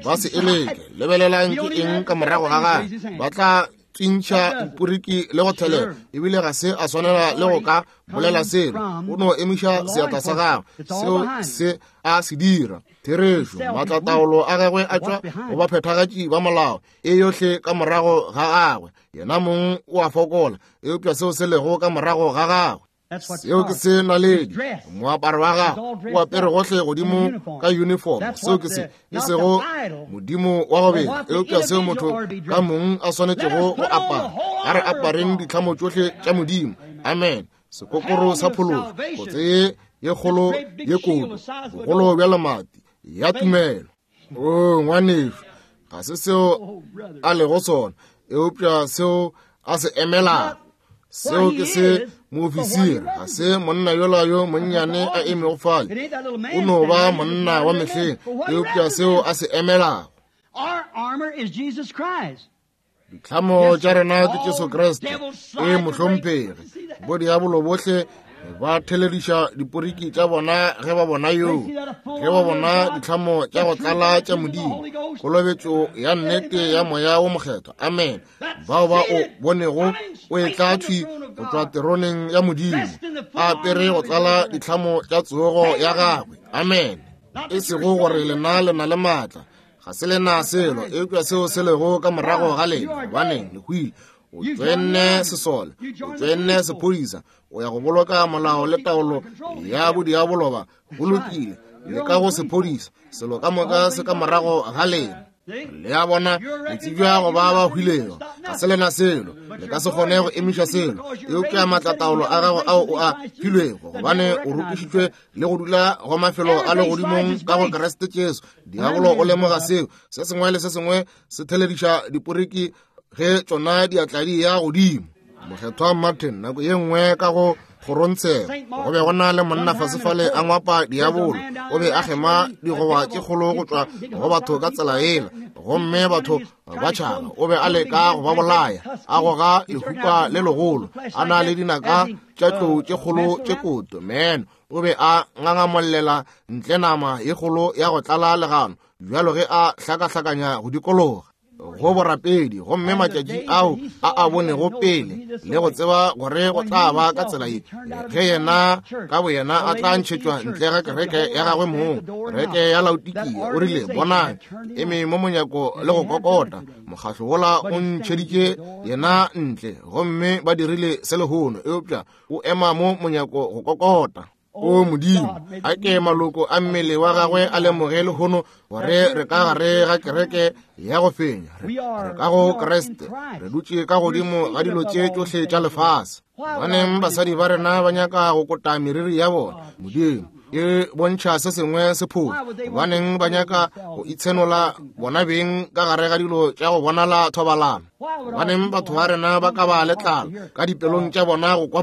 ba se eleke. Lebelelang ke eng ka morago ga gagwe. Ba tla tswintšha diporiki le go thelela, ebile ga se a swanela le go ka bolela selo. O no emiša seatla sa gagwe, seo se a se dira. Therešo, maatlataolo a gagwe a tšwa go baphethagatši ba molao, e yohle ka morago ga gagwe. Yena mong o a fokola, eupša seo se lego ka morago ga gagwe, seo ke se naledi. Moaparo wa gagwe o apere gohle godimo ka uniform, seo ke se, e sego modimo wa go bela, eupša seo motho ka mong a swanetšego go apara. A re apareng ditlhamo tšohle tša Modimo. Amen. Sekokoro sa phološo, kotse ye ye kgolo ye kodu, bogolo bja lemati ya tumelo. O ngwanešu, ga se seo a lego sona, eupša seo a se emelago. Seo ke se moofisiri, ga se monna yola yo monnyane a emego fale, o no ba monna wa mehleng, eupša seo a se emelago. Ditlhamo tša rena ke Jesu Kriste, e mohlomphegi. Bodiabolo bohle ba thelediša diporiki tša bona ge ba bona yoo, ge ba bona ditlhamo tša go tlala tša Modimo, kolobetšo ya nnete ya Moya wo Mokgethwa. Amen. Bao ba o bonego o etla thwi go tšwa teroneng ya Modimo, a apere go tlala ditlhamo tša tsogo ya gagwe. Amen. E sego gore lena le na le maatla, ga se lena selo, eupša seo se lego ka morago ga lena, gobane le hwile. O tšwenne sesole, o tšwenne sephodisa, o ya go boloka molao le taolo ya bodiabolo ba. Go lokile, le ka go sephodisa, selo ka moka se ka morago ga lena. Le a bona, le tsebja go ba ba hwilego, ga se lena selo, le ka se kgone go emiša selo, eupša maatlataolo a gago ao o a filwego, gobane o rokišitšwe le go dula go mafelo a legodimong ka go Kriste Jesu. Diabolo o lemoga seo. Se sengwe le se sengwe se thelediša diporiki ge tšona diatla di ya godimo. Mokgethwa Martin nako ye nngwe ka go kgorontshego go be go na le monna fasefale a ngwapa diabolo, o be a kgema digoba tše kgolo go tšwa go batho ka tsela yela, gomme batho ba tšhaba. O be a leka go ba bolaya, a goga lehupa le legolo, a na le dinaka tša tlou tše kgolo tše koto. Meno o be a ngangamollela ntle nama ye kgolo ya go tlala legano bjalo ge a hlakahlakanya go dikologa go borapedi. Gomme matšatši ao a a bonego pele le go tseba gore go tla ba ka tsela ye, ge yena ka boyena a tla ntšhetšwa ntle ga kereke ya gagwe mong, kereke ya Laodikia. O rile, bonang, eme mo monyako le go kokota. Mokgahlo wola o ntšheditše yena ntle, gomme ba dirile se lehono, eupša o ema mo monyako go kokota. O Modimo, a ke maloko a mmele wa gagwe a lemoge lehono gore re ka gare ga kereke ya go fenya, re ka go Kriste, re dutše ka godimo ga dilo tše tšohle tša lefase. Baneng basadi ba rena ba nyaka go kota meriri ya bona, Modimo, e bontšha se sengwe se phošo. Baneng ba nyaka go itshenola bona beng ka gare ga dilo tša go bonala thobalano. Baneng batho ba rena ba ka ba le tlala ka dipelong tša bona go kwa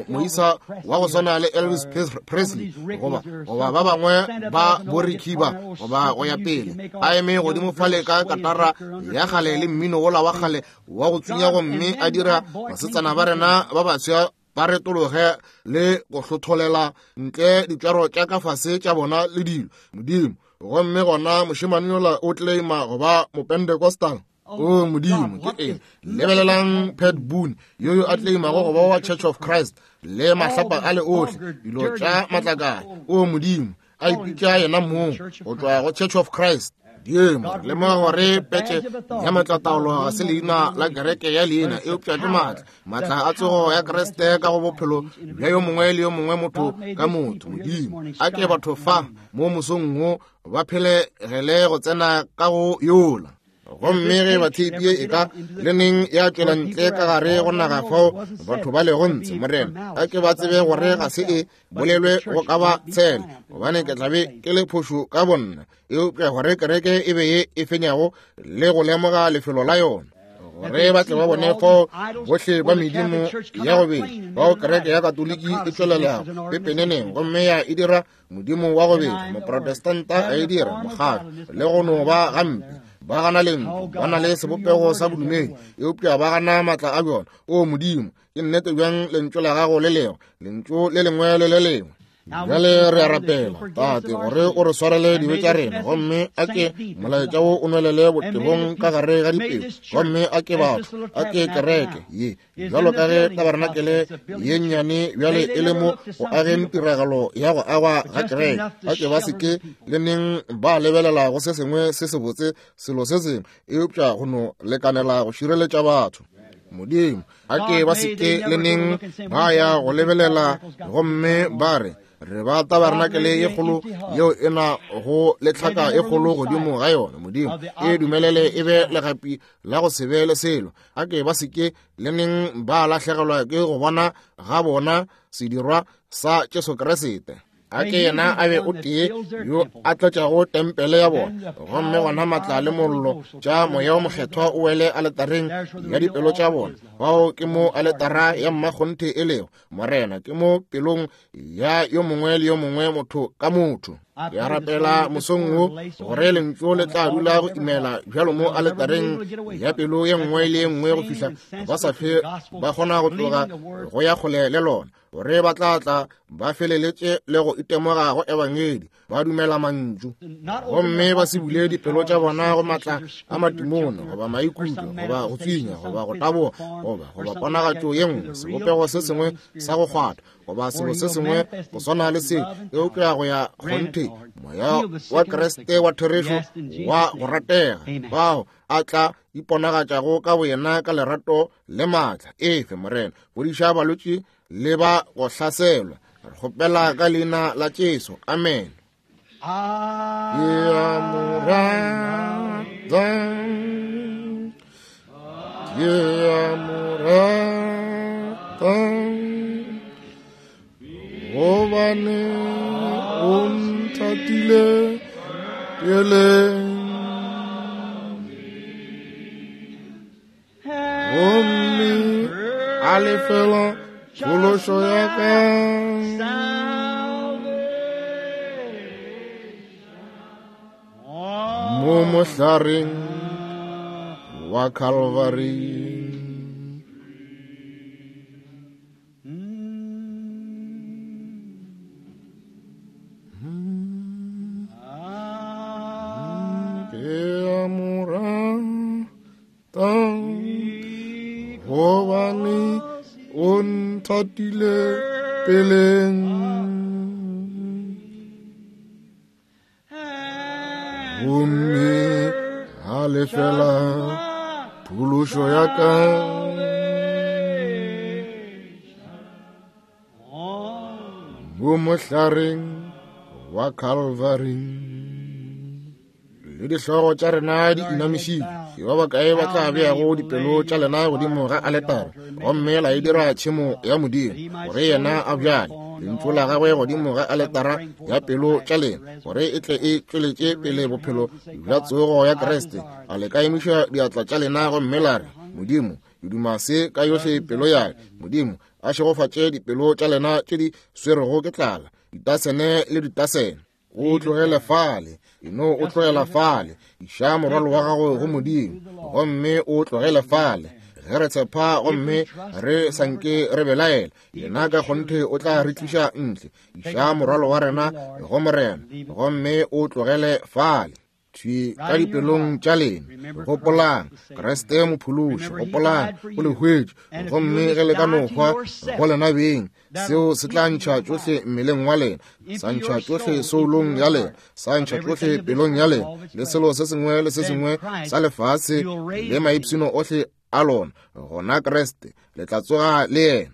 moisa wa go swana le Elvis Presley goba goba ba bangwe ba borikiba goba go ya pele, a eme godimo fale ka katara ya kgale le mmino wola wa kgale wa go tsunya, gomme a dira basetsana ba rena ba baswa ba retologe le go hlotholela ntle ditšwaro tša ka fase tša bona le dilo. Modimo, gomme gona mošemane yola o claima go ba Mopentecostal. O Modimo, ke eng? Lebelelang Pat Boone yo yo a claimago go ba wa Church of Christ le mahlapa a le ohle, dilo tša matlakala. O Modimo, a ipitša yena mong go tšwa go Church of Christ. Dimo, re lemoga gore petše ya maatlataolo ga se leina la kereke ya leina, eupša ke maatla, maatla a tsogo ya Kriste ka go bophelo bja yo mongwe le yo mongwe motho ka motho. Modimo, a ke batho fa mo mosong wo ba phelegele go tsena ka go yola. Gomme ge batheipi e ka le neng ya tšwela ntle ka gare go naga fao batho ba lego ntshe, Morena, a ke ba tsebe gore ga se e bolelwe go ka ba tshela, gobane ke tlabe ke le phošo ka bonna, eupša gore kereke e be ye e fenyago le go lemoga lefelo la yona, gore ba tle ba bone fao bohle ba medimo ya go bedi bao kereke ya Katoliki e tšwelelago pepeneneng, gomme ya e dira modimo wa go bedi, moprotestanta a e dira mokgatlo le go no ba gampe. Ba gana lentšu, ba na le sebopego sa bodumedi, eupša ba gana maatla a bjona. O Modimo, ke nnete bjang lentšu la gago le lengwe, lentšu le lengwe le le lengwe. Bjale re a rapela, Tate, gore o re swarele dibe tša rena, gomme a ke molaetša wo o nwelele botebong ka gare ga dipelo, gomme a ke batho, a ke kereke ye bjalo ka ge tabarenakele ye nnyane bjale e le mo go ageng tiragalo ya go agwa ga kereke, a ke ba se ke le neng ba lebelela go se sengwe se sebotse, selo se sengwe, eupša go no lekanela go šireletša batho. Modimo, a ke ba se ke le neng ba ya go lebelela gomme ba re, re ba tabarenakele ye kgolo yeo e na go le tlhaka e kgolo godimo ga yona. Modimo, e dumelele e be legapi la go se be le selo. A ke ba se ke le neng ba lahlegelwa ke go bona ga bona sedirwa sa Jesu Kriste. A ke yena a be o tee yo a tlatšago tempele ya bona, gomme gona maatla le mollo tša moya o mokgethwa o wele aletareng ya dipelo tša bona. Bao ke mo aletara ya mmakgonthe e lego, Morena, ke mo pelong ya yo mongwe le yo mongwe motho ka motho. Ke a rapela mosong wo gore lentšu le tla dula go imela bjalo mo aletareng ya pelo ye nngwe le ye nngwe go fihla ba sa fe ba kgona go tloga go ya kgole le lona, gore ba tla tla ba feleletše le go itemoga go ebangedi, ba dumela mantšu, gomme ba se bule dipelo tša bona go maatla a matimone goba maikutlo goba go tswinya goba go taboga goba goba ponagatšo ye nngwe, sebopego se sengwe sa go kgwatha goba selo se sengwe go swana le se, eupša go ya kgonthe moya wa Kriste wa therešo wa go ratega, bao a tla iponagatšago ka boyena ka lerato le maatla. Efe Morena, fodiša balwetši le ba go hlaselwa. Re kgopela ka leina la Jesu, amen. Ke a mo rata, ke a mo rata, gobane o nthatile pele. A lefela phološo ya ka mo mohlareng wa Calvary. Gobane o nthatile peleng. Gomme a lefela phološo ya ka mo mohlareng wa Calvary. Le dihlogo tša rena di inamišitšwe, ke ba bakae ba tla beago dipelo tša lena godimo ga aletara gomme la e dira tšhemo ya Modimo, gore yena a bjale lentšu la gagwe godimo ga aletara ya pelo tša lena, gore e tle e tšweletše pele bophelo bja tsogo ya Kriste. A le ka emiša diatla tša lena gomme la re, Modimo, ke duma se ka yohle pelo ya ka. Modimo a šegofatše dipelo tša lena tše di swerego ke tlala, ditasene le ditasene. O tlogele fale, eno o tlogela fale, iša morwalo wa gago go Modimo, gomme o tlogele fale. Ge re tshepa gomme re sanke re belaela, yena ka kgonthe o tla re tliša ntle. Iša morwalo wa rena go Morena, gomme o tlogele fale. Thwi ka dipelong tša lena, gopolang Kriste mophološi, gopolang o le hwetše, gomme ge le ka no hwa go lena beng, seo se tla ntšha tšohle mmeleng wa lena, sa ntšha tšohle soulong ya lena, sa ntšha tšohle pelong ya lena, le selo se sengwe le se sengwe sa lefase le maipshino ohle a lona. Gona Kriste le tla tsoga le yena.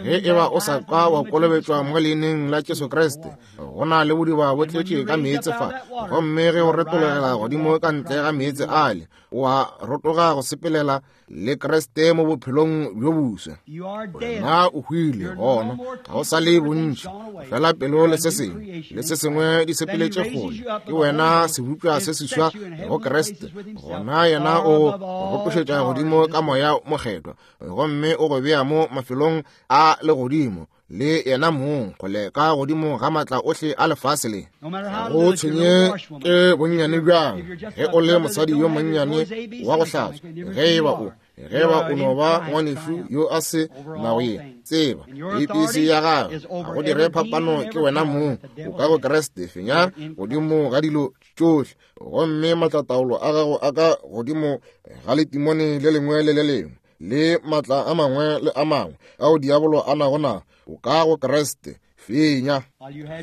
Ge e ba o sa ka wa kolobetšwa mo leineng la Jesu Kriste, go na le bodiba bo tletše ka meetse fa, gomme ge o retologela godimo ka ntle ga meetse ale, o a rotoga go sepelela le Kriste mo bophelong bjo boswa. Wena o hwile, gona ga o sa le bontši, fela pelo le se sengwe le se sengwe di sepeletše kgole. Ke wena sebopša se seswa go Kriste. Gona yena o rotošetša godimo ka moya mokgethwa, gomme o go bea mo mafelong a legodimo le yena mong, kgole ka godimo ga matla ohle a lefase le. Go tshwenye ke bonnyane bjang ge o le mosadi yo monnyane wa go hlatswa, ge e ba o ge ba o no ba ngwanešu yo a se nago ye tseba A B C ya gagwe, ga go dire phapano, ke wena mong o ka go Kriste. Fenya godimo ga dilo tšohle, gomme matlataolo a gago a ka godimo ga letimone le lengwe le le lengwe le matla a mangwe le a mangwe ao diabolo a nago na, o ka go Kriste. Fenya.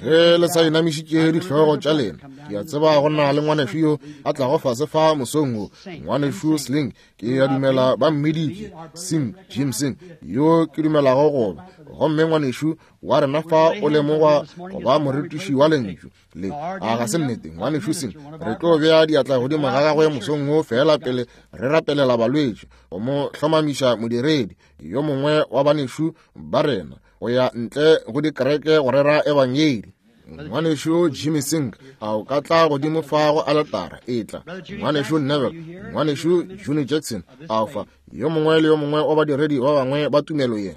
Ge le sa inamišitše dihlogo tša lena, ke a tseba go na le ngwanešu yo a tlago fase fa mosong wo, ngwanešu Sling, ke a dumela ba mmiditše Sing, Jim Sing, yo ke dumelago goba, gomme ngwanešu wa rena fa o lemogwa go ba morutiši wa lentšu le. A ga se nnete, ngwanešu Sing? Re tlo bea diatla godimo ga gagwe mosong wo fela pele re rapelela balwetši, go mo hlomamiša modiredi yo mongwe wa banešu ba rena go ya ntle go dikereke go rera ebangedi. Ngwanešu Jimmy Singh, a o ka tla godimo fa go aletara? E tla. Ngwanešu Neville, ngwanešu Junior Jackson, a fa yo mongwe le yo mongwe wa badiredi ba bangwe ba tumelo ye.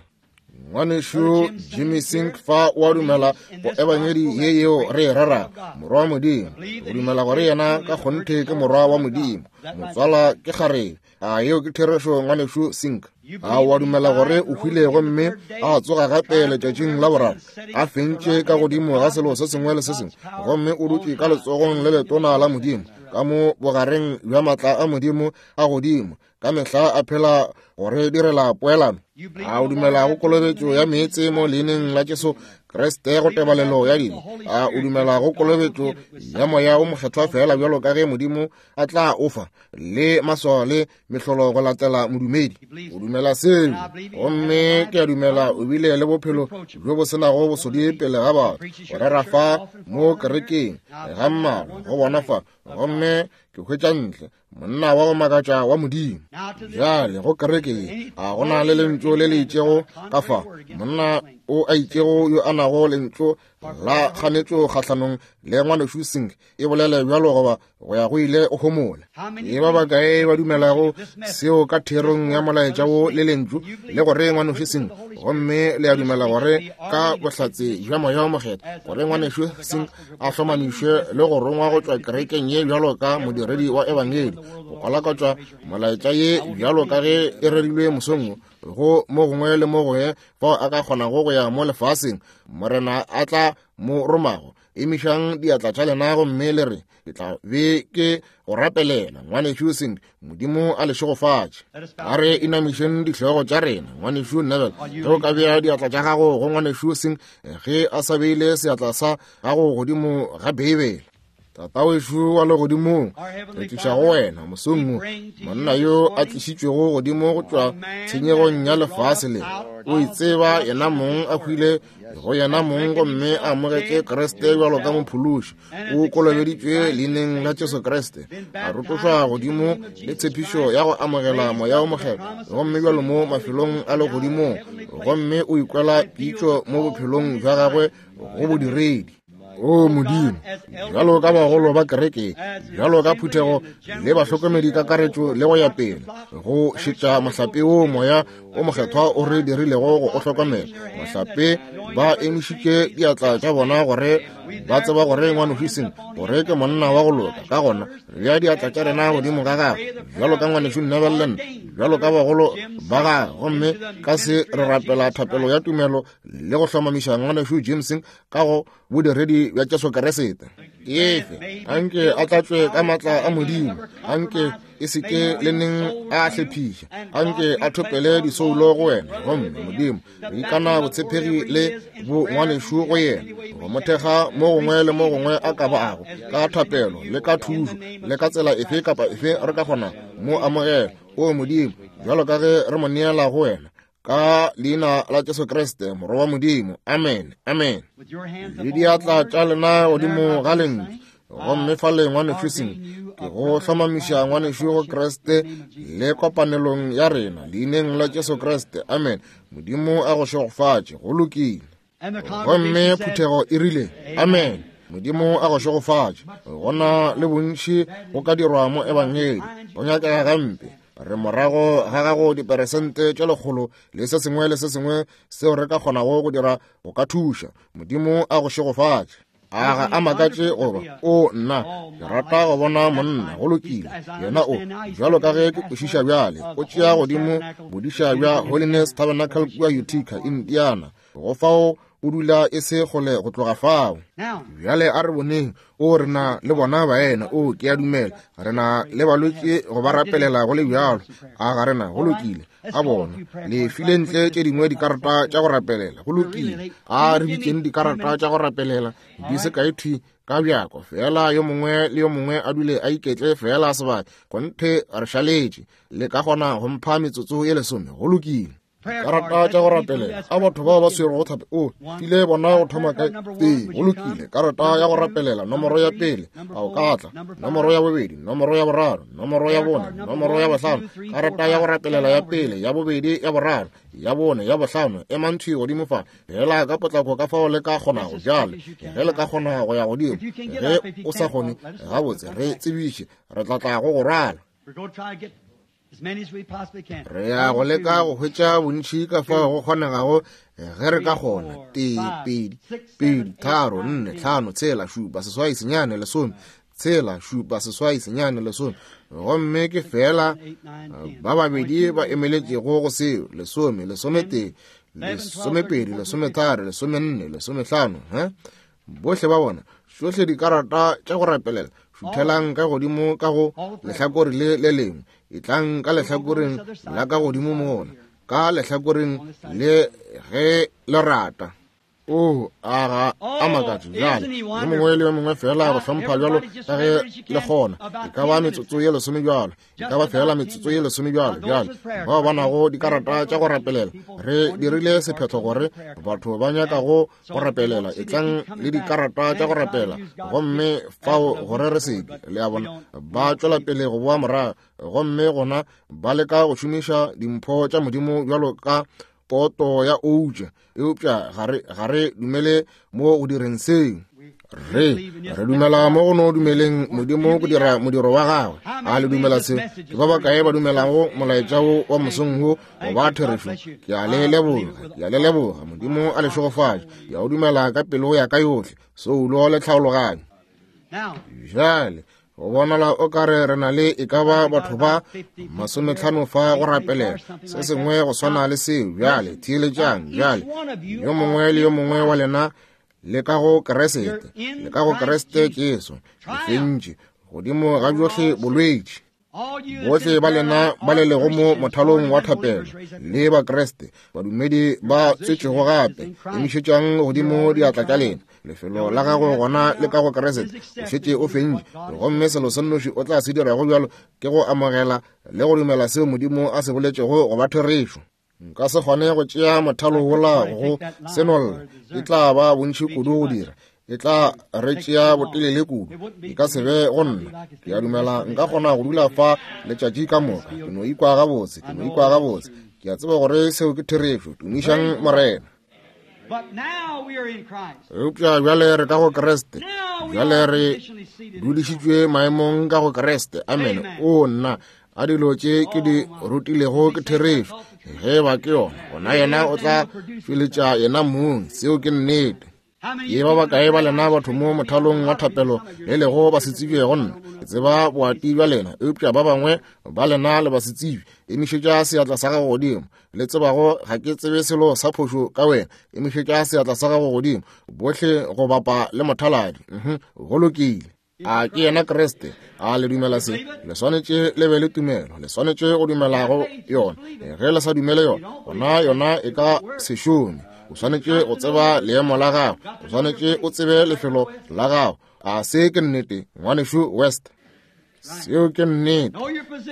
Ngwanešu Jimmy Singh fa o a dumela go ebangedi ye yeo re e rerago, morwa wa Modimo. O dumela gore yena ka kgonthe ke morwa wa Modimo, motswala ke kgarebe. A yeo ke therešo, ngwanešu Singh? A o a dumela gore o hwile gomme a tsoga gape letšatšing la boraro, a fentše ka godimo ga selo se sengwe le se sengwe, gomme o dutše ka letsogong le letona la Modimo, ka mo bogareng bja matla a Modimo a godimo, ka mehla a phela gore direla poelano? A o dumela go kolobetšo ya meetse mo leineng la Jesu Kriste go tebalelo ya dibe? A o dumela go kolobetšo ya moya o mokgethwa fela bjalo ka ge Modimo a tla o fa, le maswao le mehlolo go latela modumedi? O dumela seo, gomme ke a dumela o bile le bophelo bjo bo senago bosodi pele ga batho, go rera fa mo kerekeng ga mmalwa go bona fa, gomme ke hwetša ntle monna wa go makatša wa Modimo. Bjale go kereke ye a go na le lentšu le le itšego ka fa monna o a itšego yo a nago lentšu la kganetšo kgahlanong le ngwanešu Sink e bolele bjalo goba go ya go ile o homola. E ba bakae ba dumelago seo ka therong ya molaetša wo le lentšu le gore ngwanešu Sink, gomme le a dumela gore ka bohlatse bja Moya o Mokgethwa gore ngwanešu Sink a hlomamišwe le go rongwa go tšwa kerekeng ye bjalo ka modiredi wa ebangedi go kwalakatšwa molaetša ye bjalo ka ge e rerilwe mosong go mo gongwe le mo gongwe fao a ka kgonago go ya mo lefaseng Morena a tla mo romago. Emišang diatla tša lena gomme le re, ke tla be ke go rapelela ngwanešu Sink. Modimo a le šegofatše. A re inamišeng dihlogo tša rena. Ngwanešu Neville, ge o ka bea diatla tša gago go ngwanešu Sink ge a sa beile seatla sa gago godimo ga Beibele. Tatawešu wa legodimong, re tliša go wena mosong wo monna yo a tlišitšwego godimo go tšwa tshenyegong ya lefase le. O itseba yena mong a hwile go yena mong gomme a amogetše Kriste bjalo ka mophološi. O kolobeditšwe leineng la Jesu Kriste, a rotošwa godimo le tshepišo ya go amogela Moya o Mokgethwa, gomme bjalo mo mafelong a legodimong, gomme o ikwela pitšo mo bophelong bja gagwe go bodiredi. O Modimo, bjalo ka bagolo ba kereke, bjalo ka phuthego le bahlokomedi kakaretšo le go ya pele, go šetša mohlape wo Moya o Mokgethwa o re dirilego go o hlokomela. Mohlape ba emišitše diatla tša bona gore ba tseba gore ngwanešu Sink gore ke monna wa go loka. Ka gona re bea diatla tša rena godimo ga gagwe bjalo ka ngwanešu Neville le nna, bjalo ka bagolo ba gagwe, gomme ka se re rapela thapelo ya tumelo le go hlomamiša ngwanešu James ka go bodiredi bja Jesu Kriste. Efe anke a tlatšwe ka matla a Modimo, anke e se ke le neng a hlephiša, anke a thopele disoulo go wena. Gomme Modimo, re ikana botshepegi le bo ngwanešu go yena, go mo thekga mo gongwe le mo gongwe a ka bago, ka thapelo le ka thušo le ka tsela efe kapa efe re ka kgona mo amogela. O Modimo, bjalo ka ge re mo neela go wena, ka leina la Jesu Kriste morwa wa Modimo. Amen. Amen. Le diatla tša lena godimo ga lentšu, gomme fale ngwanešu Sink, ke go hlomamiša ngwanešu go Kriste le kopanelong ya rena leineng la Jesu Kriste. Amen. Modimo a go šegofatše. Go lokile. Gomme phuthego e rile amen. Modimo a go šegofatše. Gona le bontši go ka dirwa mo ebangedi, go nyakega gampe. Re morago ga gago diperesente tše lekgolo le se sengwe le se sengwe seo re ka kgonago go dira go ka thuša. Modimo a go šegofatše. A ga a makatše goba o nna ke rata go bona monna. Go lokile. Yena o bjalo ka ge ke kwešiša bjale, o tšea godimo bodiša bja Holiness Tabernacle kua Utica, Indiana. Go fao o dula e se kgole go tloga fao. Bjale a re boneng. O re na le bona baena. O ke a dumela re na le balwetši go ba rapelela go le bjalo. A ga rena? Go lokile. A bona le file ntle tše dingwe dikarata tša go rapelela. Go lokile. A re bitšeng dikarata tša go rapelela di se kae thwi ka bjako fela, yo mongwe le yo mongwe a dule a iketle fela sebaka. Kgonthe re šaletše. Le ka kgona go mpha metsotso ye lesome? Go lokile. Karata tša go rapelela a batho bao ba swerego thape. O file bona go thoma ka tee. Go lokile. Karata ya go rapelela nomoro ya pele, a o ka tla. Nomoro ya bobedi, nomoro ya boraro, nomoro ya bone, nomoro ya bohlano. Karata ya go rapelela ya pele, ya bobedi, ya boraro, ya bone, ya bohlano. Emang thwi godimo fa fela ka potlako ka fao le ka kgonago. Bjale ge le ka kgona go ya godimo, ge o sa kgone gabotse re tsebiše, re tla tla go go rwala. Re ya go leka go hwetša bontši ka fao go kgonegago ge re ka kgona. Tee, pedi, pedi, tharo, nne, hlano, tshela, šupa, seswai, senyane, lesome, tshela, šupa, seswai, senyane, lesome. Gomme ke fela ba babedi ba emeletšego go seo. Lesome, lesometee, lesomepedi, lesometharo, lesomenne, lesomehlano. He bohle ba bona tšohle dikarata tša go rapelela. Šuthelang ka godimo ka go lehlakore le le lengwe, etlang ka lehlakoreng la ka godimo mona, ka lehlakoreng le ge le rata. O a ga a makatše. Bjale yo mongwe le yo mongwe fela go hlompha bjalo ka ge le kgona. E ka ba metsotso ye lesome bjalo, e ka ba fela metsotso ye lesome bjalo. Bjale bao ba nago dikarata tša go rapelela, re dirile sephetho gore batho ba nyakago go rapelela etlang le dikarata tša go rapela, gomme fao gore re seke le a bona ba tšwela pele go boa morago, gomme gona ba leka go šomiša dimpho tša Modimo bjalo ka poto ya outša, eupša ga re ga re dumele mo go direng seo. Re re dumela mo go no dumeleng Modimo go dira modiro wa gagwe. A le dumela se? Ke ba bakae ba dumelago molaetša wo wa mosong wo go ba therešo? Ke a le leboga, ke a le leboga. Modimo a le šegofatše. Ke a o dumela ka pelo ya ka yohle, soulo le tlhaologanyo. Bjale go bonala o ka re re na le e ka ba batho ba masometlhano fa go rapelela se sengwe go swana le seo. Bjale theeletšang. Bjale yo mongwe le yo mongwe wa lena le ka go Kriste, le ka go Kriste Jesu, le fentše godimo ga bjohle bolwetši. Bohle ba lena ba le lego mo mothalong wa thapelo le ba Kriste, badumedi ba tswetšego gape, emišetšang godimo diatla tša lena. Lefelo la gago gona le ka go Kriste, o šetše o fentše, gomme selo se nnoši o tla se dirago bjalo ke go amogela le go dumela seo Modimo a se boletšego go ba therešo. Nka se kgone go tšea mothalo wola go senolla, e tla ba bontši kudu go dira, e tla re tšea botelele kudu, e ka se be go nna. Ke a dumela nka kgona go dula fa letšatši ka moka, ke no ikwa gabotse, ke no ikwa gabotse. Ke a tseba gore seo ke therešo. Tumišang Morena. Eupša bjale re ka go Kriste, bjale re dudišitšwe maemong ka go Kriste. Amen. O nna, a dilo tše ke di rutilego ke therešo. Ge ba ke yona, gona yena o tla tšweletša yena mong. Seo ke nnete. Ke ba bakae ba lena batho mo mothalong wa thapelo le lego ba se tsebje go nna? Ke tseba boati bja lena, eupša ba bangwe ba lena le ba se tsebe. Emišetša seatla sa gago godimo. Le tsebago ga ke tsebe selo sa phošo ka wena, emišetša seatla sa gago godimo. Bohle go bapa le mothaladi. Mhm, go lokile. A ke yena Kriste? A le dumela se? Le swanetše le be le tumelo, le swanetše go dumela go yona. Ge le sa dumele yona, gona yona e ka se šome. O swanetše go tseba leemo la gago, o swanetše o tsebe lefelo la gago. A se ke nnete, ngwanešu West? Seo ke nnete.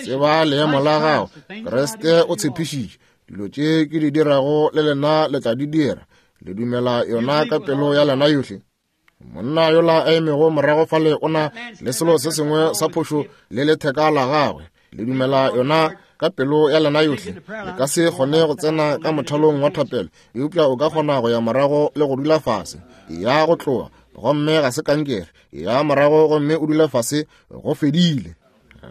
Tseba leemo la gago. Kriste o tshepišitše, dilo tše ke di dirago le lena le tla di dira. Le dumela yona ka pelo ya lena yohle? Monna yola a emego morago fale o na le selo se sengwe sa phošo le letheka la gagwe. Le dumela yona ka pelo ya lena yohle? Le ka se kgone go tsena ka mothalong wa thapelo, eupša o ka kgona go ya morago le go dula fase. Ya go tloga, gomme ga se kankere. Ya morago gomme o dule fase, go fedile.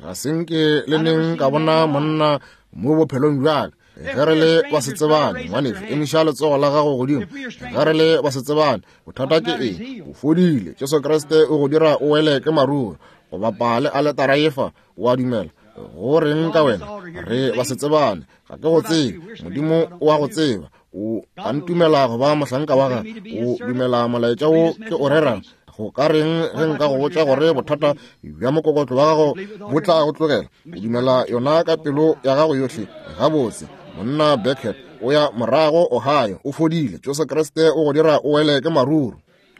Ga se nke le neng ka bona monna mo bophelong bjaka. Ge re le ba se tsebane, ngwanešu, emiša letsogo la gago godimo. Ge re le ba se tsebane, bothata ke eng? O fodile. Jesu Kriste o go dira o wele ke maruru. Go bapa le aletara efa, o a dumela. Go reng ka wena? Re ba se tsebane, ga ke go tsebe. Modimo o a go tseba. O a ntumela go ba mohlanka wa gagwe. O dumela molaetša wo ke o rerang. Go ka reng ge nka go botša gore bothata bja mokokotlo wa gago bo tla go tlogela? O dumela yona ka pelo ya gago yohle? Gabotse. Monna Beckett o ya morago Ohio, o fodile. Jesu Kriste o go dira o wele ke maruru.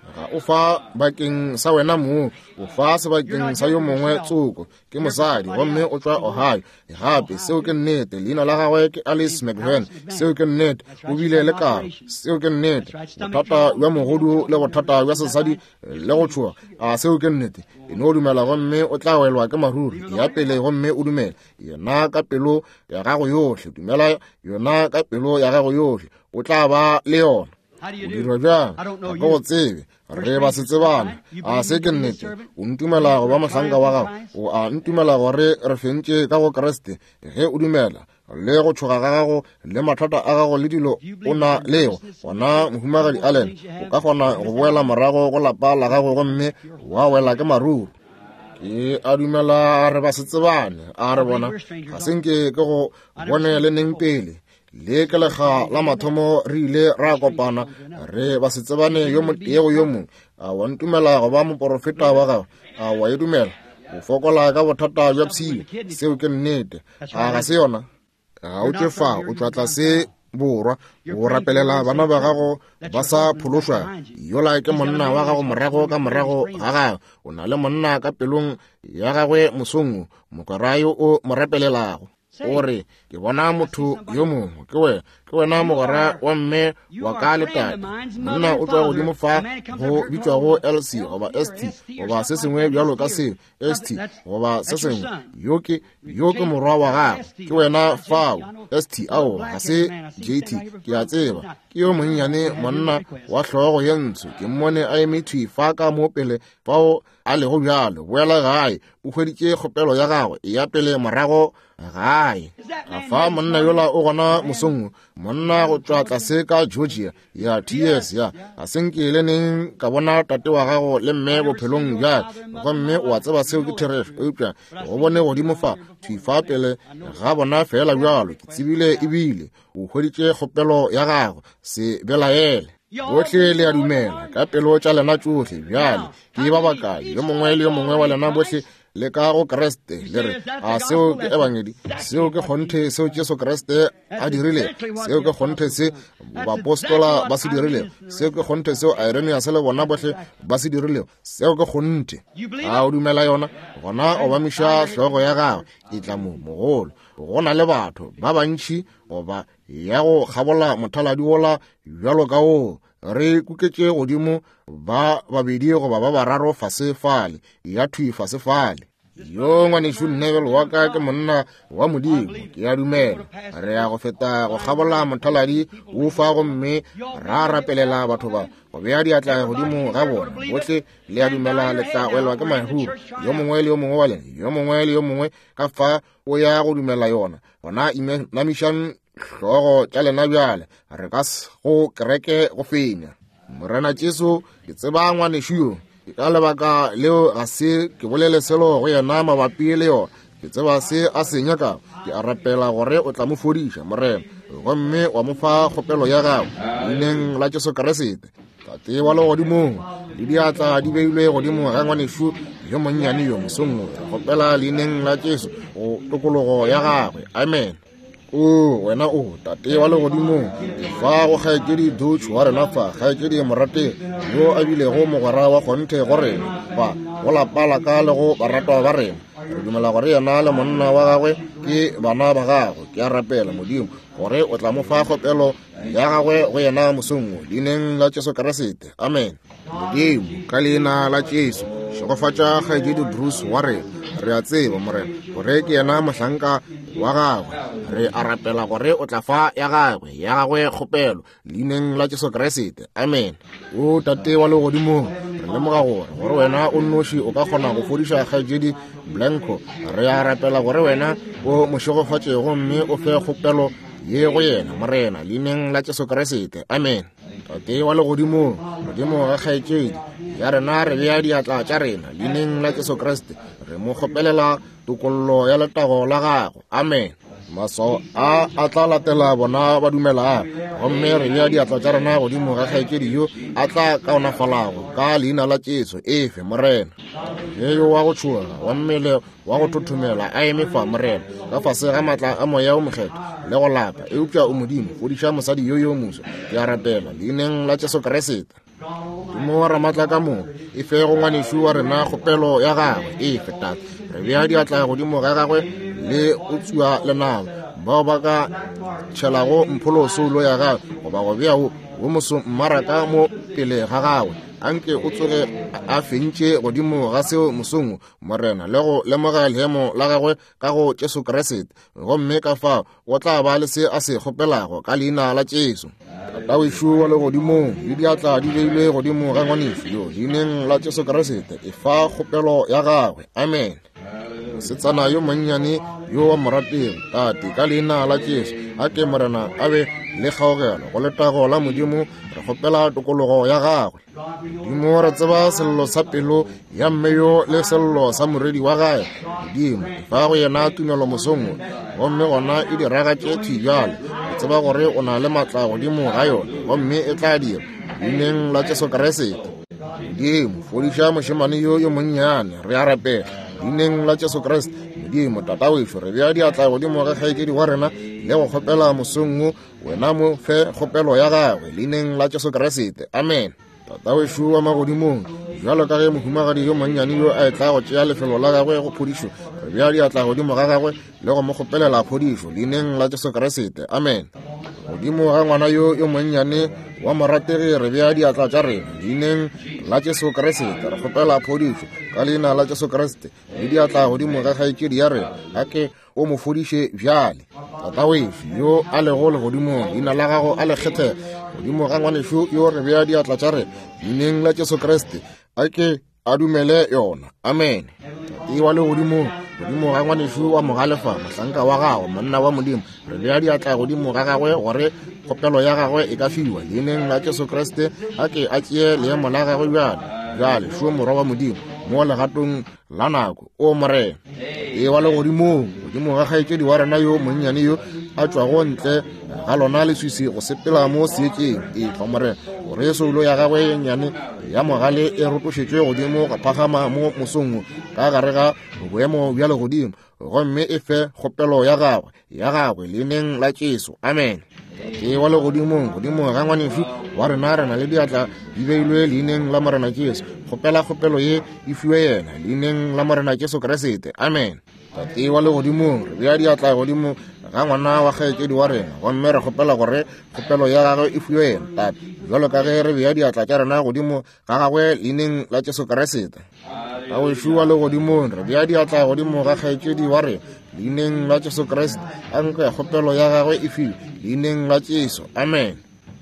Ga o fa bakeng sa wena mong, o fa sebakeng sa yo mongwe tsoko. Ke mosadi, gomme o tšwa Ohio. Gape seo ke nnete. Leina la gagwe ke Alice McVan. Seo ke nnete. O bile le karo. Seo ke nnete. Bothata bja mogodu le bothata bja sesadi le go tšhoga. A seo ke nnete. E no dumela gomme o tla welwa ke maruru. Ya pele gomme o dumele yena ka pelo ya gago yohle. Dumela yona ka pelo ya gago yohle, o tla ba le yona. O dirwa bjang? Ga ke go tsebe. Re ba se tsebane. A se ke nnete? O ntumela go ba mohlanka wa gago? O a ntumela gore re fentše ka go Kriste? Ge o dumela, le go tšhoga ga gago le mathata a gago le dilo o na lego, gona mohumagadi Allen, o ka kgona go boela morago go lapa la gago gomme wa wela ke maruru. Ke a dumela re ba se tsebane. A re bona, ga se nke ke go bone le neng pele. Le ke lekga la mathomo re ile ra kopana, re ba se tsebane yo motee go yo mongwe. A wa ntumela go ba moporofeta wa gago? A wa e dumela? O fokola ka bothata bja pshio. Seo ke nnete. A ga se yona? Ga o tšwe fa, o tšwa tlase borwa. O rapelela bana ba gago ba sa phološwa. Yola ke monna wa gago morago ka morago ga gago. O na le monna ka pelong ya gagwe mosong wo, mokwera yo o mo rapelelago. O re, ke bona motho yo mongwe, ke wena. Ke wena mogwera wa mme wa ka le tate. Monna o tšwa godimo fa go bitšwago L C goba S T goba se sengwe bjalo ka seo, S T goba se sengwe. Yo ke yo ke morwa wa gago. Ke wena fao, S T. Ao, ga se J T, ke a tseba. Ke yo monnyane monna wa hlogo ye ntsho. Ke mmone a eme thwi fa ka mo pele fao a lego bjalo. Boela gae, o hweditše kgopelo ya gagwe, e ya pele morago gae. A fa monna yola o gona mosong, monna go tšwa tlase ka Georgia, ya T S ya. A se nke le neng ka bona tate wa gago le mme bophelong bja ka, gomme o a tseba seo ke therešo, eupša go bone godimo fa, thwi fa pele ga bona fela bjalo. Ke tsebile ebile o hweditše kgopelo ya gago, se belaele. Bohle le a dumela ka pelo tša lena tšohle. Bjale ke ba bakae yo mongwe le yo mongwe wa lena bohle le ka go Kriste le re, a seo ke ebangedi, seo ke kgonthe seo Jesu Kriste a dirile, seo ke kgonthe se baapostola ba se dirile, seo ke kgonthe seo Irenaeus le bona bohle ba se dirile, seo ke kgonthe. A o dumela yona? Gona obamiša hlogo ya gago. E tla mo mogolo. Go na le batho ba bantši goba ya go kgabola mothaladi wola bjalo ka wo re kuketše godimo ba babedi goba ba bararo fase fale, ya thwi fase fale. Yo ngwanešu Neville wa ka ke monna wa Modimo, ke a dumela. Re ya go feta go kgabola mothaladi wo fa gomme ra rapelela batho ba, go bea diatla godimo ga bona. Bohle le a dumela le tla welwa ke mahuru, yo mongwe le yo mongwe wa lena, yo mongwe le yo mongwe ka fa o ya go dumela yona. Gona inamišang hlogo tša lena bjale, re ka go kereke go fenya. Morena Jesu, ke tseba ngwanešu yo, ka lebaka leo ga se ke bolele selo go yena mabapi le yona. Ke tseba se a se nyakago. Ke a rapela gore o tla mo fodiša, Morena, gomme wa mo fa kgopelo ya gago leineng la Jesu Kriste. Tate wa legodimong, le diatla di beilwe godimo ga ngwanešu yo monnyane yo mosong wo, re kgopela leineng la Jesu go tokologo ya gagwe. Amen. O wena o Tate wa legodimong, fa go kgaetšedi Dutch wa rena fa, kgaetšedi morategi yo a bilego mogwera wa kgonthe go rena fa, go lapa la ka le go baratwa ba rena. Re dumela gore yena le monna wa gagwe ke bana ba gagwe. Ke a rapela Modimo gore o tla mo fa kgopelo ya gagwe go yena mosong wo, leineng la Jesu Kriste. Amen. Modimo, ka leina la Jesu, šegofatša kgaetšedi Bruce wa rena. Re a tseba, Morena, gore ke yena mohlanka wa gagwe. Re a rapela gore o tla fa ya gagwe, ya gagwe kgopelo, leineng la Jesu Kriste. Amen. O Tate wa legodimong, re lemoga gore gore wena o nnoši o ka kgona go fodiša kgaetšedi Blanco. Re a rapela gore wena o mo šegofatše gomme o fe kgopelo ye go yena, Morena, leineng la Jesu Kriste. Amen. Tate wa legodimong, Modimo ga kgaetšedi ya rena, re bea diatla tša rena leineng la Jesu Kriste. Re mo kgopelela tokollo ya letago la gago. Amen. Maswao a a tla latela bona ba dumelago, gomme re bea diatla tša rena godimo ga kgaetšedi yo a tla kaonafalago ka leina la Jesu. Efe, Morena. Ge yo wa go tšhoga wa mmele wa go thothomela a eme fa, Morena, ka fase ga matla a Moya o Mokgethwa le go lapa, eupša o Modimo, fodiša mosadi yo yo moso. Ke a rapela leineng la Jesu Kriste. Modimo wa ramatla ka moka, e fe go ngwanešu wa rena kgopelo ya gagwe. Efe, Tate. Re bea diatla godimo ga gagwe le go tsua lenaba bao ba ka tšhelago mpholo soulo ya gagwe goba go bea wo wo moso mmaraka mo pele ga gagwe. Anke o tsoge a fentše godimo ga seo mosong, Morena, le go lemoga leemo la gagwe ka go Jesu Kriste, gomme ka fao o tla ba le se a se kgopelago ka leina la Jesu. Tatawešu wa legodimong, le diatla di beilwe godimo ga ngwanešu yo leineng la Jesu Kriste, e fa kgopelo ya gagwe. Amen. Mosetsana yo monnyane yo wa morategi, Tate, ka leina la Jesu, a ke Morena a be le kgaogelo go letago la Modimo. Re kgopela tokologo ya gagwe. Modimo, re tseba sello sa pelo ya mme yo le sello sa moredi wa gagwe. Modimo, fa go yena tumelo mosong wo, gomme gona e diragatše thwi bjale. Re tseba gore o na le matla godimo ga yona, gomme e tla dira leineng la Jesu Kriste. Modimo, fodiša mošemane yo yo monnyane, re a rapela leineng la Jesu Kriste. Modimo, Tatawešo, re bea diatla godimo ga kgaetšedi wa rena le go kgopela mosong wo, wena mo fe kgopelo ya gagwe leineng la Jesu Kriste. Amen. Tatawešo wa magodimong, bjalo ka ge mohumagadi yo monnyane yo a etla go tšea lefelo la gagwe go phodišo, re bea diatla godimo ga gagwe le go mo kgopelela phodišo leineng la Jesu Kriste. Amen. Godimo ga ngwana yo yo monnyane wa morategi re bea diatla tša rena leineng la Jesu Kriste, re kgopela phodišo ka leina la Jesu Kriste. Le diatla godimo ga kgaetšedi ya rena, a ke o mo fodiše bjale. Tata wešo yo a lego legodimong, leina la gago a le kgethege. Godimo ga ngwanešo yo re bea diatla tša rena leineng la Jesu Kriste, a ke a dumele yona. Amen. Tate wa legodimong, godimo ga ngwanešo wa mogalefa, mohlanka wa gago, monna wa Modimo, re bea diatla godimo ga gagwe gore kgopelo ya gagwe e ka fiwa leineng la Jesu Kriste. A ke a tšee leemo la gagwe bjale. Bjale šo morwa wa Modimo mo legatong la nako, o Morena. E wa legodimong, godimo ga kgaetšedi wa rena yo monnyane yo a tšwago ntle ga lona leswisi go sepela mo seetšeng, e fa Morena gore soulo ya gagwe ye nnyane ya mogale e rotošetšwe godimo go phagama mo mosong ka gare ga boemo bja legodimo, gomme e fe kgopelo ya gagwe ya gagwe leineng la Jesu. Amen. Tate wa legodimong, godimo ga ngwanešu wa rena re na le diatla di beilwe leineng la Morena Jesu. Kgopela kgopelo ye e fiwe yena leineng la Morena Jesu Kriste. Amen. Tate wa legodimong, re bea diatla godimo ga ngwana wa kgaetšedi wa rena, gomme re kgopela gore kgopelo ya gagwe e fiwe yena, Tate, bjalo ka ge re bea diatla tša rena godimo ga gagwe leineng la Jesu Kriste. Tawešo wa legodimong, re bea diatla godimo ga kgaetšedi wa rena leineng la Jesu Kriste. A nke kgopelo ya gagwe e fiwe leineng la Jesu. Amen.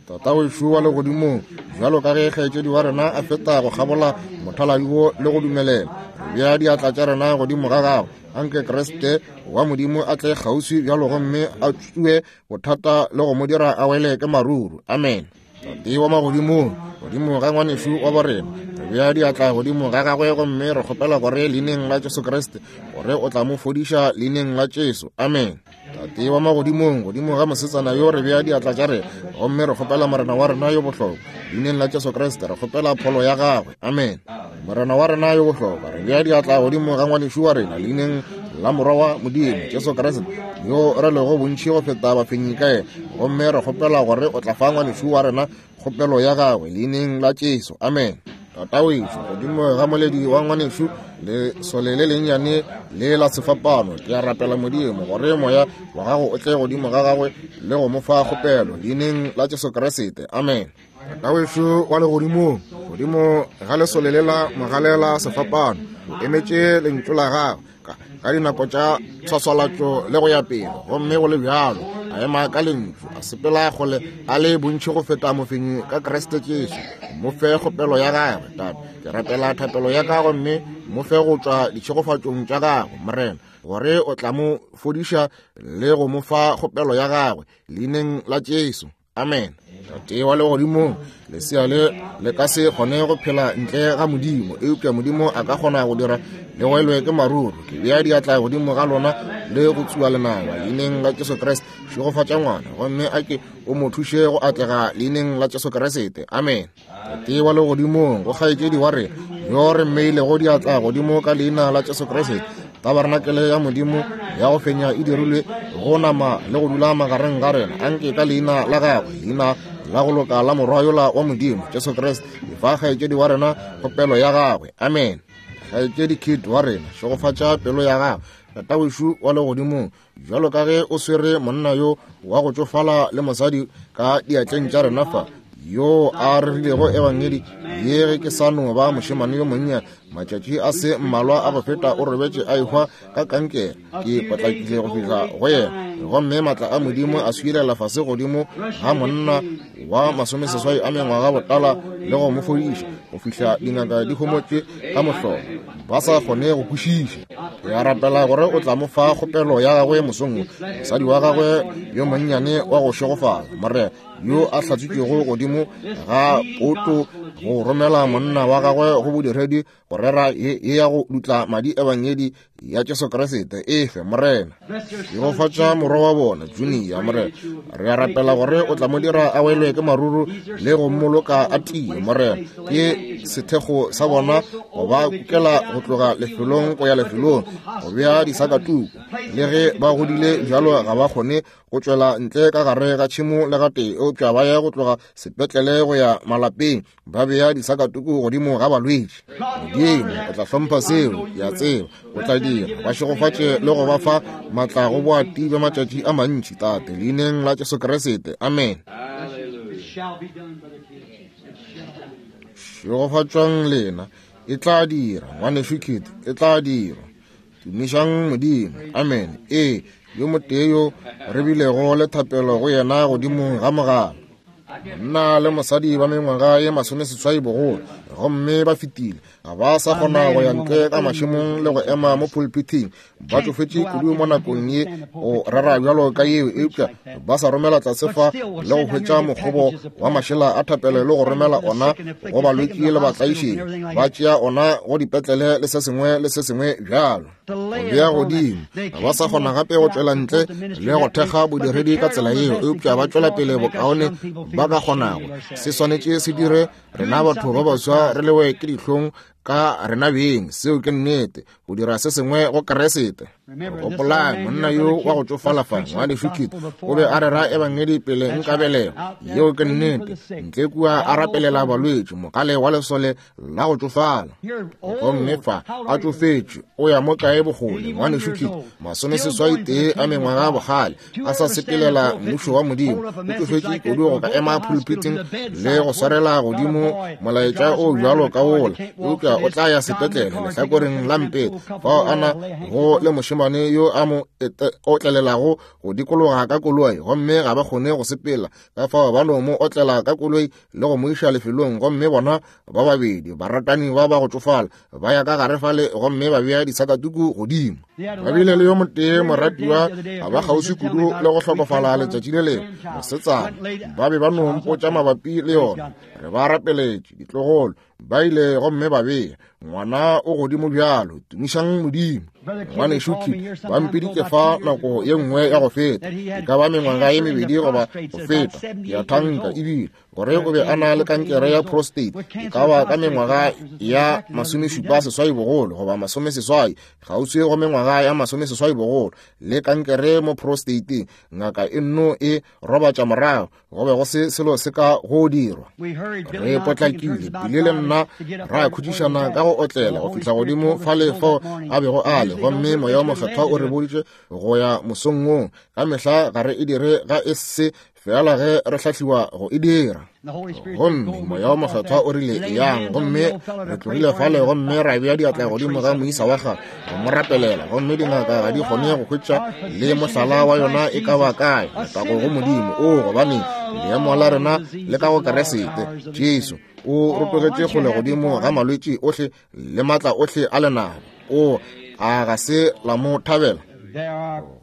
Tata wešo wa legodimong, bjalo ka ge kgaetšedi wa rena a feta go kgabola mothaladi wo le go dumelela, re bea diatla tša rena godimo ga gagwe. Anke Kriste wa Modimo a tle kgauswi bjalo gomme a tsue bothata le go mo dira a wele ke maruru. Amen. Tate wa magodimong, godimo ga ngwanešu wa borena, re bea diatla godimo ga gagwe gomme re kgopela gore leineng la Jesu Kriste gore o tla mo fodiša leineng la Jesu. Amen. Tate wa magodimong, godimo ga mosetsana yo re bea diatla tša rena gomme re kgopela Morena wa rena yo bohlokwa leineng la Jesu Kriste, re kgopela pholo ya gagwe. Amen. Morena wa rena yo bohlokwa, re bea diatla godimo ga ngwanešu wa rena leineng la Morwa wa Modimo Jesu Kriste yo re lego bontši go feta bafenyi ka yena, gomme re kgopela gore o tla fa ngwanešu wa rena kgopelo ya gagwe leineng la Jesu. Amen. Tata wešo, godimo ga moledi wa ngwanešu lesole le lennyane le la sefapano, ke a rapela Modimo gore moya wa gago o tle godimo ga gagwe le go mo fa kgopelo leineng la Jesu Kriste. Amen. Tata wešo wa legodimong, godimo ga lesole le la mogalela sefapano, o emetše lentšu la gagwe ka dinako tša tshwaswalatšo le go ya pele, gomme go le bjalo a ema ka lentšu, a sepela kgole a le bontši go feta mofenyi ka Kriste Jesu. Mo fe kgopelo ya gagwe, Tate. Ke rapela thapelo ya ka gomme mo fe go tšwa ditšhegofatšong tša gagwe, Morena, gore o tla mo fodiša le go mo fa kgopelo ya gagwe leineng la Jesu. Amen. Tate wa legodimong, lesea le le ka se kgone go phela ntle ga Modimo, eupša Modimo a ka kgona go dira le welwe ke maruru. Ke bea diatla godimo ga lona le go tsua lenaba leineng la Jesu Kriste. Šegofatša ngwana gomme a ke o mo thuše go atlega leineng la Jesu Kriste. Amen. Tate wa legodimong, go kgaetšedi wa rena yo re mmeilego diatla godimo ka leina la Jesu Kriste, tabarenakele ya Modimo ya go fenya e dirilwe go nama le go dula magareng ga rena. Anke ka leina la gagwe, leina la go loka la Morwa yola wa Modimo Jesu Kriste, efa kgaetšedi wa rena kgopelo ya gagwe. Amen. Kgaetšedi Kit wa rena, šegofatša pelo ya gagwe. Tata wešo wa legodimong, bjalo ka ge o swere monna yo wa go tšofala le mosadi ka diatleng tša rena fa, yo a rerilego ebangedi ye ge ke sa no ba mošemane yo monnyane, matšatši a se mmalwa a go feta o robetše a ehwa ka kankere. Ke potlakile go fihla go yena, gomme maatla a Modimo a swilela fase godimo ga monna wa masomeseswai a mengwaga botala le go mo fodiša go fihla dingaka di homotše ka mohlolo, ba sa kgone go kwešiša. Ke a rapela gore o tla mo fa kgopelo ya gagwe mosong wo, mosadi wa gagwe yo monnyane wa go šegofala, Morena, yo a hlatswitšwego godimo ga poto go romela monna wa gagwe go bodiredi go rera ye ya go dutla madi ebangedi ya Jesu Kriste. Efe Morena, šegofatša morwa wa bona Junior. Morena, re a rapela gore o tla mo dira a welwe ke maruru le go mmoloka a tie. Morena, ke sethekgo sa bona go ba kukela go tloga lefelong go ya lefelong, go bea disakatuku. Le ge ba godile bjalo ga ba kgone go tšwela ntle ka gare ga tšhemo le gatee, eupša ba ya go tloga sepetlele go ya malapeng, ba bea disakatuku godimo ga balwetši. Modimo o tla hlompha seo, ke a tseba o tla dira. Ba šegofatše le go ba fa maatla go boati bja matšatši a mantši, Tate, leineng la Jesu Kriste. Amen. Šegofatšwang lena. E tla dira, ngwanešu Kit, e tla dira. Tumišang Modimo. Amen. Ee, yo motee yo re bilego le thapelo go yena godimo ga mogala. Monna le mosadi ba mengwaga ye masomeseswai bogolo, gomme ba fetile. Ga ba sa kgona go ya ntle ka mašemong le go ema mo pulpiting. Ba tšofetše kudu mo nakong ye go rera bjalo ka yeo, eupša ba sa romela tlase fa le go hwetša mokgobo wa mašela a thapelo le go romela ona go balwetši le batlaišegi. Ba tšea ona go dipetlele le se sengwe le se sengwe bjalo. Go bea godimo. Ga ba sa kgona gape go tšwela ntle le go thekga bodiredi ka tsela yeo, eupša ba tšwela pele bokaone ba ka kgonago. Se swanetše se dire rena batho ba baswa re lewe ke dihlong ka rena beng. Seo ke nnete, go dira se sengwe go Kriste. Gopolang monna yo wa go tšofala fa, ngwanešu Kit, o be a rera ebangedi pele nka belegwa. Yeo ke nnete. Ntle kua a rapelela balwetši, mogale wa lesole la go tšofala. Gomme fa a tšofetše, o ya mo kae bokgole, ngwanešu Kit, masomeseswai tee a mengwaga bogale, a sa sepelela mmušo wa Modimo. O tšofetše kudu go ka ema pulpiting le go swarela godimo molaetša o bjalo ka wola, eupša o tla ya sepetlele lehlakoreng la mpete fao a na go le mošemane yo a mo otlelelago go dikologa ka koloi, gomme ga ba kgone go sepela. Ka fao ba no mo otlela ka koloi le go mo iša lefelong, gomme bona ba babedi baratani ba ba go tšofala ba ya ka gare fale gomme ba bea disakatuku godimo. Ba bile le yo motee moratiwa a ba kgauswi kudu le go hlokofala letšatši le lengwe, mosetsana. Ba be ba no mpotša mabapi le yona. Re ba rapeletše, ditlogolo ba ile gomme ba bea ngwana o godimo bjalo. Tumišang Modimo. Ngwanešu Kit ba mpiditše fa nako ye nngwe ya go feta, e ka ba mengwaga ye mebedi goba go feta, ke a thanka ebile gore o be a na le kankere ya prostate, e ka ba ka mengwaga ya masomešupa seswai bogolo goba masomeseswai, kgauswi go mengwaga ya masomeseswai bogolo, le kankere mo prostateng. Ngaka e nno e robatša morago, go be go se selo se ka go dirwa. Re potlakile pele le nna ra khutšišana ka go otlela go fihla godimo fale fao a bego a le, gomme moya wa mokgethwa o re boditše go ya mosong woo. Ka mehla ga re e dire ga e se fela ge re hlahliwa go e dira. Gomme moya wa mokgethwa o rile yang, gomme re tlogile fale gomme ra bea diatla godimo ga moisa wa gagwe go mo rapelela, gomme dingaka ga di kgone go hwetša le mohlala wa yona e ka ba kae. Letago go Modimo. O gobane leemo la rena le ka go Kriste Jesu o rotogetše kgole godimo ga malwetši ohle le maatla ohle a lenaba. O a ga se la mo thabela.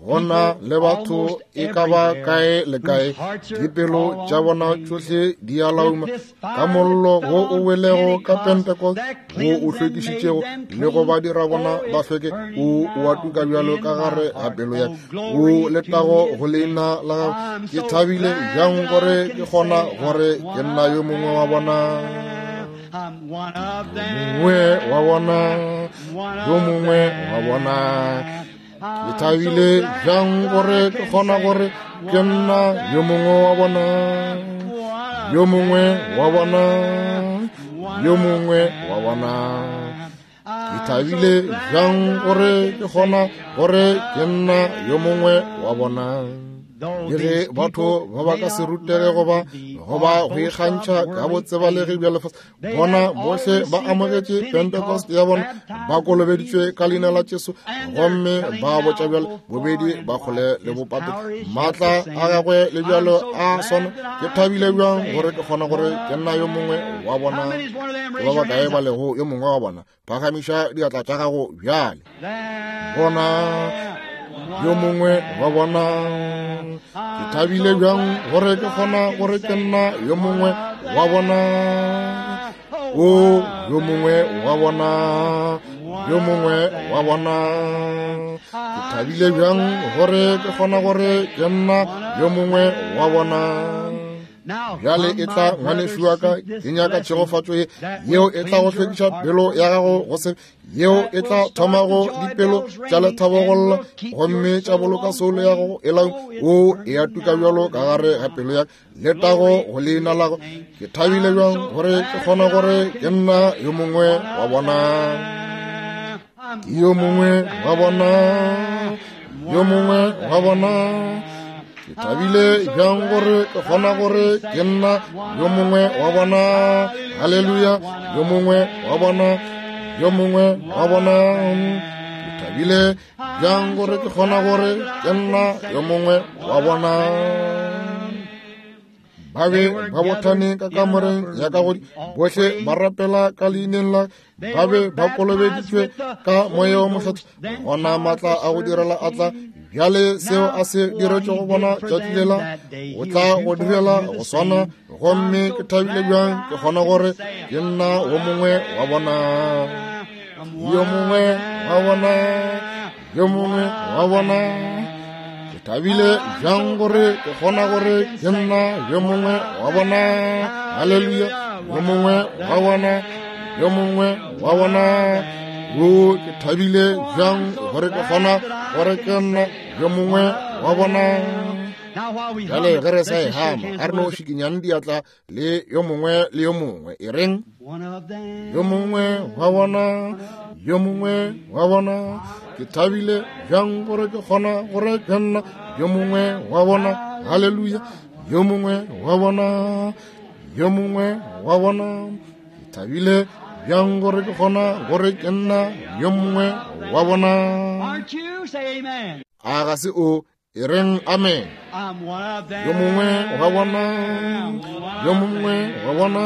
Gona le batho e ka ba kae le kae, dipelo tša bona tšohle di a lauma ka mollo wo o welego ka Pentecost, wo o hlwekišitšego le go ba dira bona ba hlweke. O o a tuka bjalo ka gare ga pelo ya o letago go leina la gago. Ke thabile bjang gore ke kgona gore ke nna yo mongwe wa bona. Mongwe wa bona, yo mongwe wa bona. Ke thabile bjang gore ke kgona gore ke nna yo mongwe wa bona, yo mongwe wa bona, yo mongwe wa bona. Ke thabile bjang gore ke kgona gore ke nna yo mongwe wa bona. Le ge batho ba ba ka se rutege goba goba go ikgantšha ka botsebalegi bja lefase, bona bohle ba amogetše Pentecost ya bona, ba kolobeditšwe ka leina la Jesu, gomme ba botša bjalo bobedi ba kgole le bopato. Maatla a gagwe le bjalo a swana. Ke thabile bjang gore ke kgona gore ke nna yo mongwe wa bona. Ke ba bakae ba lego yo mongwe wa bona? Phagamiša diatla tša gago bjale. Bona yo mongwe wa bona. Ke thabile bjang gore ke kgona gore ke nna yo mongwe wa bona. O yo mongwe wa bona, yo mongwe wa bona. Ke thabile bjang gore ke kgona gore ke nna yo mongwe wa bona. Bjale e tla ngwanešu wa ka, ke nyaka tšhegofatšo ye yeo e tla go hlwekiša pelo ya gago go se yeo e tla thomago dipelo tša lethabo go lla, gomme tša boloka soulo ya gago e lauma. O e a tuka bjalo ka gare ga pelo ya ka. Letago go leina la gago. Ke thabile bjang gore ke kgona gore ke nna yo mongwe wa bona. Ke yo mongwe wa bona, yo mongwe wa bona. Ke thabile bjang gore ke kgona gore ke nna yo mongwe wa bona. Haleluya, yo mongwe wa bona, yo mongwe wa bona. Ke thabile bjang gore ke kgona gore ke nna yo mongwe wa bona. Ba be ba bothane ka kamoreng ya ka godimo, bohle ba rapela ka leineng la, ba be ba kolobeditšwe ka moya wo mokgethwa. Gona maatla a go direla a tla. Bjale seo a se diretšego bona tšatši lela, o tla go direla go swana. Gomme ke thabile bjang ke kgona gore ke nna wo mongwe wa bona, yo mongwe wa bona, yo mongwe wa bona. Ke thabile bjang gore ke kgona gore ke nna yo mongwe wa bona. Haleluya, yo mongwe wa bona, yo mongwe wa bona. O, ke thabile bjang gore ke kgona gore ke nna yo mongwe wa bona. Bjale ge re sa e hama, a re no šikinyang diatla le yo mongwe le yo mongwe. E reng, yo mongwe wa bona, yo mongwe wa bona. Ke thabile bjang gore ke kgona gore ke nna yo mongwe wa bona. Haleluya, yo mongwe wa bona, yo mongwe wa bona. Ke thabile bjang gore ke kgona gore ke nna yo mongwe wa bona. A ga se o? E reng amen. Yo mongwe wa bona, yo mongwe wa bona.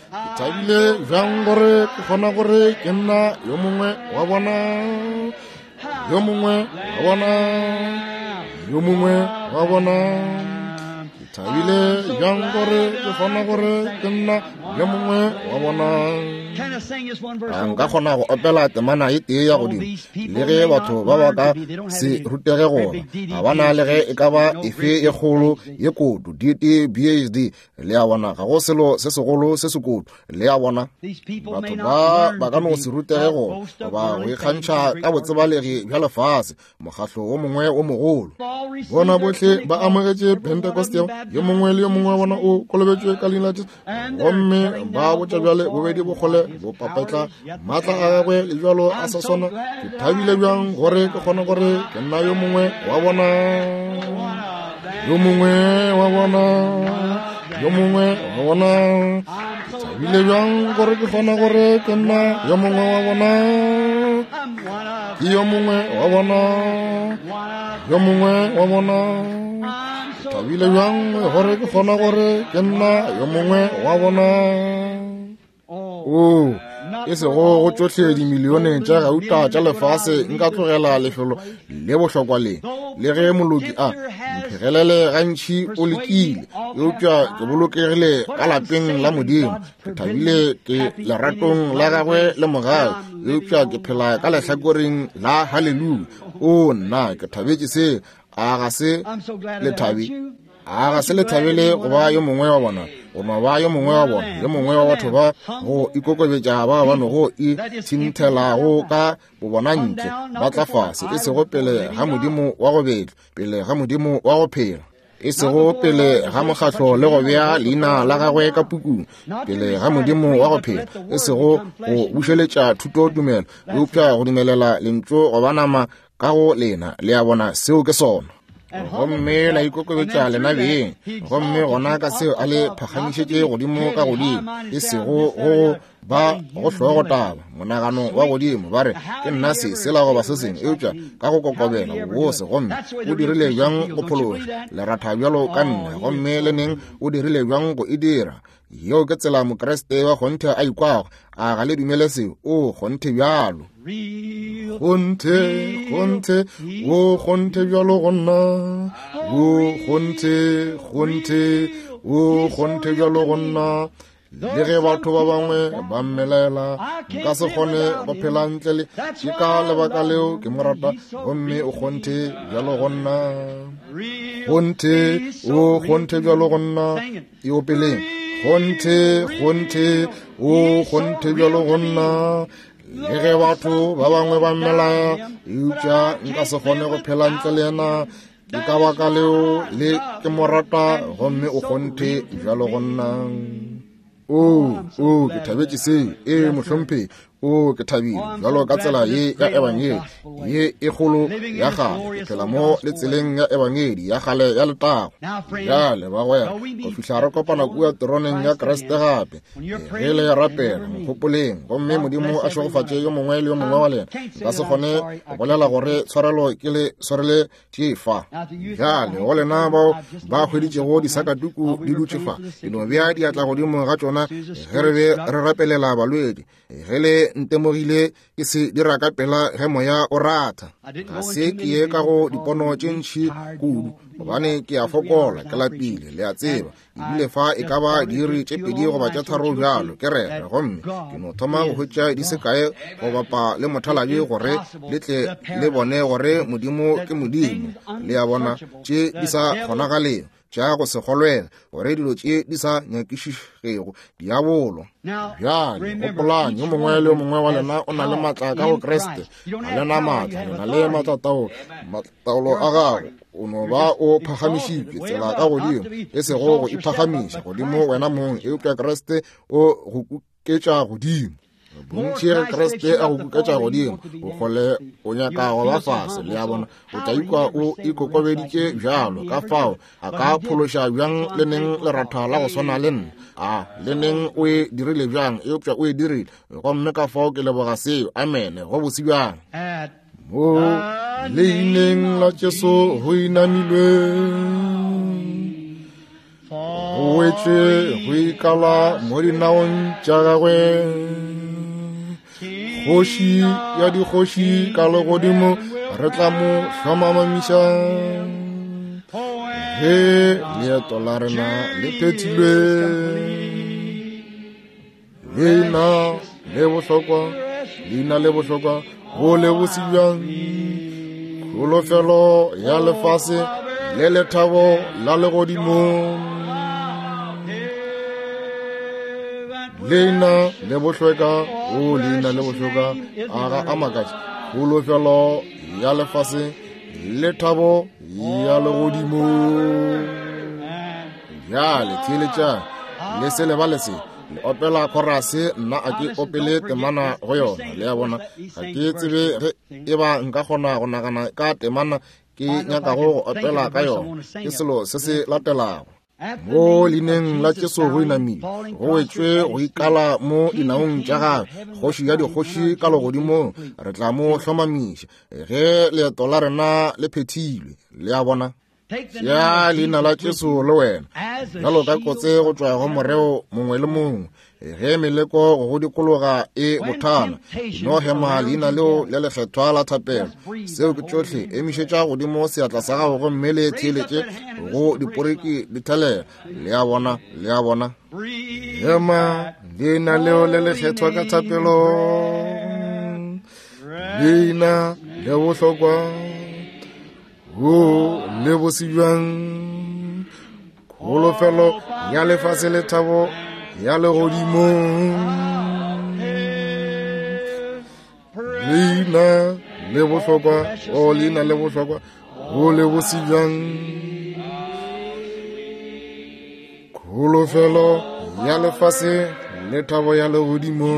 Ke thabile bjang gore ke kgona gore ke nna yo mongwe wa bona, yo mongwe wa bona, yo mongwe wa bona. Ke thabile bjang gore ke kgona gore ke nna yo mongwe wa bona. A nka kgona go opela temana e tee ya godimo, le ge batho ba ba ka se rutege gona, ga ba na le ge e ka ba efe e kgolo ye kodu, D T B H D. Le a bona, ga go selo se segolo se se kodu. Le a bona, batho ba ba ka no se rutege gona, goba go ikgantšha ka botsebalegi bja lefase, mokgahlo wo mongwe wo mogolo. Bona bohle ba amogetše Pentecost, yo mongwe le yo mongwe wa bona o kolobetšwe ka leina la Jesu, gomme ba botša bjale bobedi bokgole bo papetla maatla a gagwe le bjalo a sa swana. Ke thabile bjang gore ke kgona gore ke nna yo mongwe wa bona, yo mongwe wa bona, yo mongwe wa bona. Ke thabile bjang gore ke kgona gore ke nna yo mongwe wa bona, ke yo mongwe wa bona, yo mongwe wa bona. Ke thabile bjang gore ke kgona gore ke nna yo mongwe wa bona. O, e sego go tšohle dimilione tša gauta tša lefase nka tlogela lefelo le bohlokwa le. Le ge moloki a mphegelele gantši o lekile, eupša ke bolokegile ka lapeng la Modimo. Ke thabile ke leratong la gagwe le mogau, eupša ke phela ka lehlakoreng la haleluya. O nna, ke thabetše se. A ga se le thabe? A ga se le thabele go ba yo mongwe wa bona, go no ba yo mongwe wa bona, yo mongwe wa batho ba go ikokobetša ba ba no go ithinthelago ka bobona ntle, ba tla fase, e sego pele ga Modimo wa go betla, pele ga Modimo wa go phela, e sego pele ga mokgahlo le go bea leina la gagwe ka pukung, pele ga Modimo wa go phela, e sego go bušeletša thuto tumelo, eupša go dumelela lentšu go ba nama ka go lena. Le a bona, seo ke sona. Gomme la ikokobetša lena beng, gomme gona ka seo a le phagamišetše godimo ka godimo, e sego go ba go hlogo taba monagano wa godimo, ba re ke nna se sela goba se sengwe, eupša ka go kokobela bobose. Gomme o dirile bjang go phološa leratha bjalo ka nna, gomme le neng o dirile bjang go e dira? Yeo ke tsela Mokriste wa kgonthe a ikwago. A ga le dumele seo? O kgonthe bjalo, kgonthe, kgonthe, o kgonthe bjalo go nna, o kgonthe, kgonthe, o kgonthe bjalo go nna. Le ge batho ba bangwe ba mmelela, nka se kgone go phela ntle le. Ke ka lebaka leo ke mo rata, gomme o kgonthe bjalo go nna, kgonthe, o kgonthe bjalo go nna. E opeleng, kgonthe, kgonthe, o kgonthe bjalo go nna. Le ge batho ba bangwe ba mmelaya, eupša nka se kgone go phela ntle le yena. Ke ka baka leo le ke mo rata, gomme o kgonthe bjalo go nna. O, o, ke thabetše seo. Ee, mohlomphe, O ke thabile bjalo ka tsela ye ya ebangedi ye e kgolo ya kgale, ke phela mo le tseleng ya ebangedi ya kgale ya letago. Bjale bagwera, go fihla re kopana kua teroneng ya Kriste gape, ge le rapela nkgopoleng, gomme Modimo a šegofatše yo mongwe le yo mongwe wa lena. Nka se kgone go bolela gore tshwarelo ke le swarele tše fa. Bjale go lena bao ba hweditšego disakatuku di dutše fa, ke no bea diatla godimo ga tšona ge re be re rapelela balwedi. Ge le ntemogile ke se dira ka pela ge moya o ratha. Ga se ke ye ka go dipono tše ntši kudu, gobane ke a fokola, ke lapile, le a tseba. Ebile fa e ka ba diiri tše pedi goba tše tharo bjalo ke rera, gomme ke no thoma go hwetša di se kae go bapa le mothalabi gore le tle le bone gore Modimo ke Modimo. Le a bona, tše di sa kgonagalego, tša go se kgolwela, gore dilo tše di sa nyakišišego diabolo. Bjale gopolang, yo mongwe le yo mongwe wa lena o na le maatla ka go Kriste. Ga le na maatla, le na le maatlataolo. Taolo a gago o no ba o phagamišitšwe tsela ka godimo, e sego go iphagamiša godimo wena mong, eupša Kriste o go kuketša godimo. Bontši ge Kriste a go kuketša godimo, o kgole o nyaka go ba fase, le a bona, o tla ikwa o ikokobeditše bjalo. Ka fao a ka phološa bjang le neng leratha la go swana le nna? A le neng o e dirile bjang? Eupša o e dirile, gomme ka fao ke leboga seo. Amene. Go bose bjang. Mo leineng la Jesu go inamilwe, go wetšwe go ikala mo dinaong tša gagwe. Kgoši ya dikgoši ka legodimo re tla mo hlomamamiša. Ge leeto la rena le phethilwe, leina le bohlokwa, leina le bohlokwa, go le bose bjang. Kholofelo ya lefase le lethabo la legodimo. Leina le bohlweka, o leina le bohlokwa, a ga a makatše. Kholofelo ya lefase le thabo ya legodimo. Bjale theeletšang, le se lebale se. Le opela khorase, nna a ke opele temana go yona. Le a bona, ga ke tsebe ge e ba nka kgona go nagana ka temana ke nyakago go opela ka yona. Ke selo se se latelago. Mo leineng la Jesu go inamile, go wetšwe go ikala mo dinaong tša gagwe. Kgoši ya dikgoši ka legodimong re tla mo hlomamiša ge leeto la rena le phethilwe. Le a bona, ya leina la Jesu le wena bjalo ka kotse go tšwa go moreo mongwe le mongwe. Ge meleko go dikologa e bothana, no hema leina leo le lekgethwa la thapelo. Seo ke tšohle. Emišetša godimo seatla sa gago gomme le theeletše go diporiki di thelela. Le a bona, le a bona. Hema leina leo le lekgethwa ka thapelo, leina le bohlokwa, o le bose bjang. Kholofelo ya lefase le thabo ya legodimo. Leina le bohlokwa, o leina le bohlokwa, o le bose bjang. Kholofelo ya lefase le thabo ya legodimo.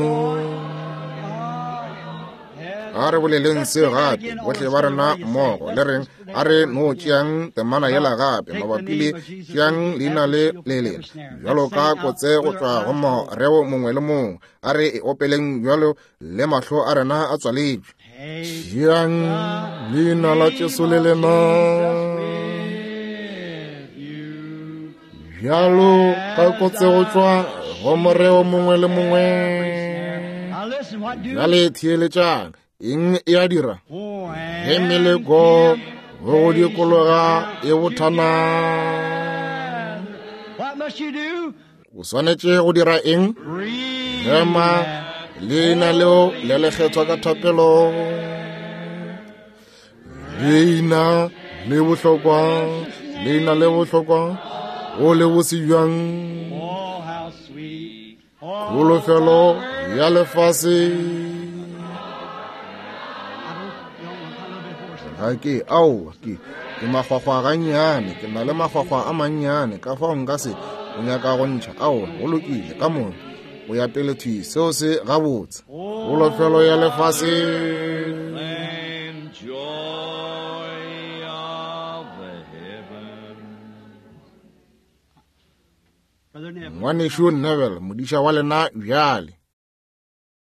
A re boleleng se gape, bohle ba rena mmogo, le reng a re no tšeang temana yela gape mabapi le tšeang leina le le lena bjalo ka kotse go tšwa go moreo mongwe le mongwe. A re e opeleng bjalo le mahlo a rena a tswaletšwe. Tšeang leina la Jesu le lena bjalo ka kotse go tšwa go moreo mongwe le mongwe. Bjale theeletšang, eng e a dira? Ge meleko go dikologa e bothana, o swanetše go dira eng? Hema leina leo le lekgethwa ka thapelo, leina le bohlokwa, leina le bohlokwa, o le bose bjang. Kholofelo ya lefase. Ga ke aowa, ke ke makgwakgwa gannyane, ke na le makgwakgwa a mannyane, ka fao nka se o nyaka go ntšha. Aowa, go lokile, ka moka o ya pele thwi, seo se gabotse. Kholofelo ya lefase. Than joy of heaven. Brother Neville. Ngwanešu Neville, modiša wa lena bjale.